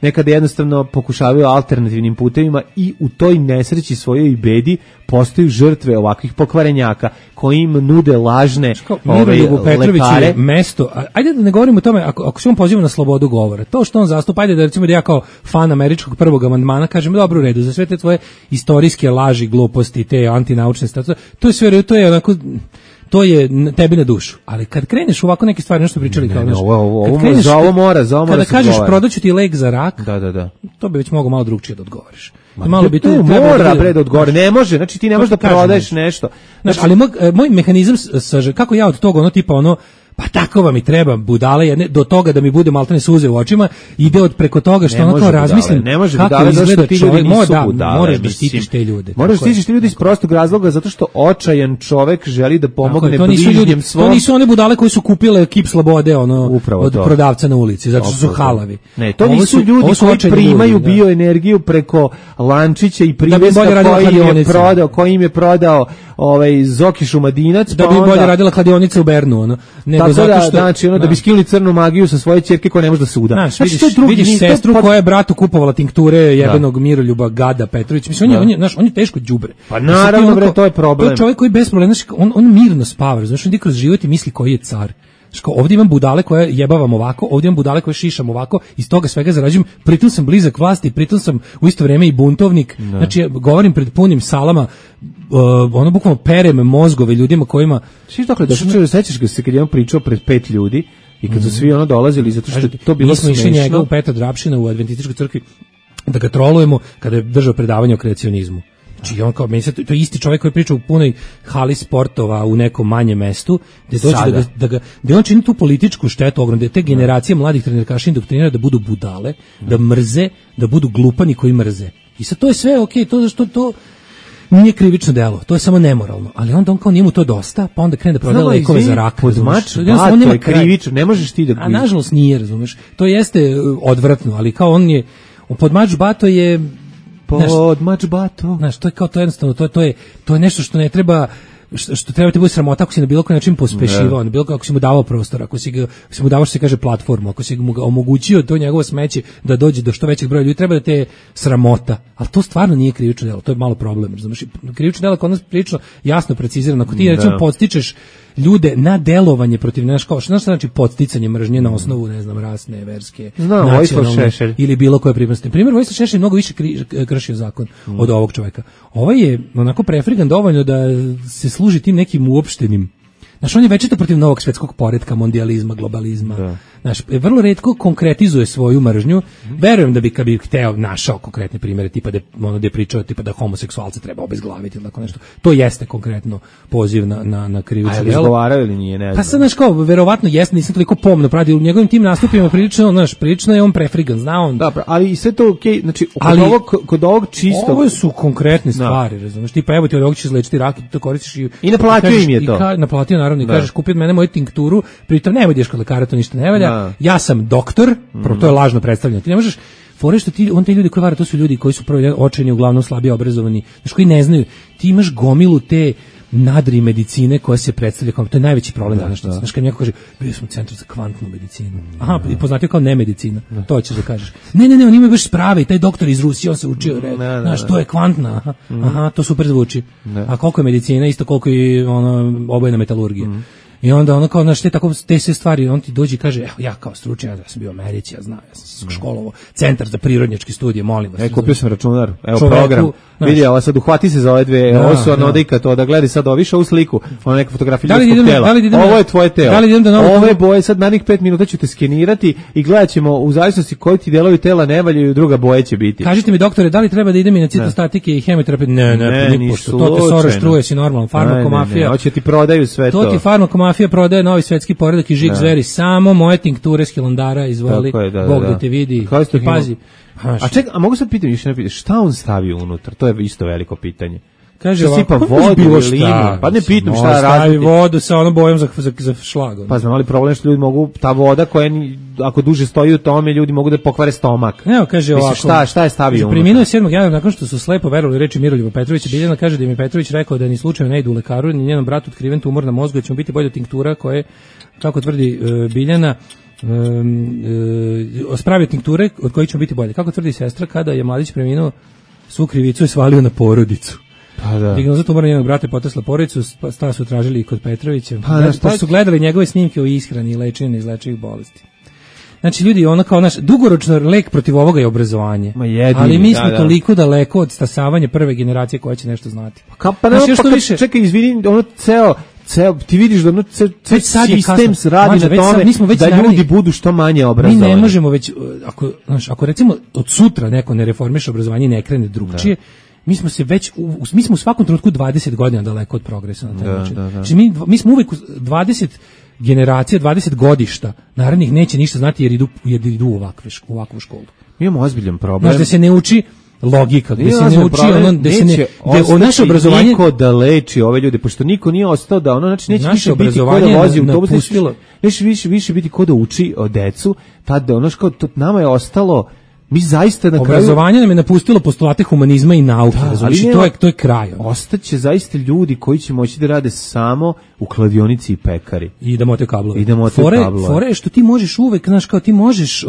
[SPEAKER 6] nekada jednostavno pokušavaju alternativnim putevima i u toj nesreći svojoj i bedi postaju žrtve ovakvih pokvarenjaka koji im nude lažne lekare.
[SPEAKER 5] Mesto, ajde da ne govorimo o tome, ako se on poziva na slobodu govora, to što on zastupa, ajde da recimo da ja kao fan američkog prvog amandmana kažem, dobro u redu, za sve te tvoje istorijske laži, gluposti, te antinaučne statue, to je sve, to je onako, to je tebi na dušu. Ali kad kreneš u ovako neke stvari, nešto pričali kao
[SPEAKER 6] za ovo mora
[SPEAKER 5] kada kažeš prodaću ti lek za rak,
[SPEAKER 6] da.
[SPEAKER 5] to bi već mogao malo drugčije da odgovoriš. Malo bi tu
[SPEAKER 6] mora bre da odgovori. Ne može, znači ti ne možeš da prodaješ nešto.
[SPEAKER 5] Znači, ali moj mehanizam kako ja od toga ono tipa ono pa tako vam i treba budale jedne do toga da mi bude maltene suze u očima ide od preko toga što ono kao razmislim
[SPEAKER 6] ne može budale zašto ti ljudi nisu budale.
[SPEAKER 5] Moraš da štitiš te ljude.
[SPEAKER 6] Moraš da štitiš te ljude iz prostog razloga zato što očajan čovek želi da pomogne bližnjem svom.
[SPEAKER 5] To nisu one budale koji su kupile kip slobode ono od prodavca na ulici zato što su halavi.
[SPEAKER 6] Ne, to nisu ljudi koji primaju bioenergiju preko lančića i priveska koji im je prodao Zoki Šumadinac
[SPEAKER 5] da bi bolje radila kladionica u Bernu ono.
[SPEAKER 6] Tako zato što znači da bi skinuli crnu magiju sa svoje ćerke koja ne može da se uda.
[SPEAKER 5] Znači vidiš sestru koja je bratu kupovala tinkture jebenog Miroljuba Gada Petrović. Mislim on je teško đubre.
[SPEAKER 6] Pa naravno bre, to je problem.
[SPEAKER 5] To je čovjek koji bez problema, on mirno spava, znači on ide kroz život i misli koji je car. Ovdje imam budale koje jebavam ovako, ovdje imam budale koje šišam ovako, iz toga svega zarađujem, pritom sam blizak vlasti, pritom sam u isto vrijeme i buntovnik, znači govorim pred punim salama, ono bukvalno perem mozgove ljudima kojima...
[SPEAKER 6] Svi dakle, sećaš ga se kad je on pričao pred 5 ljudi i kad su svi ono dolazili, zato što to bilo smešno.
[SPEAKER 5] Mi smo išli njega u Petra Drapšina u Adventističkoj crkvi da ga trolujemo kada je držao predavanje o kreacionizmu. Znači on kao to je isti čovjek koji priča u punoj hali sportova u nekom manjem mestu, gdje dođe da on čini tu političku štetu ogromnu, da te generacije mladih trenerkaša indoktrinira da budu budale, da mrze, da budu glupani koji mrze. I sad to je sve okej, to zašto to nije krivično delo, to je samo nemoralno, ali onda on kao njemu to dosta, pa onda krene da prodaje lekove za rak.
[SPEAKER 6] Podmač, to je krivično, ne možeš ti da...
[SPEAKER 5] A nažalost nije, razumeš, to jeste odvratno, ali kao on je, podmač bato je...
[SPEAKER 6] Podmač bato.
[SPEAKER 5] Znaš, to je kao to jednostavno, to je nešto što ne treba, što treba ti bude sramota ako si na bilo koji način pospešivao, na bilo kako si mu davao prostor, ako si mu davao što se kaže platformu, ako si mu omogućio to njegovo smeće da dođe do što većeg broja ljudi, treba da te sramota. Ali to stvarno nije krivično delo, to je malo problem, razumiješ? Krivično delo kod nas prilično jasno precizirano. Ako ti recimo podstičeš ljude na delovanje protiv nešto kao što znači podsticanje mržnje na osnovu ne znam rasne, verske, nacionalne ili bilo koje pripadnosti. Primjer Vojislav Šešelj mnogo više kršio zakon od ovog čovjeka. Ovaj je onako prefrigan dovoljno da se služi tim nekim uopštenim. Znaš, on je večito protiv novog svjetskog poretka, mondijalizma, globalizma. Znaš, vrlo retko konkretizuje svoju mržnju. Verujem da bi kad bi hteo našao konkretne primjere, tipa da ono da je pričao tipa da homoseksualce treba obezglaviti ili tako nešto. To jeste konkretno poziv na krivično delo.
[SPEAKER 6] A izgovarao ili nije, ne znam.
[SPEAKER 5] Pa sad znaš kao verovatno jeste, nisam toliko pomno pratio u njegovim tim nastupima prilično je on prefrigan, zna on.
[SPEAKER 6] Dobro, ali i sve to okej, znači kod ovog čisto.
[SPEAKER 5] Ovo su konkretne stvari, razumeš? Tipa evo ti ovog ćeš izlečiti rak, to koristiš
[SPEAKER 6] i naplatio im je to.
[SPEAKER 5] Naplatio naravno i kažeš kupi od mene moju tinkturu, pritom ne ideš kod lekara, to ništa ne valja. Ja sam doktor, to je lažno predstavljanje. Ti ne možeš fore što te ljudi koji vare, to su ljudi koji su prvo očajni, uglavnom slabije obrazovani, znači koji ne znaju. Ti imaš gomilu te nadri medicine koja se predstavlja kao, to je najveći problem danas. Znaš, kad mi neko kaže, bio sam u centru za kvantnu medicinu. Aha, i poznatio kao nemedicina. To ćeš da kažeš. Ne, on ima baš sprave i taj doktor iz Rusije, on se učio. Znaš, to je kvantna. Aha, to super zvuči. A koliko je medicina, isto koliko je obojna metalurgija. I onda ono kao, znaš, te sve stvari, on ti dođe i kaže, evo, ja kao stručnjak, ja sam bio u Americi, ja znam, ja sam se školovao, centar za prirodnjačke studije, molim vas.
[SPEAKER 6] Kupio sam računar, evo program, vidi, ovo sad uhvati se za ove dve, ovo su anodika, to da gledaj sad više ovu sliku, ono neka fotografija ljudskog tela, ovo je tvoje telo, ove boje, sad narednih 5 minuta ću te skenirati i gledat ćemo u zavisnosti koji ti delovi tela ne valjaju, druga boje će biti.
[SPEAKER 5] Kažite mi, doktore, da li treba da idem i na citostatike i hemoterapiju? Ne, nipošto, to te Soros truje, si normalno, farmakomafija.
[SPEAKER 6] Hoće ti prodaju sve to.
[SPEAKER 5] To ti farmakomafija prodaje novi svetski poredak i žig zveri, samo moje tinkture s Hilandara izvoli, Bog da te vidi i pazi.
[SPEAKER 6] A čekaj, a mogu sad pitam više ne pitaš, šta on stavi unutra? To je isto veliko pitanje.
[SPEAKER 5] Kaže
[SPEAKER 6] ovako, vodu ili limun? Pa ne pitam šta
[SPEAKER 5] stavi vodu sa onom bojom za šlag.
[SPEAKER 6] Pa znam, ali problem što ljudi mogu, ta voda koja ako duže stoji u tome, ljudi mogu da pokvare stomak.
[SPEAKER 5] Evo, kaže ovako.
[SPEAKER 6] Šta je stavio unutra?
[SPEAKER 5] Preminuo je 7. januara nakon što su slepo verovali reči Miroljuba Petrovića. Biljana kaže da im je Petrović rekao da ni slučajno ne idu u lekaru, ni njenom bratu otkriven tumor na mozgu, da će mu biti bolje tinktura koje, kako tvrdi Biljana, spravio tinkture od kojih će biti bolje. Kako tvrdi sestra, kada je mladić preminuo, svu krivicu je svalio na porodicu.
[SPEAKER 6] Pa da.
[SPEAKER 5] Dijagnoza tumora njenog brata je potresla porodicu, sta su tražili i kod Petrovića. Pa su gledali njegove snimke o ishrani i lečenju neizlečivih bolesti. Znači ljudi, ono kao naš dugoročno lek protiv ovoga je obrazovanje. Ali mi smo toliko daleko od stasavanja prve generacije koja će nešto znati.
[SPEAKER 6] Čekaj, izvini, ono ti vidiš da sistem radi na tome da ljudi budu što manje obrazovani.
[SPEAKER 5] Mi ne možemo već, ako recimo od sutra neko ne reformiše obrazovanje i ne krene drugčije, mi smo u svakom trenutku 20 godina daleko od progresa na taj način. Znači, mi smo uvek 20 generacija, 20 godišta narednih neće ništa znati jer idu u ovakvu školu.
[SPEAKER 6] Mi imamo ozbiljan problem.
[SPEAKER 5] Znači da se ne uči logika, gde se ne uči naše obrazovanje
[SPEAKER 6] niko da leči ove ljude, pošto niko nije ostao da znači neće više biti ko da vozi autobus, neće više biti ko da uči o decu, tad kao nama je ostalo. Mi zaista na
[SPEAKER 5] obrazovanje nam je napustilo postulate humanizma i nauke, znači to je kraj.
[SPEAKER 6] Ostaće zaista ljudi koji će moći da rade samo u kladionici i pekari
[SPEAKER 5] i da mote kablove. Fore što ti možeš uvek, znaš, kao ti možeš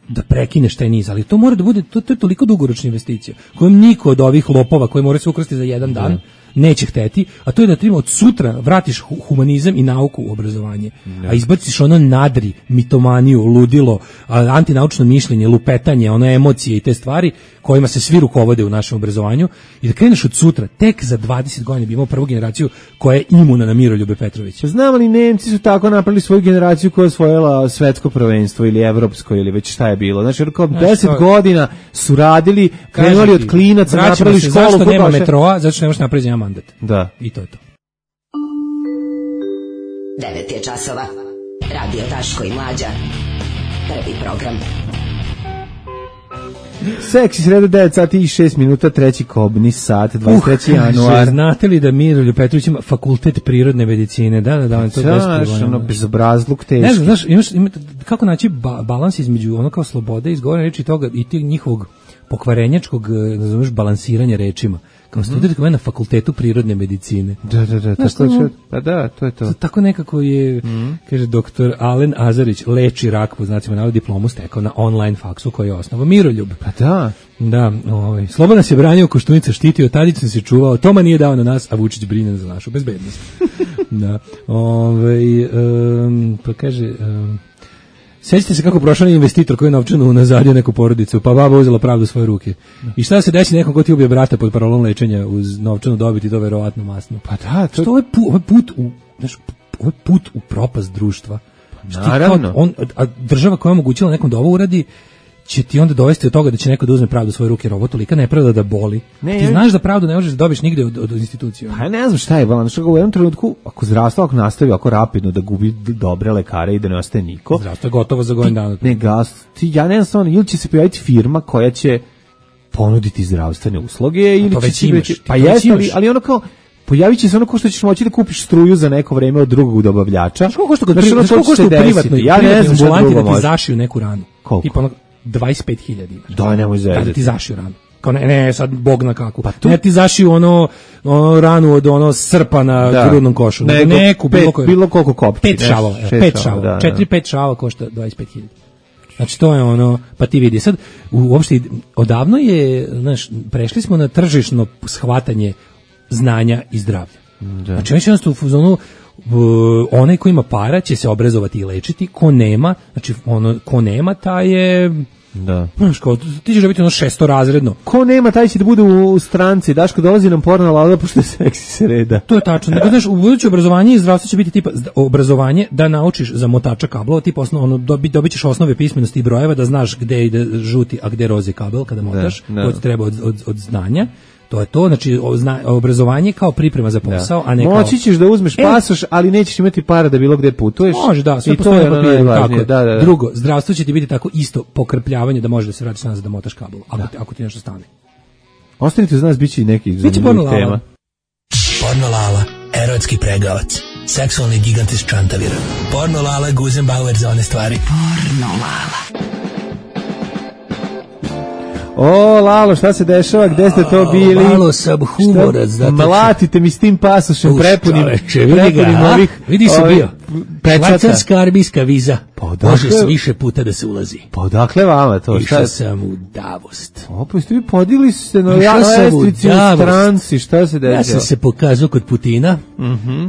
[SPEAKER 5] da prekineš taj niz, ali to mora da bude, to je toliko dugoročna investicija kojom niko od ovih lopova koji mora se ukrasti za jedan dan neće hteti, a to je da ti od sutra vratiš humanizam i nauku u obrazovanje, a izbaciš ono nadri, mitomaniju, ludilo, antinaučno mišljenje, lupetanje, ono emocije i te stvari kojima se svi rukovode u našem obrazovanju i da kreneš od sutra, tek za 20 godina bi imao prvu generaciju koja je imuna na Miroljube Petrovića.
[SPEAKER 6] Znam li, Nemci su tako napravili svoju generaciju koja je osvojila svetsko prvenstvo ili evropsko ili već šta je bilo. Znači, kao 10 godina su radili, krenuli od klinaca, napravili školu.
[SPEAKER 5] Zašto nema metroa? Zato što nemaš napraviti jedan mandat.
[SPEAKER 6] Da.
[SPEAKER 5] I to je to.
[SPEAKER 8] 9 je časova. Radio Daško i Mlađa. Prvi program.
[SPEAKER 6] Seksi sreda 9 sati i 6 minuta, treći kobni sat, 23. januar.
[SPEAKER 5] Znate li da Miroljub Petrović ima fakultet prirodne medicine? Da, to je
[SPEAKER 6] ono bezobrazluk teški.
[SPEAKER 5] Ne znam, znaš, kako naći balans između ono kao slobode, izgovorene reči toga i tih njihovog pokvarenjačkog, nazoveš, balansiranja rečima. Kao student koji je na fakultetu prirodne medicine.
[SPEAKER 6] Da, pa da, to je to.
[SPEAKER 5] Tako nekako je, kaže doktor Alen Azarić, leči rak, po znacima navoda, diplomu stekao na online faksu koji je osnovao Miroljub.
[SPEAKER 6] Pa da.
[SPEAKER 5] Da, Slobodan se branio, Koštunica štitio, Tadić se čuvao, Toma nije dao na nas, a Vučić brine za našu bezbednost. Da, pa kaže... Sjećate se kako prošao investitor koji je novčanu nazadio neku porodicu, pa baba uzela pravdu u svoje ruke. I šta se desi nekom ko ti ubije brata pod parolom lečenja uz novčanu dobit i to verovatno masno.
[SPEAKER 6] Pa da,
[SPEAKER 5] to je put u propast društva.
[SPEAKER 6] Pa, naravno.
[SPEAKER 5] A država koja je omogućila nekom da ovo uradi, će ti onda dovesti do toga da će neko da uzme pravdu u svoje ruke, jer ovo tolika nepravda da boli. Ti znaš da pravdu ne možeš da dobiš nigde od institucija.
[SPEAKER 6] Pa ne znam šta je, u jednom trenutku, ako zdravstvo nastavi ako rapidno da gubi dobre lekare i da ne ostaje niko.
[SPEAKER 5] Zdravstvo je gotovo za godinu dana.
[SPEAKER 6] Ja ne znam stvarno, ili će se pojaviti firma koja će ponuditi zdravstvene usluge, ili
[SPEAKER 5] to
[SPEAKER 6] će
[SPEAKER 5] imaš,
[SPEAKER 6] pa jeste, ali ono kao pojavit će se ono ko što ćeš moći da kupiš struju za neko vreme od drugog dobavljača.
[SPEAKER 5] Znaš koliko košta u privatnoj ambulanti da ti zašiju neku ranu?
[SPEAKER 6] Koliko?
[SPEAKER 5] Tipa 25.000 imaš.
[SPEAKER 6] Da, nemoj zezati.
[SPEAKER 5] Da ti zašiju ranu. Kao ne, sad Bog na kaku. Pa ne ti zašiju ono ranu od srpa na grudnom košu. Neku,
[SPEAKER 6] bilo koliko kopči.
[SPEAKER 5] 5 šavova. 4-5 šava košta 25.000. Znači to je ono, pa ti vidi. Sad, uopšte, odavno je, znaš, prešli smo na tržišno shvatanje znanja i zdravlja. Znači, već jednostavno u fuzonu, onaj ko ima para će se obrazovati i lečiti, ko nema, znači ko nema taj je, znaš, kao, ti ćeš da biti ono 600-razredno.
[SPEAKER 6] Ko nema taj će da bude u stranci, Daško dolazi nam porno lauda pošto je seksi sreda.
[SPEAKER 5] To je tačno, nego znaš, u buduće obrazovanje i zdravstvo će biti tipa obrazovanje da naučiš za motača kablova, tipa dobit ćeš osnove pismenosti i brojeva, da znaš gde ide žuti, a gde rozi kabel kada motaš, to ti treba od znanja. To je to, znači obrazovanje kao priprema za posao, a ne kao...
[SPEAKER 6] Moći ćeš da uzmeš pasoš, ali nećeš imati para da bilo gde putuješ.
[SPEAKER 5] Može, da, sve postoje na papiru, tako. Da. Drugo, zdravstvo će ti biti tako isto pokrpljavanje da možeš da se vratiš nazad da motaš kabel, ako ti nešto stane.
[SPEAKER 6] Ostanite uz nas, bit će i nekih zanimljivih tema.
[SPEAKER 11] Porno Lala, erotski pregavac, seksualni gigant iz Čantavira. Porno Lala, Guzenbauer za one stvari. Porno Lala.
[SPEAKER 6] O, Lalo, šta se dešava, gde ste to bili?
[SPEAKER 5] Malo sam humorac.
[SPEAKER 6] Mlatite mi s tim pasošem prepunim ovih
[SPEAKER 5] vidi se bio. Švajcarska armijska viza. Može se više puta da se ulazi.
[SPEAKER 6] Pa odakle vama to?
[SPEAKER 5] Išao sam u Davost.
[SPEAKER 6] Pa ste vi podigli se na lestvici u stranci, šta se desilo?
[SPEAKER 5] Ja sam se pokazao kod Putina.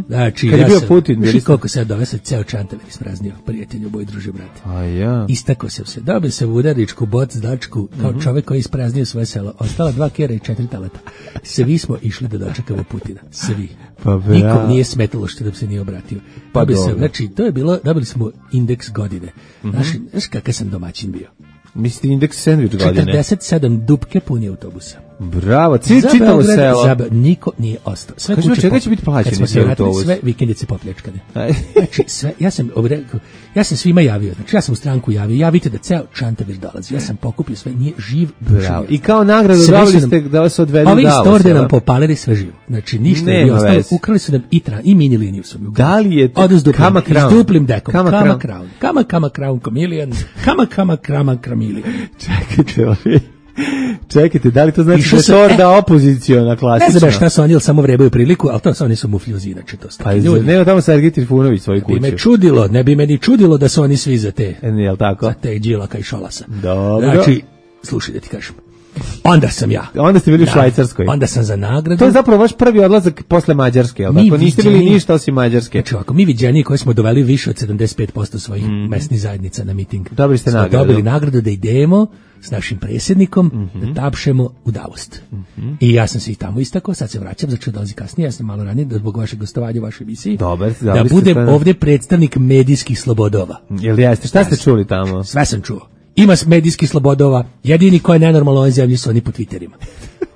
[SPEAKER 5] Znači,
[SPEAKER 6] kad je bio Putin?
[SPEAKER 5] Znaš koliko sad dove se ceo Čantavir ispraznio, prijatelju, boj druže, brate.
[SPEAKER 6] A ja.
[SPEAKER 5] Istako sam se, dobio sam udaričku bocdačku kao čovek koji je ispraznio svoje selo. Ostala 2 kera i 4 talata. Svi smo išli da dočekamo Putina. Svi.
[SPEAKER 6] Pa
[SPEAKER 5] nikom nije smetalo što da se nije obratio. Pa znači, to je bilo, dobili smo indeks godine. Znaš kakav sam domaćin bio?
[SPEAKER 6] Mislite indeks sandvič godine?
[SPEAKER 5] 47 dupke puni autobusa.
[SPEAKER 6] Bravo, čitavo selo.
[SPEAKER 5] Niko nije ostao. Sve
[SPEAKER 6] kuće čega će biti plaćeni autobus?
[SPEAKER 5] Sve vikendice popljačkane. Znači, sve, ja sam svima javio, znači ja sam u stranku javite da ceo Čantavir dolazi. Ja sam pokupio sve, nije živ duša.
[SPEAKER 6] I kao nagradu dobili ste da vas odvedu u Davos.
[SPEAKER 5] Ovi iz Torde nam popalili sve živo. Znači, ništa nije bio ostalo. Ukrali su nam i mini liniju su mi ukrali.
[SPEAKER 6] Da li je
[SPEAKER 5] Kama Crown? S duplim dekom. Kama Crown Chameleon. Kama Chameleon.
[SPEAKER 6] Čekajte, da li to znači da je Torda opoziciona klasična?
[SPEAKER 5] Ne znam šta su oni, ili samo vrebaju priliku, ali to su oni su mufljuzi, inače to
[SPEAKER 6] stvari. Nema tamo Sergej Trifunović svoju kuću.
[SPEAKER 5] Ne bi me ni čudilo da su oni svi za te.
[SPEAKER 6] Jel tako?
[SPEAKER 5] Za te Đilaka i Šolasa.
[SPEAKER 6] Dobro.
[SPEAKER 5] Znači, slušaj da ti kažem. Onda sam ja.
[SPEAKER 6] Onda ste bili u Švajcarskoj.
[SPEAKER 5] Onda sam za nagradu.
[SPEAKER 6] To je zapravo vaš prvi odlazak posle Mađarske, jel tako? Niste bili ništa osim Mađarske.
[SPEAKER 5] Znači ovako, mi viđeni koji smo doveli više od 75% svojih mesnih zajednica na miting.
[SPEAKER 6] Dobili ste nagradu.
[SPEAKER 5] Dobili nagradu da idemo s našim predsjednikom da tapšemo u Davost. I ja sam se i tamo istakao, sad se vraćam, znači dolazi kasnije, ja sam malo ranije da zbog vašeg gostovanja u vašoj emisiji. Da budem ovdje predstavnik medijskih slobodova.
[SPEAKER 6] Jel jeste? Šta ste čuli tamo?
[SPEAKER 5] Sve sam čuo. Ima medijskih slobodova, jedini ko je nenormalno u ovoj zemlji su oni po Twitterima.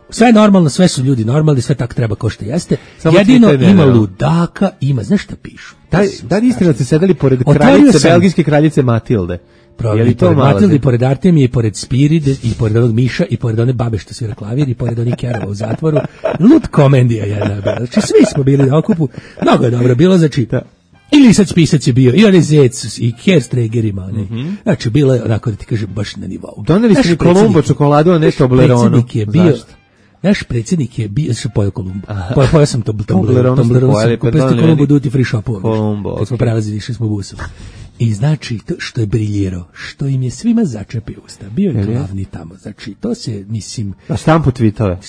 [SPEAKER 5] Sve je normalno, sve su ljudi normalni, sve tako treba ko što jeste. Samo jedino ima ludaka, znaš šta pišu?
[SPEAKER 6] Da li istina da ste sedeli pored kraljice, belgijske kraljice Matilde?
[SPEAKER 5] I pored Matilde, i pored Artemije, i pored Spiride, i pored onog Miša, i pored one babe što svira klavir, i pored onih Kerova u zatvoru. Lud komendija jedna. Znači, svi smo bili na okupu, mnogo je dobro bilo, znači... I Lisac Pisac je bio, i onaj Zec, i Kerstregerima, znači bilo je, onako da ti kažem, baš na nivou.
[SPEAKER 6] Doneli ste mi Kolumbo čokoladu, a ne Tobleronu.
[SPEAKER 5] Naš predsjednik je bio, što pojao Kolumbo. Pojao sam Tobleronu, kupili ste Kolumbo duty free shopu. Kad smo prelazili, išli smo busom. I znači, to što je briljirao, što im je svima začepio usta, bio je glavni tamo, znači, to se, mislim...
[SPEAKER 6] A štampu tvitove?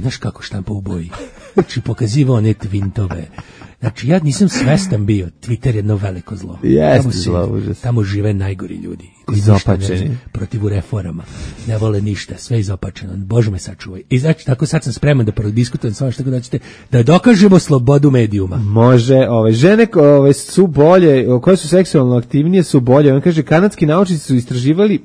[SPEAKER 5] Znaš kako štampa u boji? Znači, pokazivao one tvintove. Znači, ja nisam svestan bio, Twitter je jedno veliko zlo.
[SPEAKER 6] Jeste zlo, užas.
[SPEAKER 5] Tamo žive najgori ljudi.
[SPEAKER 6] Izopačeni.
[SPEAKER 5] Protiv reforama. Ne vole ništa, sve izopačeno. Bože me sačuvaj. I znači, tako sad sam spreman da prodiskutujem s vama što da ćete, da dokažemo slobodu medijuma.
[SPEAKER 6] Može, žene su bolje, koje su seksualno aktivnije su bolje. On kaže, kanadski naučnici su istraživali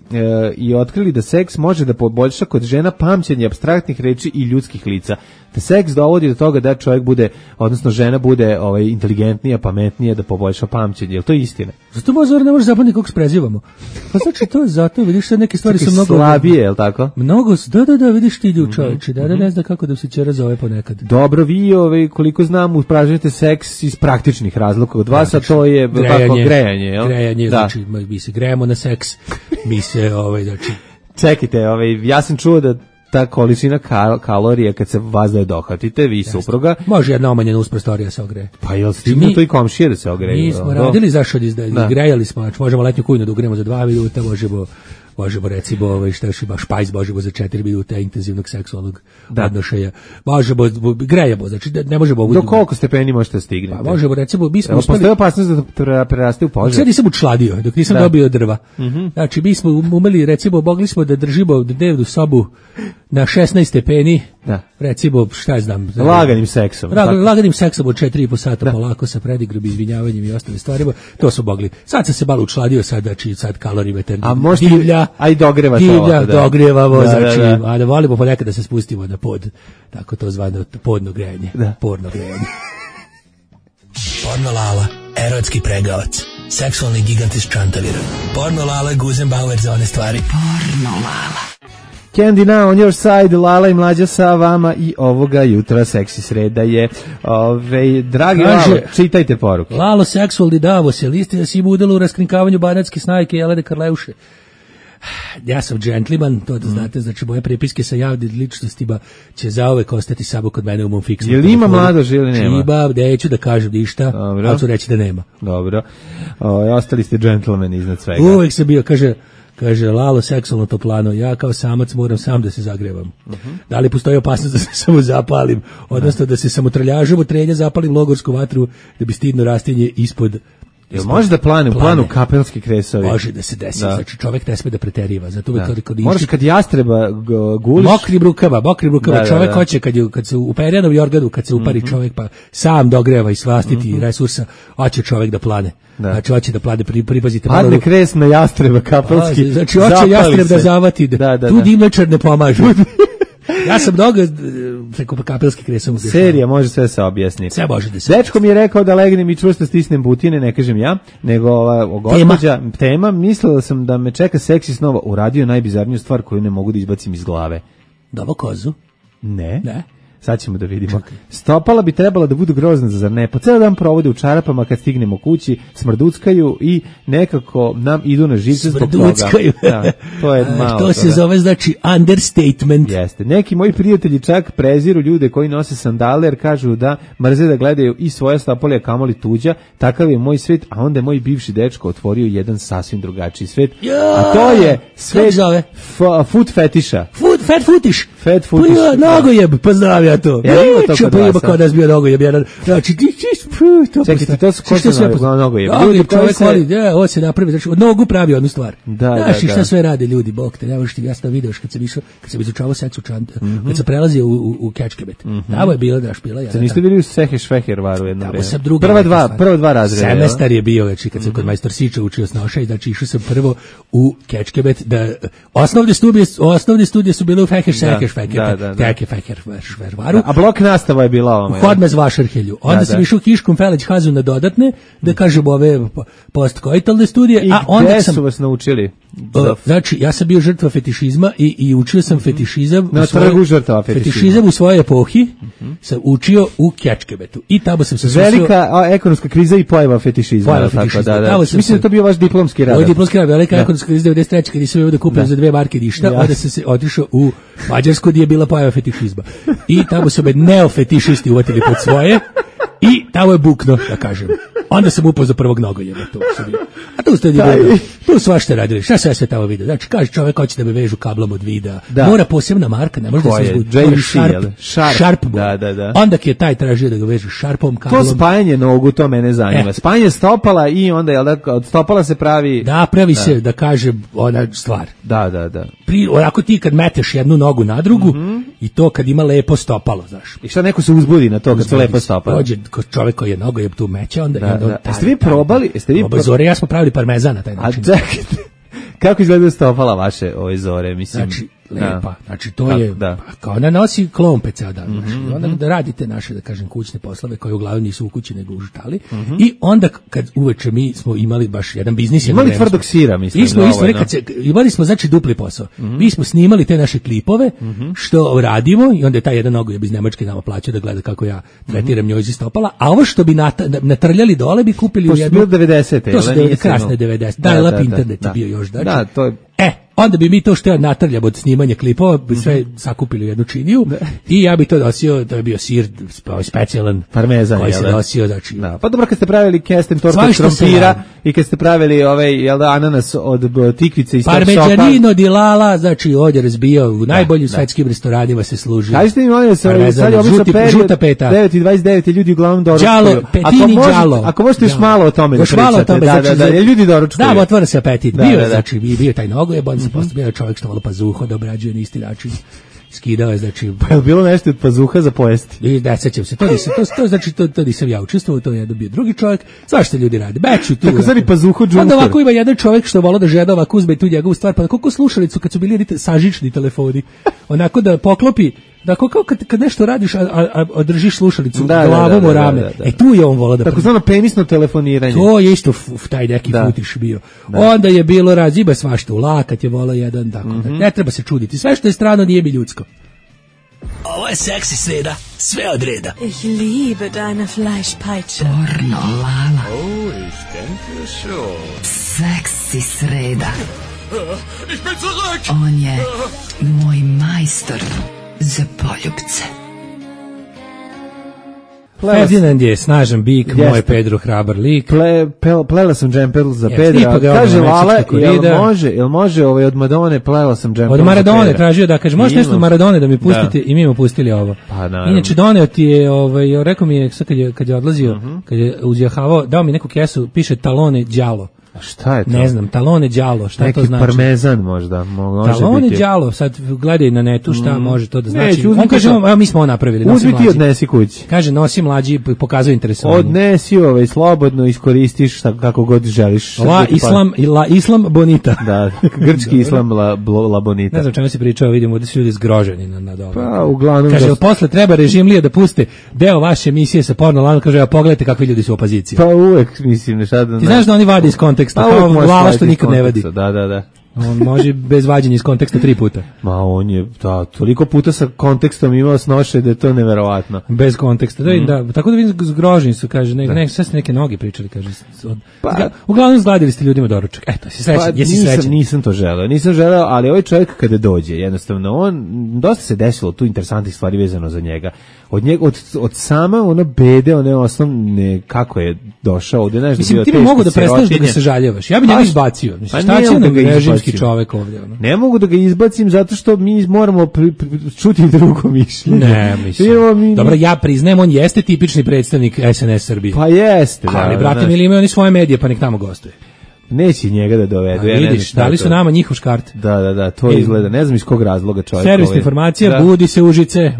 [SPEAKER 6] i otkrili da seks može da poboljša kod žena pamćenje apstraktnih reči i ljudskih lica. Da seks dovodi do toga da čovjek bude, odnosno žena bude inteligentnija, pametnija, da poboljša pamćenje. Je to istina?
[SPEAKER 5] Zato možda ne može zapamtiti kako se prezivamo. Pa znači to je zato, vidiš sad neke stvari su mnogo
[SPEAKER 6] slabije, je li tako?
[SPEAKER 5] Mnogo, da, vidiš ti ljudi čovječe, da ne zna kako da se čera zove ponekad.
[SPEAKER 6] Dobro, vi koliko znam, upražnjate seks iz praktičnih razloga od vas, a to je grejanje, jel?
[SPEAKER 5] Grejanje, znači mi se grejemo na seks, mi se znači...
[SPEAKER 6] Čekajte, ja sam čuo da ta količina kalorija kad se vas da dohvatite, vi supruga...
[SPEAKER 5] Može jedna omanjena prostorija se ogreje.
[SPEAKER 6] Pa jel stignu to i komšije da se ogreje?
[SPEAKER 5] Mi smo radili zašto grejali smo, znači možemo letnju kujnu da ugrejemo za 2 minuta, možemo recimo špajz možemo za 4 minuta intenzivnog seksualnog odnošaja. Možemo, grejemo, znači ne možemo...
[SPEAKER 6] Do koliko stepeni možete stignete?
[SPEAKER 5] Pa možemo recimo, mi smo
[SPEAKER 6] uspeli... Postoje opasnost da preraste u požar?
[SPEAKER 5] Sad nisam učladio, dok nisam dobio drva. Znači mi smo umeli, recimo, mogli smo da držimo dnevnu sobu na 16 stepeni, recimo, šta je znam...
[SPEAKER 6] Laganim seksom.
[SPEAKER 5] Laganim seksom od 4,5 sata, polako sa predigrom, izvinjavanjem i ostalim stvarima, to smo mogli. Sad sam se malo učladio, sad kalorimetar divlja,
[SPEAKER 6] a i dogrevate ovo.
[SPEAKER 5] Dogrevamo, znači, a da volimo ponekad da se spustimo na pod, tako to zvano podno grejanje, porno grejanje.
[SPEAKER 11] Porno Lala, erotski pregavac, seksualni gigant iz Čantavira. Porno Lala, Guzenbauer za one stvari. Porno Lala.
[SPEAKER 6] Candy Now on your side, Lala i Mlađa sa vama i ovoga jutra seksi sreda je. Dragi Lalo, čitajte poruke.
[SPEAKER 5] Lalo, seksualni Davos, je listi da si im udalo u raskrinkavanju banatske snajke Jelene Karleuše. Ja sam džentlman, to da znate, znači moje prepiske sa javnim ličnostima će zauvek ostati samo kod mene u mom fiksnom.
[SPEAKER 6] Jel ima mladož ili nema?
[SPEAKER 5] Ima, neću da kažem ništa, ali ću reći da nema.
[SPEAKER 6] Dobro. Ostali ste džentlmeni iznad svega.
[SPEAKER 5] Uvek sam bio, kaže Lalo, seksualno toplano, ja kao samac moram sam da se zagrevam. Da li postoji opasnost da se samo zapalim, odnosno da se samotrljažom trenja zapalim logorsku vatru da bi stidno rastinje ispod.
[SPEAKER 6] Jel može da planu kapelski kresovi?
[SPEAKER 5] Može da se desi, znači čovjek ne sme da preteriva. Zato
[SPEAKER 6] možeš kad jastreba guliš.
[SPEAKER 5] Mokrim rukama, čovjek hoće kad se u perjanom jorganu, kad se upari čovjek pa sam dogreva i svastiti resursa, hoće čovjek da plane. Znači hoće da plane, pripazite.
[SPEAKER 6] Padne kres na jastreba kapelski.
[SPEAKER 5] Znači hoće jastreb da zavati, tu dimlečar ne pomaže. Ja sam mnogo preko kapelski kresom.
[SPEAKER 6] Serija može sve se objasniti.
[SPEAKER 5] Sve može da se.
[SPEAKER 6] Dečko mi je rekao da legnem i čvrsto stisnem butine, ne kažem ja, nego gospođa tema, mislila sam da me čeka seksi snova, uradio najbizarniju stvar koju ne mogu da izbacim iz glave.
[SPEAKER 5] Davo kozu?
[SPEAKER 6] Ne. Sad ćemo da vidimo. Čekaj. Stopala bi trebala da budu grozna, zar ne? Po ceo dan provode u čarapama, kad stignemo kući, smrduckaju i nekako nam idu na živce zbog toga. Da, to je malo.
[SPEAKER 5] To se zove, znači, understatement.
[SPEAKER 6] Jeste. Neki moji prijatelji čak preziru ljude koji nose sandale, jer kažu da mrze da gledaju i svoje stopale, a kamoli tuđa. Takav je moj svet, a onda je moj bivši dečko otvorio jedan sasvim drugačiji svet. A to je svet food fetiša.
[SPEAKER 5] Fat futiš.
[SPEAKER 6] Fat futiš.
[SPEAKER 5] Nogojeb, pozdravljam. To.
[SPEAKER 6] Ja ima to kod vas.
[SPEAKER 5] Kao da je bio nogojeb jedan. Znači
[SPEAKER 6] čekajte, to su košta nogojeb.
[SPEAKER 5] Ljudi čovjek voli, ovo se napravi, znači od nogu pravi jednu stvar. Znaš i šta sve rade ljudi, bog te, ne možeš ti jasno vidiš kad sam izučavao seks u Čant, kad sam prelazio u Kečkebet. Tamo je bila dašpila.
[SPEAKER 6] Sad niste bili u Sehešvehervaru jedno vreme? Prva dva razreda.
[SPEAKER 5] Semestar je bio, znači kad sam kod majstor Siča učio snoša i znači išao sam prvo u Kečkebet, da osnovne studije su bile u Sehešvehervaru.
[SPEAKER 6] A blok nastava je bila ovome.
[SPEAKER 5] U Hodmez Vašarhelju. Onda sam išao Kiškom Feleć Hazu na dodatne, da kažem ove postkoitalne studije.
[SPEAKER 6] I gde su vas naučili?
[SPEAKER 5] Znači, ja sam bio žrtva fetišizma i učio sam fetišizam
[SPEAKER 6] na trgu žrtava
[SPEAKER 5] fetišizam u svojoj epohi. Sam učio u Kečkebetu. I tamo sam se
[SPEAKER 6] velika ekonomska kriza i pojava fetišizma. Mislim da to bio vaš diplomski rad.
[SPEAKER 5] Moj diplomski rad, velika ekonomska kriza 93. kad nisam imao da kupim za 2 marke ništa, onda sam se otišao u Mađarsku gdje je bila pojava fetišizma. I tamo su me neofetišisti uvatili pod svoje i tamo je bukno, da kažem. Onda sam upoznao prvog nogojeba. A tu svašta radili. Šta sve tamo vidio? Znači, kaže čovjek hoće da me vežu kablom od videa. Mora posebna marka, ne može da se izgubi. Sharp. Onda je taj tražio da ga vežu šarpom kablom.
[SPEAKER 6] To spajanje nogu, to mene zanima. Spajanje stopala i onda od stopala se pravi...
[SPEAKER 5] Da, pravi se, da kažem, ona stvar.
[SPEAKER 6] Da.
[SPEAKER 5] Onako ti kad meteš jednu nogu na drugu i to kad ima lepo stopalo, znaš.
[SPEAKER 6] I šta neko se uzbudi na to kad se lepo stopalo?
[SPEAKER 5] Dođe čovjek koji je nogojeb tu meće, onda...
[SPEAKER 6] Jeste vi probali?
[SPEAKER 5] Zore, ja smo pravili parmezan na taj način.
[SPEAKER 6] A čekajte, kako izgleda stopala vaše ove Zore? Mislim,
[SPEAKER 5] znači, lepa. Znači, to je, kao ona nosi klompe ceo dan. Znači, onda da radite naše, da kažem, kućne poslove, koje uglavnom nisu u kući, nego u štali. I onda, kad uveče mi smo imali baš jedan biznis.
[SPEAKER 6] Imali tvrdog sira, mislim.
[SPEAKER 5] Imali smo, znači, dupli posao. Mi smo snimali te naše klipove, što radimo, i onda je taj jedan nogojeb iz Nemačke nama plaća da gleda kako ja tretiram njoj iz stopala, a ovo što bi natrljali dole bi kupili u jednu...
[SPEAKER 6] To su bilo 90.
[SPEAKER 5] To su krasne 90. Dial-up internet je bio još, znači. Onda bi mi to što ja natrljam od snimanja klipova, bi sve sakupili u jednu činiju i ja bi to nosio, to je bio sir specijalan
[SPEAKER 6] parmezan,
[SPEAKER 5] koji se nosio, znači.
[SPEAKER 6] Pa dobro, kad ste pravili kesten tortu od krompira i kad ste pravili ananas od tikvice i
[SPEAKER 5] Parmigianino di Lala, znači ovdje razbijao u najboljim svetskim restoranima se služi.
[SPEAKER 6] Kažete mi, molim se, sad je obično
[SPEAKER 5] žuta peta.
[SPEAKER 6] 9:29 ljudi uglavnom doručkuju.
[SPEAKER 5] Đalo, petini đalo.
[SPEAKER 6] Ako možete još malo o tome da pričate. Da, ljudi doručkuju.
[SPEAKER 5] Da, otvara se apetit. Bio taj nogojeb, postavljeno čovjek što malo pazuha da obrađuje na isti način. Skidao je, znači...
[SPEAKER 6] Pa je bilo nešto od pazuha za pojesti?
[SPEAKER 5] Ne, sećam se, to nisam ja učestvovao, to je jedan bio drugi čovjek. Svašta ljudi rade, beću tu.
[SPEAKER 6] Tako zvani pazuho džunker.
[SPEAKER 5] Onda ovako ima jedan čovjek što vola da žeda ovako uzme tu njegovu stvar, pa koliko slušalicu kad su bili sažični telefoni, onako da poklopi, da kao kad nešto radiš, a držiš slušalicu glavom u rame. Tu je on volao da...
[SPEAKER 6] Tako zvano penisno telefoniranje.
[SPEAKER 5] To je isto taj neki futiš bio. Onda je bilo raziba svašta, u lakat je volao jedan, tako da ne treba se čuditi. Sve što je strano nije mi ljudsko.
[SPEAKER 11] Ovo je seksi sreda, sve od reda.
[SPEAKER 12] Ich liebe deine Fleischpeitsche.
[SPEAKER 2] Pornolala.
[SPEAKER 3] Oh, ich denke schon.
[SPEAKER 2] Seksi sreda. On je moj majstor za poljupce.
[SPEAKER 5] Ferdinand je snažan bik, moj Pedro hrabar lik.
[SPEAKER 6] Plela sam džemper za Pedra. Kaže Lala, jel može od Madone plela sam džemper
[SPEAKER 5] od Maradone, tražio da kaže, možeš nešto od Maradone da mi pustite i mi mu pustili ovo.
[SPEAKER 6] Pa,
[SPEAKER 5] inače doneo ti je, rekao mi je kad je odlazio, kad je uzjahavao, dao mi neku kesu, piše talone đalo.
[SPEAKER 6] A šta je to?
[SPEAKER 5] Ne znam, talone đalo, šta
[SPEAKER 6] neki
[SPEAKER 5] to znači?
[SPEAKER 6] Neki parmezan možda.
[SPEAKER 5] Talone đalo, sad gledaj na netu šta može to da znači. On kaže, mi smo ovo napravili.
[SPEAKER 6] Uzmi ti odnesi kući.
[SPEAKER 5] Kaže, nosi mlađi, pokazuje interesovanje.
[SPEAKER 6] Odnesi slobodno iskoristiš kako god želiš.
[SPEAKER 5] Islam bonita.
[SPEAKER 6] Da, grčki islam la bonita.
[SPEAKER 5] Ne znam čemu se pričao, vidimo da su ljudi zgroženi nad ovim.
[SPEAKER 6] Pa, uglavnom...
[SPEAKER 5] Kaže, posle treba režimlije da puste deo vaše emisije sa porno lanom, kaže, pogledajte kakvi ljudi su u opoziciji.
[SPEAKER 6] Pa uvek, mislim, nešta da...
[SPEAKER 5] Ti znaš da oni vade iz konteksta, kao Lala što nikad ne vadi.
[SPEAKER 6] Da.
[SPEAKER 5] On može bez vađenja iz konteksta 3 puta.
[SPEAKER 6] Ma on je, toliko puta sa kontekstom imao snoše da je to neverovatno.
[SPEAKER 5] Bez konteksta, da, tako da vidim zgroženi su, kaže, sve su neke noge pričali, kaže. Uglavnom zgladili ste ljudima doručak. Eto, si srećan, jesi srećan.
[SPEAKER 6] Nisam to želeo, ali ovaj čovjek kada dođe, jednostavno, dosta se desilo tu interesantnih stvari vezano za njega. Od sama ono bede, one osnovne, kako je došao ovdje, znaš,
[SPEAKER 5] mislim, ti mogu da prestaneš da ga se žaljevaš. Ja bi njega izbacio. Šta će nam režimski čovjek ovdje?
[SPEAKER 6] Ne mogu da ga izbacim zato što mi moramo čuti drugo mišljenje.
[SPEAKER 5] Ne, mislim. Dobro, ja priznajem, on jeste tipični predstavnik SNS Srbije.
[SPEAKER 6] Pa jeste.
[SPEAKER 5] Ali, brate, mi imaju oni svoje medije, pa nek tamo gostuje.
[SPEAKER 6] Neće njega da dovedu.
[SPEAKER 5] Vidiš, dali su nama njihov škart.
[SPEAKER 6] Da, to izgleda. Ne znam iz kog razloga čovjek.
[SPEAKER 5] Servisna informacija, budi se Užice.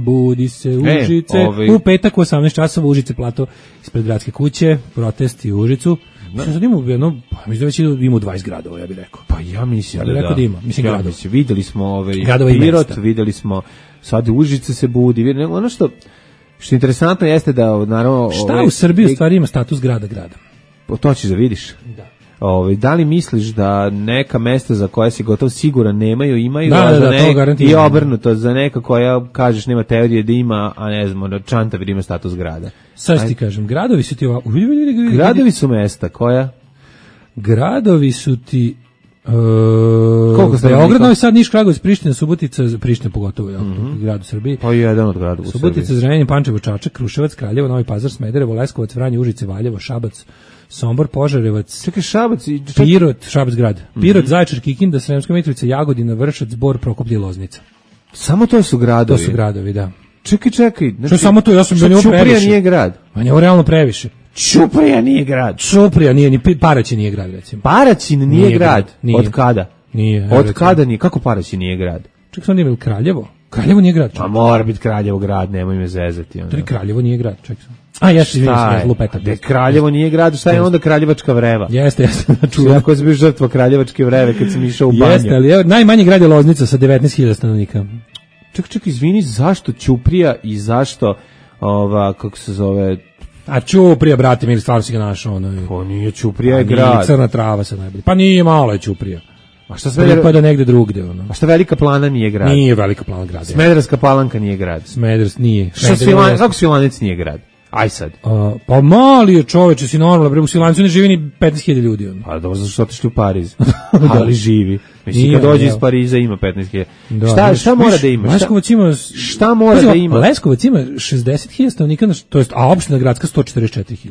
[SPEAKER 5] U petak u 18 časova Užice plato ispred gradske kuće, protest i Užicu. Mislim da mislim da već ima 20 gradova, ja bih rekao.
[SPEAKER 6] Pa ja mislim da
[SPEAKER 5] ima. Mislim gradova.
[SPEAKER 6] Vidjeli smo Pirot, vidjeli smo sad Užice se budi. Ono što je interesantno jeste da naravno...
[SPEAKER 5] Šta u Srbiji u stvari ima status grada?
[SPEAKER 6] To ćeš da vidiš. Da. Da li misliš da neka mesta za koja si gotov siguran imaju, i obrnuto za neka koja kažeš nema teorije da ima, a ne znam, Čantavir ima status grada.
[SPEAKER 5] Sad ti kažem, gradovi su ti ovako...
[SPEAKER 6] Gradovi su mesta, koja?
[SPEAKER 5] Gradovi su ti... Beograd, Novi Sad, Niš, Kragujevac, Priština, Subotica, Priština pogotovo, grad u Srbiji.
[SPEAKER 6] Pa jedan od grada u Srbiji.
[SPEAKER 5] Subotica, Zrenjanin, Pančevo, Čačak, Kruševac, Kraljevo, Novi Pazar, Smederevo, Leskovac, Vranje, Užice, Valjevo, Šabac, Sombor, Požarevac,
[SPEAKER 6] Šabac,
[SPEAKER 5] Pirot, Šabac grad. Pirot, Zaječar, Kikinda, Sremska Mitrovica, Jagodina, Vršac, Bor, Prokuplje i Loznica.
[SPEAKER 6] Samo to su gradovi.
[SPEAKER 5] To su gradovi, da.
[SPEAKER 6] Čekaj.
[SPEAKER 5] Što samo to, ja sam bio
[SPEAKER 6] Ćuprija
[SPEAKER 5] previše.
[SPEAKER 6] Nije grad.
[SPEAKER 5] Ma je realno previše.
[SPEAKER 6] Ćuprija nije grad.
[SPEAKER 5] Ćuprija nije, ni Paraćin nije grad, recimo.
[SPEAKER 6] Paraćin nije grad. Nije. Od kada?
[SPEAKER 5] Nije.
[SPEAKER 6] Od kada nije? Kako Paraćin nije grad?
[SPEAKER 5] Čekaj, sam nije Kraljevo. Kraljevo nije grad.
[SPEAKER 6] Pa mora biti Kraljevo grad, nemoj me zezati.
[SPEAKER 5] To je Kraljevo nije grad, čekaj sam. Kraljevo
[SPEAKER 6] nije grad, šta je onda Kraljevačka vreva?
[SPEAKER 5] Jeste.
[SPEAKER 6] Ako si bio žrtva Kraljevačke vreve kad sam išao u banju.
[SPEAKER 5] Jeste, ali najmanji grad je Loznica sa 19.000 stanovnika.
[SPEAKER 6] Čekaj, izvini, zašto Ćuprija i zašto kako se zove...
[SPEAKER 5] A Ćuprija, brate, mi stvarno si ga našao.
[SPEAKER 6] Pa nije, Ćuprija je grad.
[SPEAKER 5] Crna Trava se najbolje. Pa nije, malo je Ćuprija.
[SPEAKER 6] A šta sve
[SPEAKER 5] pripada negde drugde,
[SPEAKER 6] A šta Velika Plana nije grad?
[SPEAKER 5] Nije Velika Plana grad.
[SPEAKER 6] Smederevska Palanka nije grad.
[SPEAKER 5] Smederevsk nije.
[SPEAKER 6] Kako Svilanac nije grad? Aj sad.
[SPEAKER 5] Pa mali je čoveče, si normalno, u Svilancu ne živi ni 15.000 ljudi.
[SPEAKER 6] Pa dobro, zašto otišli u Pariz? Ali živi. Mislim, kad dođe iz Pariza ima 15.000. Šta mora da ima?
[SPEAKER 5] Leskovac ima...
[SPEAKER 6] Šta mora da ima?
[SPEAKER 5] Leskovac ima 60.000 stanovnika, to jest, a opština gradska 144.000.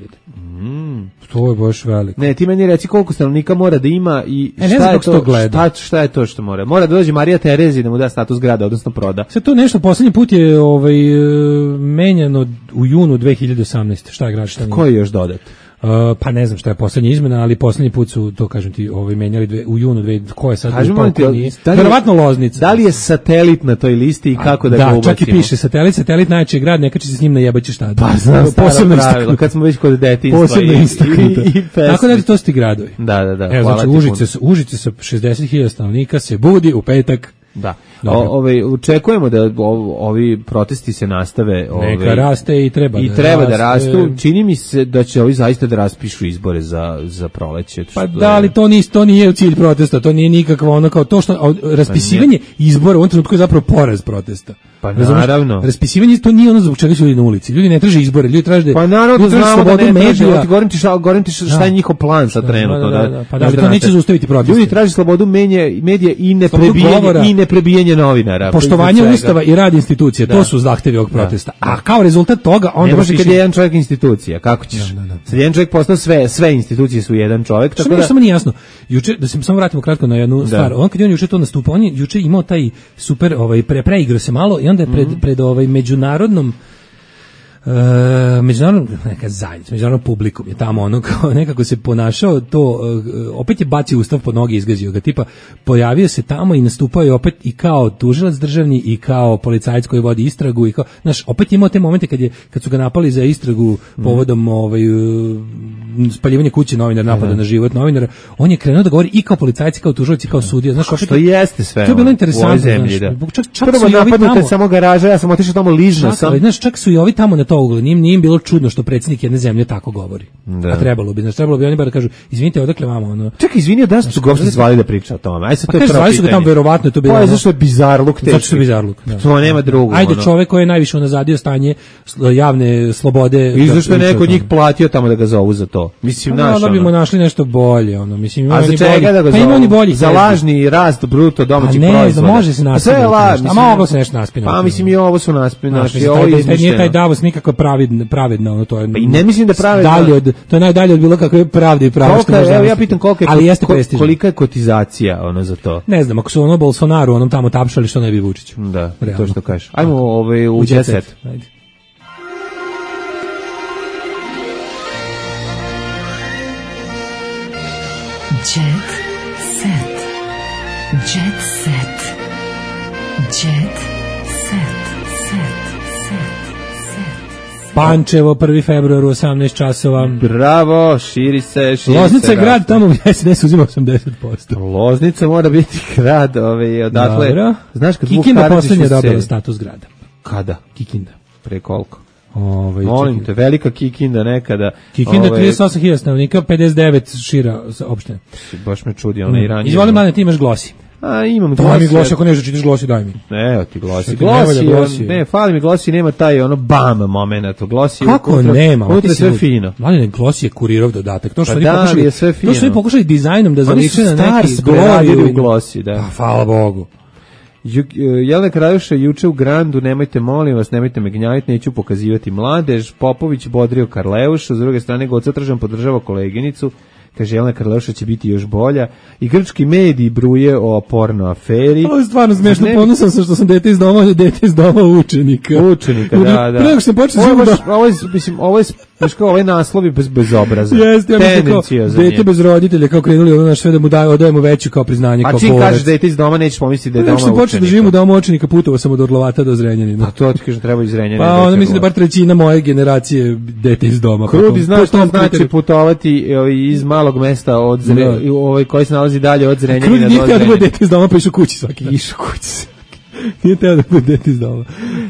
[SPEAKER 5] To je baš veliko.
[SPEAKER 6] Ne, ti meni reci koliko stanovnika mora da ima i šta je to što mora. Mora da dođe Marija Terezi da mu da status grada, odnosno proda.
[SPEAKER 5] Sve to nešto, poslednji put je menjano u junu 2018. Šta je grad, šta nije?
[SPEAKER 6] Ko je još dodat?
[SPEAKER 5] Pa ne znam šta je poslednja izmena, ali poslednji put su, to kažem ti, menjali u junu, ko je sad verovatno Loznica.
[SPEAKER 6] Da li je satelit na toj listi i kako da ga ubacimo?
[SPEAKER 5] Da, čak i piše satelit najjači grad, neka će se s njim najebaći šta.
[SPEAKER 6] Pa znam, posebno pravilo, kad smo već kod detinjstva.
[SPEAKER 5] Posebno istaknuto. Tako da to su ti gradovi.
[SPEAKER 6] Da.
[SPEAKER 5] Evo, znači Užice sa 60.000 stanovnika se budi u petak.
[SPEAKER 6] Da. Očekujemo da ovi protesti se nastave.
[SPEAKER 5] Neka raste i treba
[SPEAKER 6] da rastu. Čini mi se da će ovi zaista da raspišu izbore za proleće.
[SPEAKER 5] Pa da, ali to nije u cilj protesta, to nije nikakvo ono kao to što raspisivanje izbora u ovom trenutku je zapravo poraz protesta.
[SPEAKER 6] Pa naravno.
[SPEAKER 5] Raspisivanje to nije ono zbog čega su ljudi na ulici. Ljudi ne traže izbore, ljudi traže
[SPEAKER 6] pa naravno znamo da ne traže. Govorim ti šta je njihov plan sad trenutno.
[SPEAKER 5] Pa da to neće zaustaviti proteste.
[SPEAKER 6] Ljudi traže slobodu medija i neprebijanje novinara.
[SPEAKER 5] Poštovanje ustava i rad institucija, to su zahtevi ovog protesta. A kao rezultat toga onda
[SPEAKER 6] ne može kad je jedan čovjek institucija, kako ćeš? Sad jedan čovjek postao sve institucije su jedan čovjek, tako da
[SPEAKER 5] samo nije jasno. Juče da se samo vratimo kratko na jednu stvar. On kad je juče to nastupao, on je juče imao taj super preigrao se malo i onda je pred međunarodnom neka zajednica, međunarodnom publikom je tamo ono kao nekako se ponašao to, opet je bacio ustav pod noge i izgazio ga, tipa pojavio se tamo i nastupao je opet i kao tužilac državni i kao policajac koji vodi istragu i kao, znaš, opet je imao te momente kad su ga napali za istragu povodom spaljivanja kuće novinara, napada na život novinara, on je krenuo da govori i kao policajac i kao tužilac i kao sudija, znaš,
[SPEAKER 6] što jeste sve.
[SPEAKER 5] To je bilo interesantno,
[SPEAKER 6] prvo napadnute samo garaža, ja sam otišao tamo ližno sam.
[SPEAKER 5] Znaš, čak su i ovi tamo na to uglu, nije im bilo čudno što predsjednik jedne zemlje tako govori. A trebalo bi oni bar da kažu, izvinite, odakle vama ono.
[SPEAKER 6] Čekaj, izvini, da su ga uopšte zvali da priča o tome. Aj se to je pravo
[SPEAKER 5] pitanje. Su ga tamo verovatno to bilo.
[SPEAKER 6] Pa zašto je bizarluk teški?
[SPEAKER 5] Zato što je bizarluk.
[SPEAKER 6] To nema drugo.
[SPEAKER 5] Ajde, čovjek koji je najviše unazadio stanje javne slobode.
[SPEAKER 6] I zašto je neko od njih platio tamo da ga zovu za to? Mislim,
[SPEAKER 5] da bimo našli nešto bolje, ono, mislim,
[SPEAKER 6] a za čega da ga zovu? Za lažni rast bruto domaćeg proizvoda.
[SPEAKER 5] Ne, može se naspinati. A moglo se nešto naspinati.
[SPEAKER 6] Pa mislim i ovo su naspinati.
[SPEAKER 5] Nije taj Davos nikako pravedno, ono to je.
[SPEAKER 6] I ne mislim da pravedno.
[SPEAKER 5] To je najdalje od bilo kakve pravde i pravo što može.
[SPEAKER 6] Evo ja pitam kolika je kotizacija ono za to.
[SPEAKER 5] Ne znam, ako su ono Bolsonaru onom tamo tapšali, što ne bi Vučiću.
[SPEAKER 6] Da, to što kažeš. Ajmo u jet set.
[SPEAKER 5] Ajde.
[SPEAKER 2] Jet set. Jet set. Jet set.
[SPEAKER 5] Pančevo, 1. februar u 18 časova.
[SPEAKER 6] Bravo, širi se.
[SPEAKER 5] Loznica je grad tamo gdje SNS uzima 80%.
[SPEAKER 6] Loznica mora biti grad, odatle.
[SPEAKER 5] Dobro.
[SPEAKER 6] Znaš kad
[SPEAKER 5] Kikinda poslednja dobila status grada.
[SPEAKER 6] Kada?
[SPEAKER 5] Kikinda.
[SPEAKER 6] Pre koliko? Molim te, velika Kikinda nekada.
[SPEAKER 5] Kikinda 38.000 stanovnika, 59 šira opština.
[SPEAKER 6] Baš me čudi, ona i ranije.
[SPEAKER 5] Izvoli, mlade, ti imaš Glosi.
[SPEAKER 6] A imam
[SPEAKER 5] Glosi. Daj mi Glosi, ako nešto čitaš Glosi, daj mi.
[SPEAKER 6] Evo ti Glosi. Ne, fali mi Glosi, nema taj ono bam moment. Glosi
[SPEAKER 5] kako nema?
[SPEAKER 6] Unutra sve fino.
[SPEAKER 5] Mlade, Glosi je kurirov dodatak. To što
[SPEAKER 6] oni
[SPEAKER 5] pokušali dizajnom da zaliče na neki
[SPEAKER 6] gloriju u Glosi, da.
[SPEAKER 5] Pa, hvala Bogu.
[SPEAKER 6] Jelena Kraljuša juče u Grandu, nemojte molim vas, nemojte me gnjaviti, neću pokazivati mladež. Popović bodrio Karleušu, s druge strane Goca Tržan podržava koleginicu, kaže Jelena Karleuša će biti još bolja. I grčki mediji bruje o porno aferi.
[SPEAKER 5] Ovo je stvarno smiješno, ponosan sam što sam dete iz doma učenika.
[SPEAKER 6] Učenika, da.
[SPEAKER 5] Pre nego što sam počeo
[SPEAKER 6] ovaj naslov je bez obraza.
[SPEAKER 5] Jeste, ja mislim dete bez roditelja, kao krenuli ono sve da mu odajemo veću kao priznanje, kao
[SPEAKER 6] pored. A čim kažeš dete iz doma, nećeš pomisliti da je doma učenika.
[SPEAKER 5] Nego što počeo da živim u domu učenika, putovao sam od Orlovata do Zrenjanina.
[SPEAKER 6] A to ti kažem, treba iz Zrenjanina.
[SPEAKER 5] Pa onda mislim da bar trećina moje generacije dete iz doma.
[SPEAKER 6] Krudi znaš što znači putovati iz malog mesta od koji se nalazi dalje od Zrenjanina do Zrenjanina.
[SPEAKER 5] Krudi nije teo da dete iz doma, pa išao kući svaki. Nije teo da bude dete iz doma.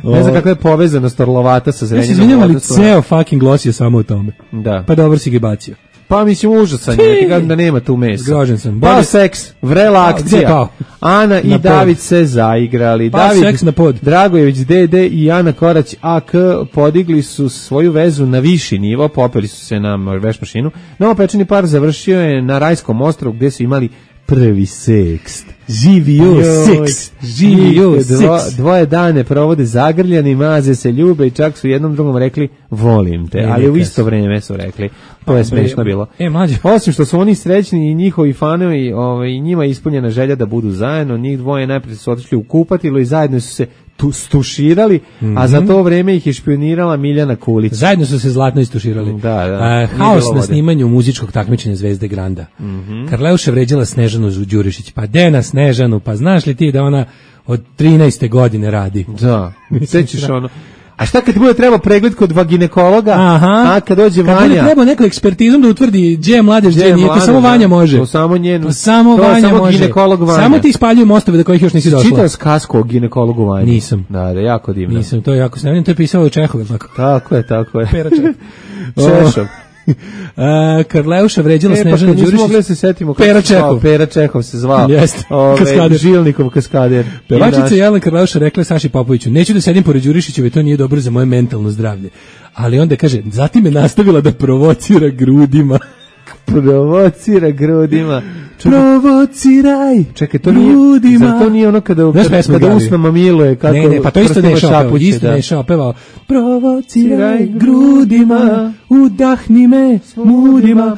[SPEAKER 6] Ne znam kakva je povezanost Orlovata sa Zrenjaninom.
[SPEAKER 5] Ja se izvinjam, ali ceo fucking Glos je samo o tome.
[SPEAKER 6] Da.
[SPEAKER 5] Pa dobro si ga bacio.
[SPEAKER 6] Pa mislim užasan je, ti kažem da nema tu mesa.
[SPEAKER 5] Zgrožen sam.
[SPEAKER 6] Pa seks, vrela akcija. Ana i David se zaigrali.
[SPEAKER 5] Pa seks na pod.
[SPEAKER 6] Dragojević Dede i Ana Korać AK podigli su svoju vezu na viši nivo, popeli su se na veš mašinu. Novopečeni par završio je na Rajskom ostrvu gdje su imali prvi seks.
[SPEAKER 5] Živio seks.
[SPEAKER 6] Dvoje dane provode zagrljani, maze se, ljube i čak su jednom drugom rekli volim te, ali u isto vrijeme su rekli. To je smiješno bilo. Osim što su oni srećni i njihovi fanovi, njima je ispunjena želja da budu zajedno, njih dvoje najprije su otišli u kupatilo i zajedno su se stuširali, a za to vreme ih je špionirala Miljana Kulić.
[SPEAKER 5] Zajedno su se zlatno istuširali.
[SPEAKER 6] Da.
[SPEAKER 5] Haos na snimanju muzičkog takmičenja Zvezde Granda. Karleuša vređala Snežanu Đurišić. Pa Dena Snežanu, pa znaš li ti da ona od 13. godine radi?
[SPEAKER 6] Da, sećaš ono. A šta kad bude treba pregled kod ginekologa? A kad dođe Vanja?
[SPEAKER 5] Kad bude treba neku ekspertizom da utvrdi gdje je mladež, gdje nije, to samo Vanja može.
[SPEAKER 6] To samo njen.
[SPEAKER 5] To samo Vanja može.
[SPEAKER 6] Ginekolog Vanja.
[SPEAKER 5] Samo ti ispaljuju mostove do kojih još nisi došla.
[SPEAKER 6] Čitao skasku o ginekologu Vanja?
[SPEAKER 5] Nisam.
[SPEAKER 6] Da, jako divno.
[SPEAKER 5] Nisam, to je jako snimljeno, to je pisao Čehov, tako.
[SPEAKER 6] Tako je.
[SPEAKER 5] Pera
[SPEAKER 6] Češov.
[SPEAKER 5] Karleuša vređala Snežana Đurišić.
[SPEAKER 6] Mogli se setimo
[SPEAKER 5] Pera
[SPEAKER 6] Čehov se zvao.
[SPEAKER 5] Jeste.
[SPEAKER 6] Žilnikov kaskader.
[SPEAKER 5] Pevačica Jelena Karleuša rekla Saši Popoviću: "Neću da sedim pored Đurišićeve, to nije dobro za moje mentalno zdravlje." Ali onda kaže: "Zatim je nastavila da provocira grudima."
[SPEAKER 6] Provociraj. Čekaj, to
[SPEAKER 5] nije,
[SPEAKER 6] zar to nije ono kada usnama miluje, kako...
[SPEAKER 5] Ne, pa to isto Nešao pevao. Provociraj grudima, udahni me smudima.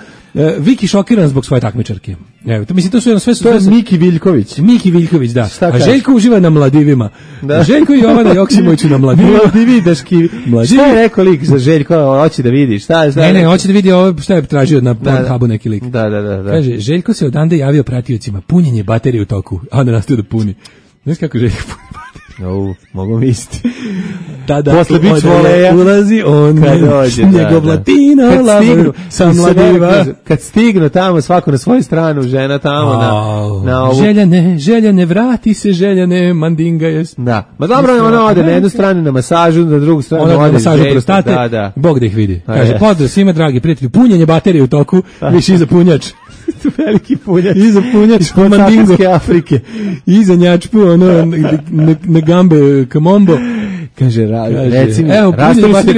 [SPEAKER 5] Viki šokiran zbog svoje takmičarke. Evo, to mislim, to su sve. To
[SPEAKER 6] je Miki Viljković.
[SPEAKER 5] Miki Viljković, da. A Željko uživa na Mladivima. Da. Željko i Jovana Joksimović na Mladivima.
[SPEAKER 6] Mladividaški. Šta je rekao lik za Željko? Hoće da vidi. Šta?
[SPEAKER 5] Ne, hoće da vidi ovo šta je tražio na Pornhubu neki lik.
[SPEAKER 6] Da.
[SPEAKER 5] Kaže, Željko se odande javio pratiocima, punjenje baterije u toku, a onda nastavio da puni. Znaš kako Željko puni baterije?
[SPEAKER 6] Mogu misliti.
[SPEAKER 5] Tada
[SPEAKER 6] posle bić voleja
[SPEAKER 5] ulazi on, njegov latino laver sa Mladiva.
[SPEAKER 6] Kad stignu tamo svako na svoju stranu, žena tamo na ovu.
[SPEAKER 5] Željane, vrati se Željane, mandinga je.
[SPEAKER 6] Da, ma dobro, ona ode na jednu stranu na masažu, na drugu stranu
[SPEAKER 5] ode na masažu prostate, Bog da ih vidi. Kaže, pozdrav svima dragi prijatelji, punjenje baterije u toku, više iza punjač.
[SPEAKER 6] Veliki punjač.
[SPEAKER 5] Iza punjač
[SPEAKER 6] po mandingo Afrike.
[SPEAKER 5] Iza njačpu, na gambe kamombo.
[SPEAKER 6] Kaže, reci mi, rastavi se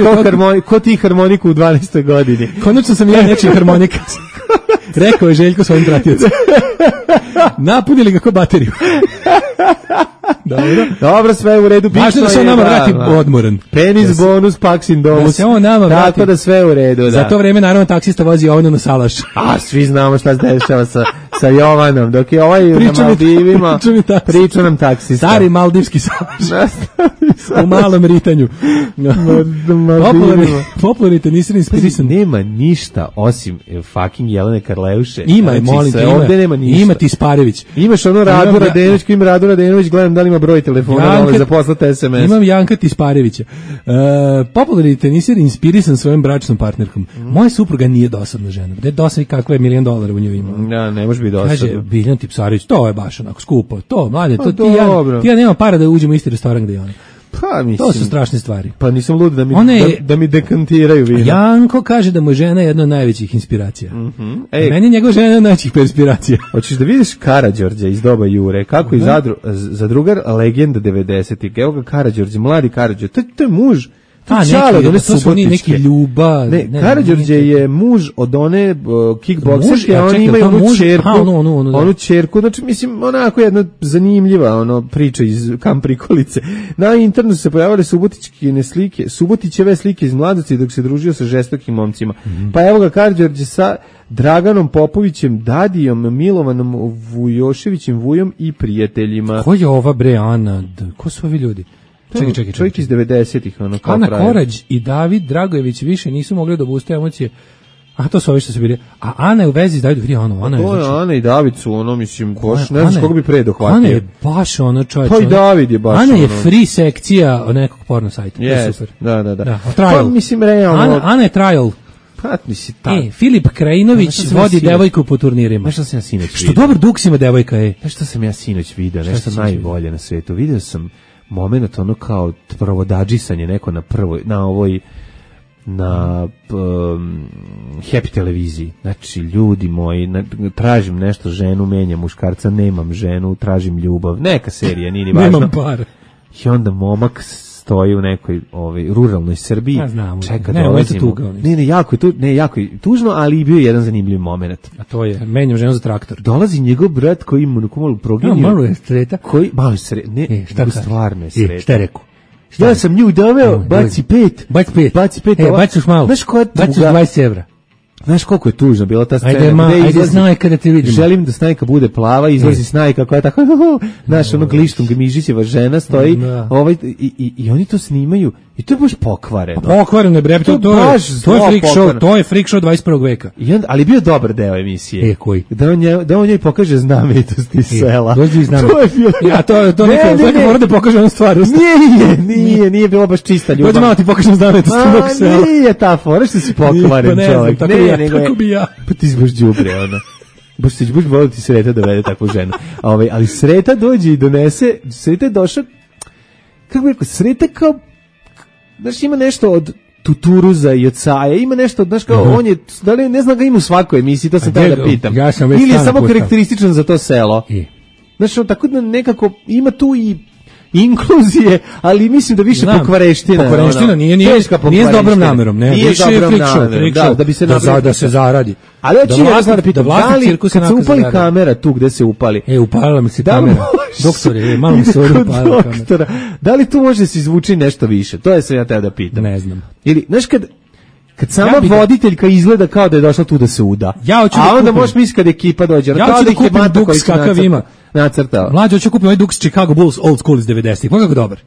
[SPEAKER 6] ko ti harmoniku u 12. godini.
[SPEAKER 5] Konačno sam ja nečiji harmonika. Rekao je Željko svojim pratiocima. Napunili ga ko bateriju.
[SPEAKER 6] Dobro, sve je u redu.
[SPEAKER 5] Važno da se on nama vrati odmoran.
[SPEAKER 6] Penis bonus, paksin domus.
[SPEAKER 5] Da se on nama vrati.
[SPEAKER 6] Tako da sve je u redu, da.
[SPEAKER 5] Za to vreme, naravno, taksista vozi Jovanu na Salaš.
[SPEAKER 6] A, svi znamo šta se dešava sa Jovanom. Dok je ovaj na Maldivima, priča nam taksista.
[SPEAKER 5] Stari maldivski Salaš. U malom ritanju. Popularni tenisir inspirisan.
[SPEAKER 6] Nema ništa osim fucking Jelene Karleuše.
[SPEAKER 5] Ima, molim te,
[SPEAKER 6] ovde nema ništa.
[SPEAKER 5] Ima ti Sparević.
[SPEAKER 6] Imaš ono Radu Radenović, ima Radu Radenović, gledam da li ima broj telefona za poslati SMS.
[SPEAKER 5] Imam Janka Tisparevića. Popularni tenisir inspirisan svojom bračnom partnerkom. Moja supruga nije dosadna žena. Da je dosadna kakva je $1.000.000 u njoj ima.
[SPEAKER 6] Ja, ne može biti dosadna.
[SPEAKER 5] Kaže Biljan Tipsarević, to je baš onako skupo. To, mlade, to ti ja nemam para da uđemo u isti restoran gde je ona.
[SPEAKER 6] Pa, mislim,
[SPEAKER 5] to su strašne stvari.
[SPEAKER 6] Pa nisam lud da mi dekantiraju vino.
[SPEAKER 5] Janko kaže da mu je žena jedna od najvećih inspiracija. Meni je njegova žena jedna od najvećih inspiracija.
[SPEAKER 6] Hoćeš da vidiš Karađorđa iz doba Jure, kako je zadrugar legenda 90-ih. Evo ga Karađorđe, mladi Karađorđe. To je muž.
[SPEAKER 5] To su oni neki Ljuba.
[SPEAKER 6] Karađorđe je muž od one kickbokserke, a oni imaju onu čerku, znači mislim onako jedna zanimljiva priča iz Kamp Prikolice. Na internetu se pojavile Subotićeve slike iz mladosti dok se družio sa žestokim momcima. Pa evo ga Karađorđe sa Draganom Popovićem, Dadijom, Milovanom Vujoševićem, Vujom i prijateljima.
[SPEAKER 5] Ko je ova bre Ana? Ko su ovi ljudi? Čekaj.
[SPEAKER 6] Čovjek iz 90-ih.
[SPEAKER 5] Ana Korać i David Dragojević više nisu mogli da obuste emocije. A to su ovi što su bili. A Ana je u vezi s Davidom. Vidi
[SPEAKER 6] Ana i David su mislim, baš ne znaš koga bi pre dohvatio.
[SPEAKER 5] Ana je baš čovječ.
[SPEAKER 6] Pa i David je baš
[SPEAKER 5] Ana je free sekcija nekog porno sajta. To je super.
[SPEAKER 6] Da.
[SPEAKER 5] Trial.
[SPEAKER 6] Pa mislim, realno.
[SPEAKER 5] Ana je trial. Filip Krajinović vodi devojku po turnirima.
[SPEAKER 6] Nešto sam ja sinoć vidio.
[SPEAKER 5] Što dobar duks ima devojka,
[SPEAKER 6] Nešto sam ja sinoć vidio, nešto najbolje na svetu. Vidio sam moment kao provodadžisanje neko na Happy televiziji. Znači, ljudi moji, tražim nešto, ženu, menjam muškarca, nemam ženu, tražim ljubav. Neka serija, nije ni važno.
[SPEAKER 5] Nemam par.
[SPEAKER 6] I onda momak stoji u nekoj ruralnoj Srbiji.
[SPEAKER 5] Ja znam.
[SPEAKER 6] Čeka, dolazimo. Jako je tužno, ali bio je jedan zanimljiv moment.
[SPEAKER 5] A to je, menjam ženu za traktor.
[SPEAKER 6] Dolazi njegov brat koji ima malo progenio.
[SPEAKER 5] Malo je sreta.
[SPEAKER 6] Malo je sreta. Ne, stvarno je sreta.
[SPEAKER 5] Šta je rekao?
[SPEAKER 6] Ja sam nju doveo, baci 5.
[SPEAKER 5] Baci 5. Baciš malo. Baciš 20 evra.
[SPEAKER 6] Znaš koliko je tužna bila ta scena?
[SPEAKER 5] Ajde Snajka da te vidimo.
[SPEAKER 6] Želim da Snajka bude plava, izlazi Snajka koja je tako, znaš, glištom Gmižićeva žena stoji, i oni to snimaju, i to je baš pokvareno.
[SPEAKER 5] Pokvareno je, bre, to je freak show 21. veka.
[SPEAKER 6] Ali bio dobar deo emisije.
[SPEAKER 5] Koji?
[SPEAKER 6] Da on njoj pokaže znamenitosti sela.
[SPEAKER 5] To je bilo. Ja, to neka mora da pokaže onu stvar.
[SPEAKER 6] Nije bilo baš čista ljubav.
[SPEAKER 5] Dođe malo ti pokažem znamenitosti mog sela.
[SPEAKER 6] Nije ta fora što si pokvaren čovjek.
[SPEAKER 5] Tako bi ja.
[SPEAKER 6] Pa ti si baš đubre, baš volio ti Sreta dovede takvu ženu. Ali Sreta dođe i donese, Sreta je došao, kako bi rekao, Sreta kao, znaš, ima nešto od Tuturuza i od Saja, ima nešto, znaš kao, on je, da li, ne znam ga ima u svakoj emisiji, to sam tada da pitam. Ili je samo karakterističan za to selo. Znaš, tako da nekako ima tu i inkluzije, ali mislim da više pokvareština.
[SPEAKER 5] Pokvareština nije s dobrom namerom, ne, više je friction, da se zaradi.
[SPEAKER 6] Ali hoće ja da pitam, da li kad se upali kamera tu gde se upali?
[SPEAKER 5] Upalila mi se kamera. Doktore, malo mi se upalila kamera.
[SPEAKER 6] Da li tu može da se izvuči nešto više? To je sam ja teo da pitam.
[SPEAKER 5] Ne znam.
[SPEAKER 6] Ili, znaš, kad sama voditeljka izgleda kao da je došla tu da se uda. A onda možeš misliti kad ekipa dođe.
[SPEAKER 5] Ja ću da kupim duks kakav ima.
[SPEAKER 6] Nacrtao.
[SPEAKER 5] Mlađe, hoću kupiti ovaj duks Chicago Bulls Old School iz 90-ih. Kako dobar?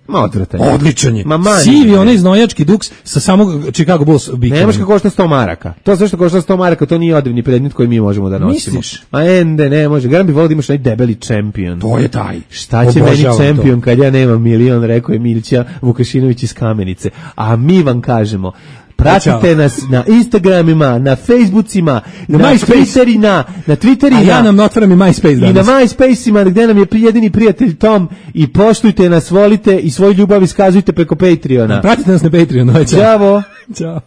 [SPEAKER 5] Odličan je. Sivi, onaj znojački duks sa samog Chicago Bulls bikina.
[SPEAKER 6] Nemaš kako košta 100 maraka. To sve što košta 100 maraka, to nije odevni predmet koji mi možemo da nosimo.
[SPEAKER 5] Misliš?
[SPEAKER 6] Ma ende, ne može. Garam bi volio da imaš onaj debeli čempion.
[SPEAKER 5] To je taj.
[SPEAKER 6] Šta će meni čempion kad ja nemam milion, rekao je Milića Vukašinović iz Kamenice. A mi vam kažemo, pratite nas na Instagramima, na Facebookima, na Twitterima, na Twitterima.
[SPEAKER 5] A ja nam otvaram i MySpace danas.
[SPEAKER 6] I na MySpaceima gdje nam je jedini prijatelj Tom, i poštujte nas, volite i svoju ljubav iskazujte preko Patreona.
[SPEAKER 5] Pratite nas na Patreonu.
[SPEAKER 6] Ćao.
[SPEAKER 5] Ćao.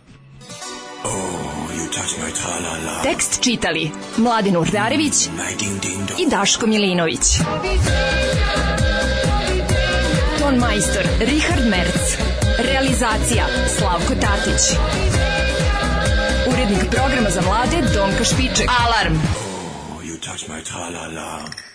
[SPEAKER 2] Tekst čitali Mladen Urdarević i Daško Milinović. Ton majstor Richard Merc. Realizacija Slavko Tatić. Urednik programa za mlade Donka Špiček. Alarm! Oh, you touch my tra-la-la.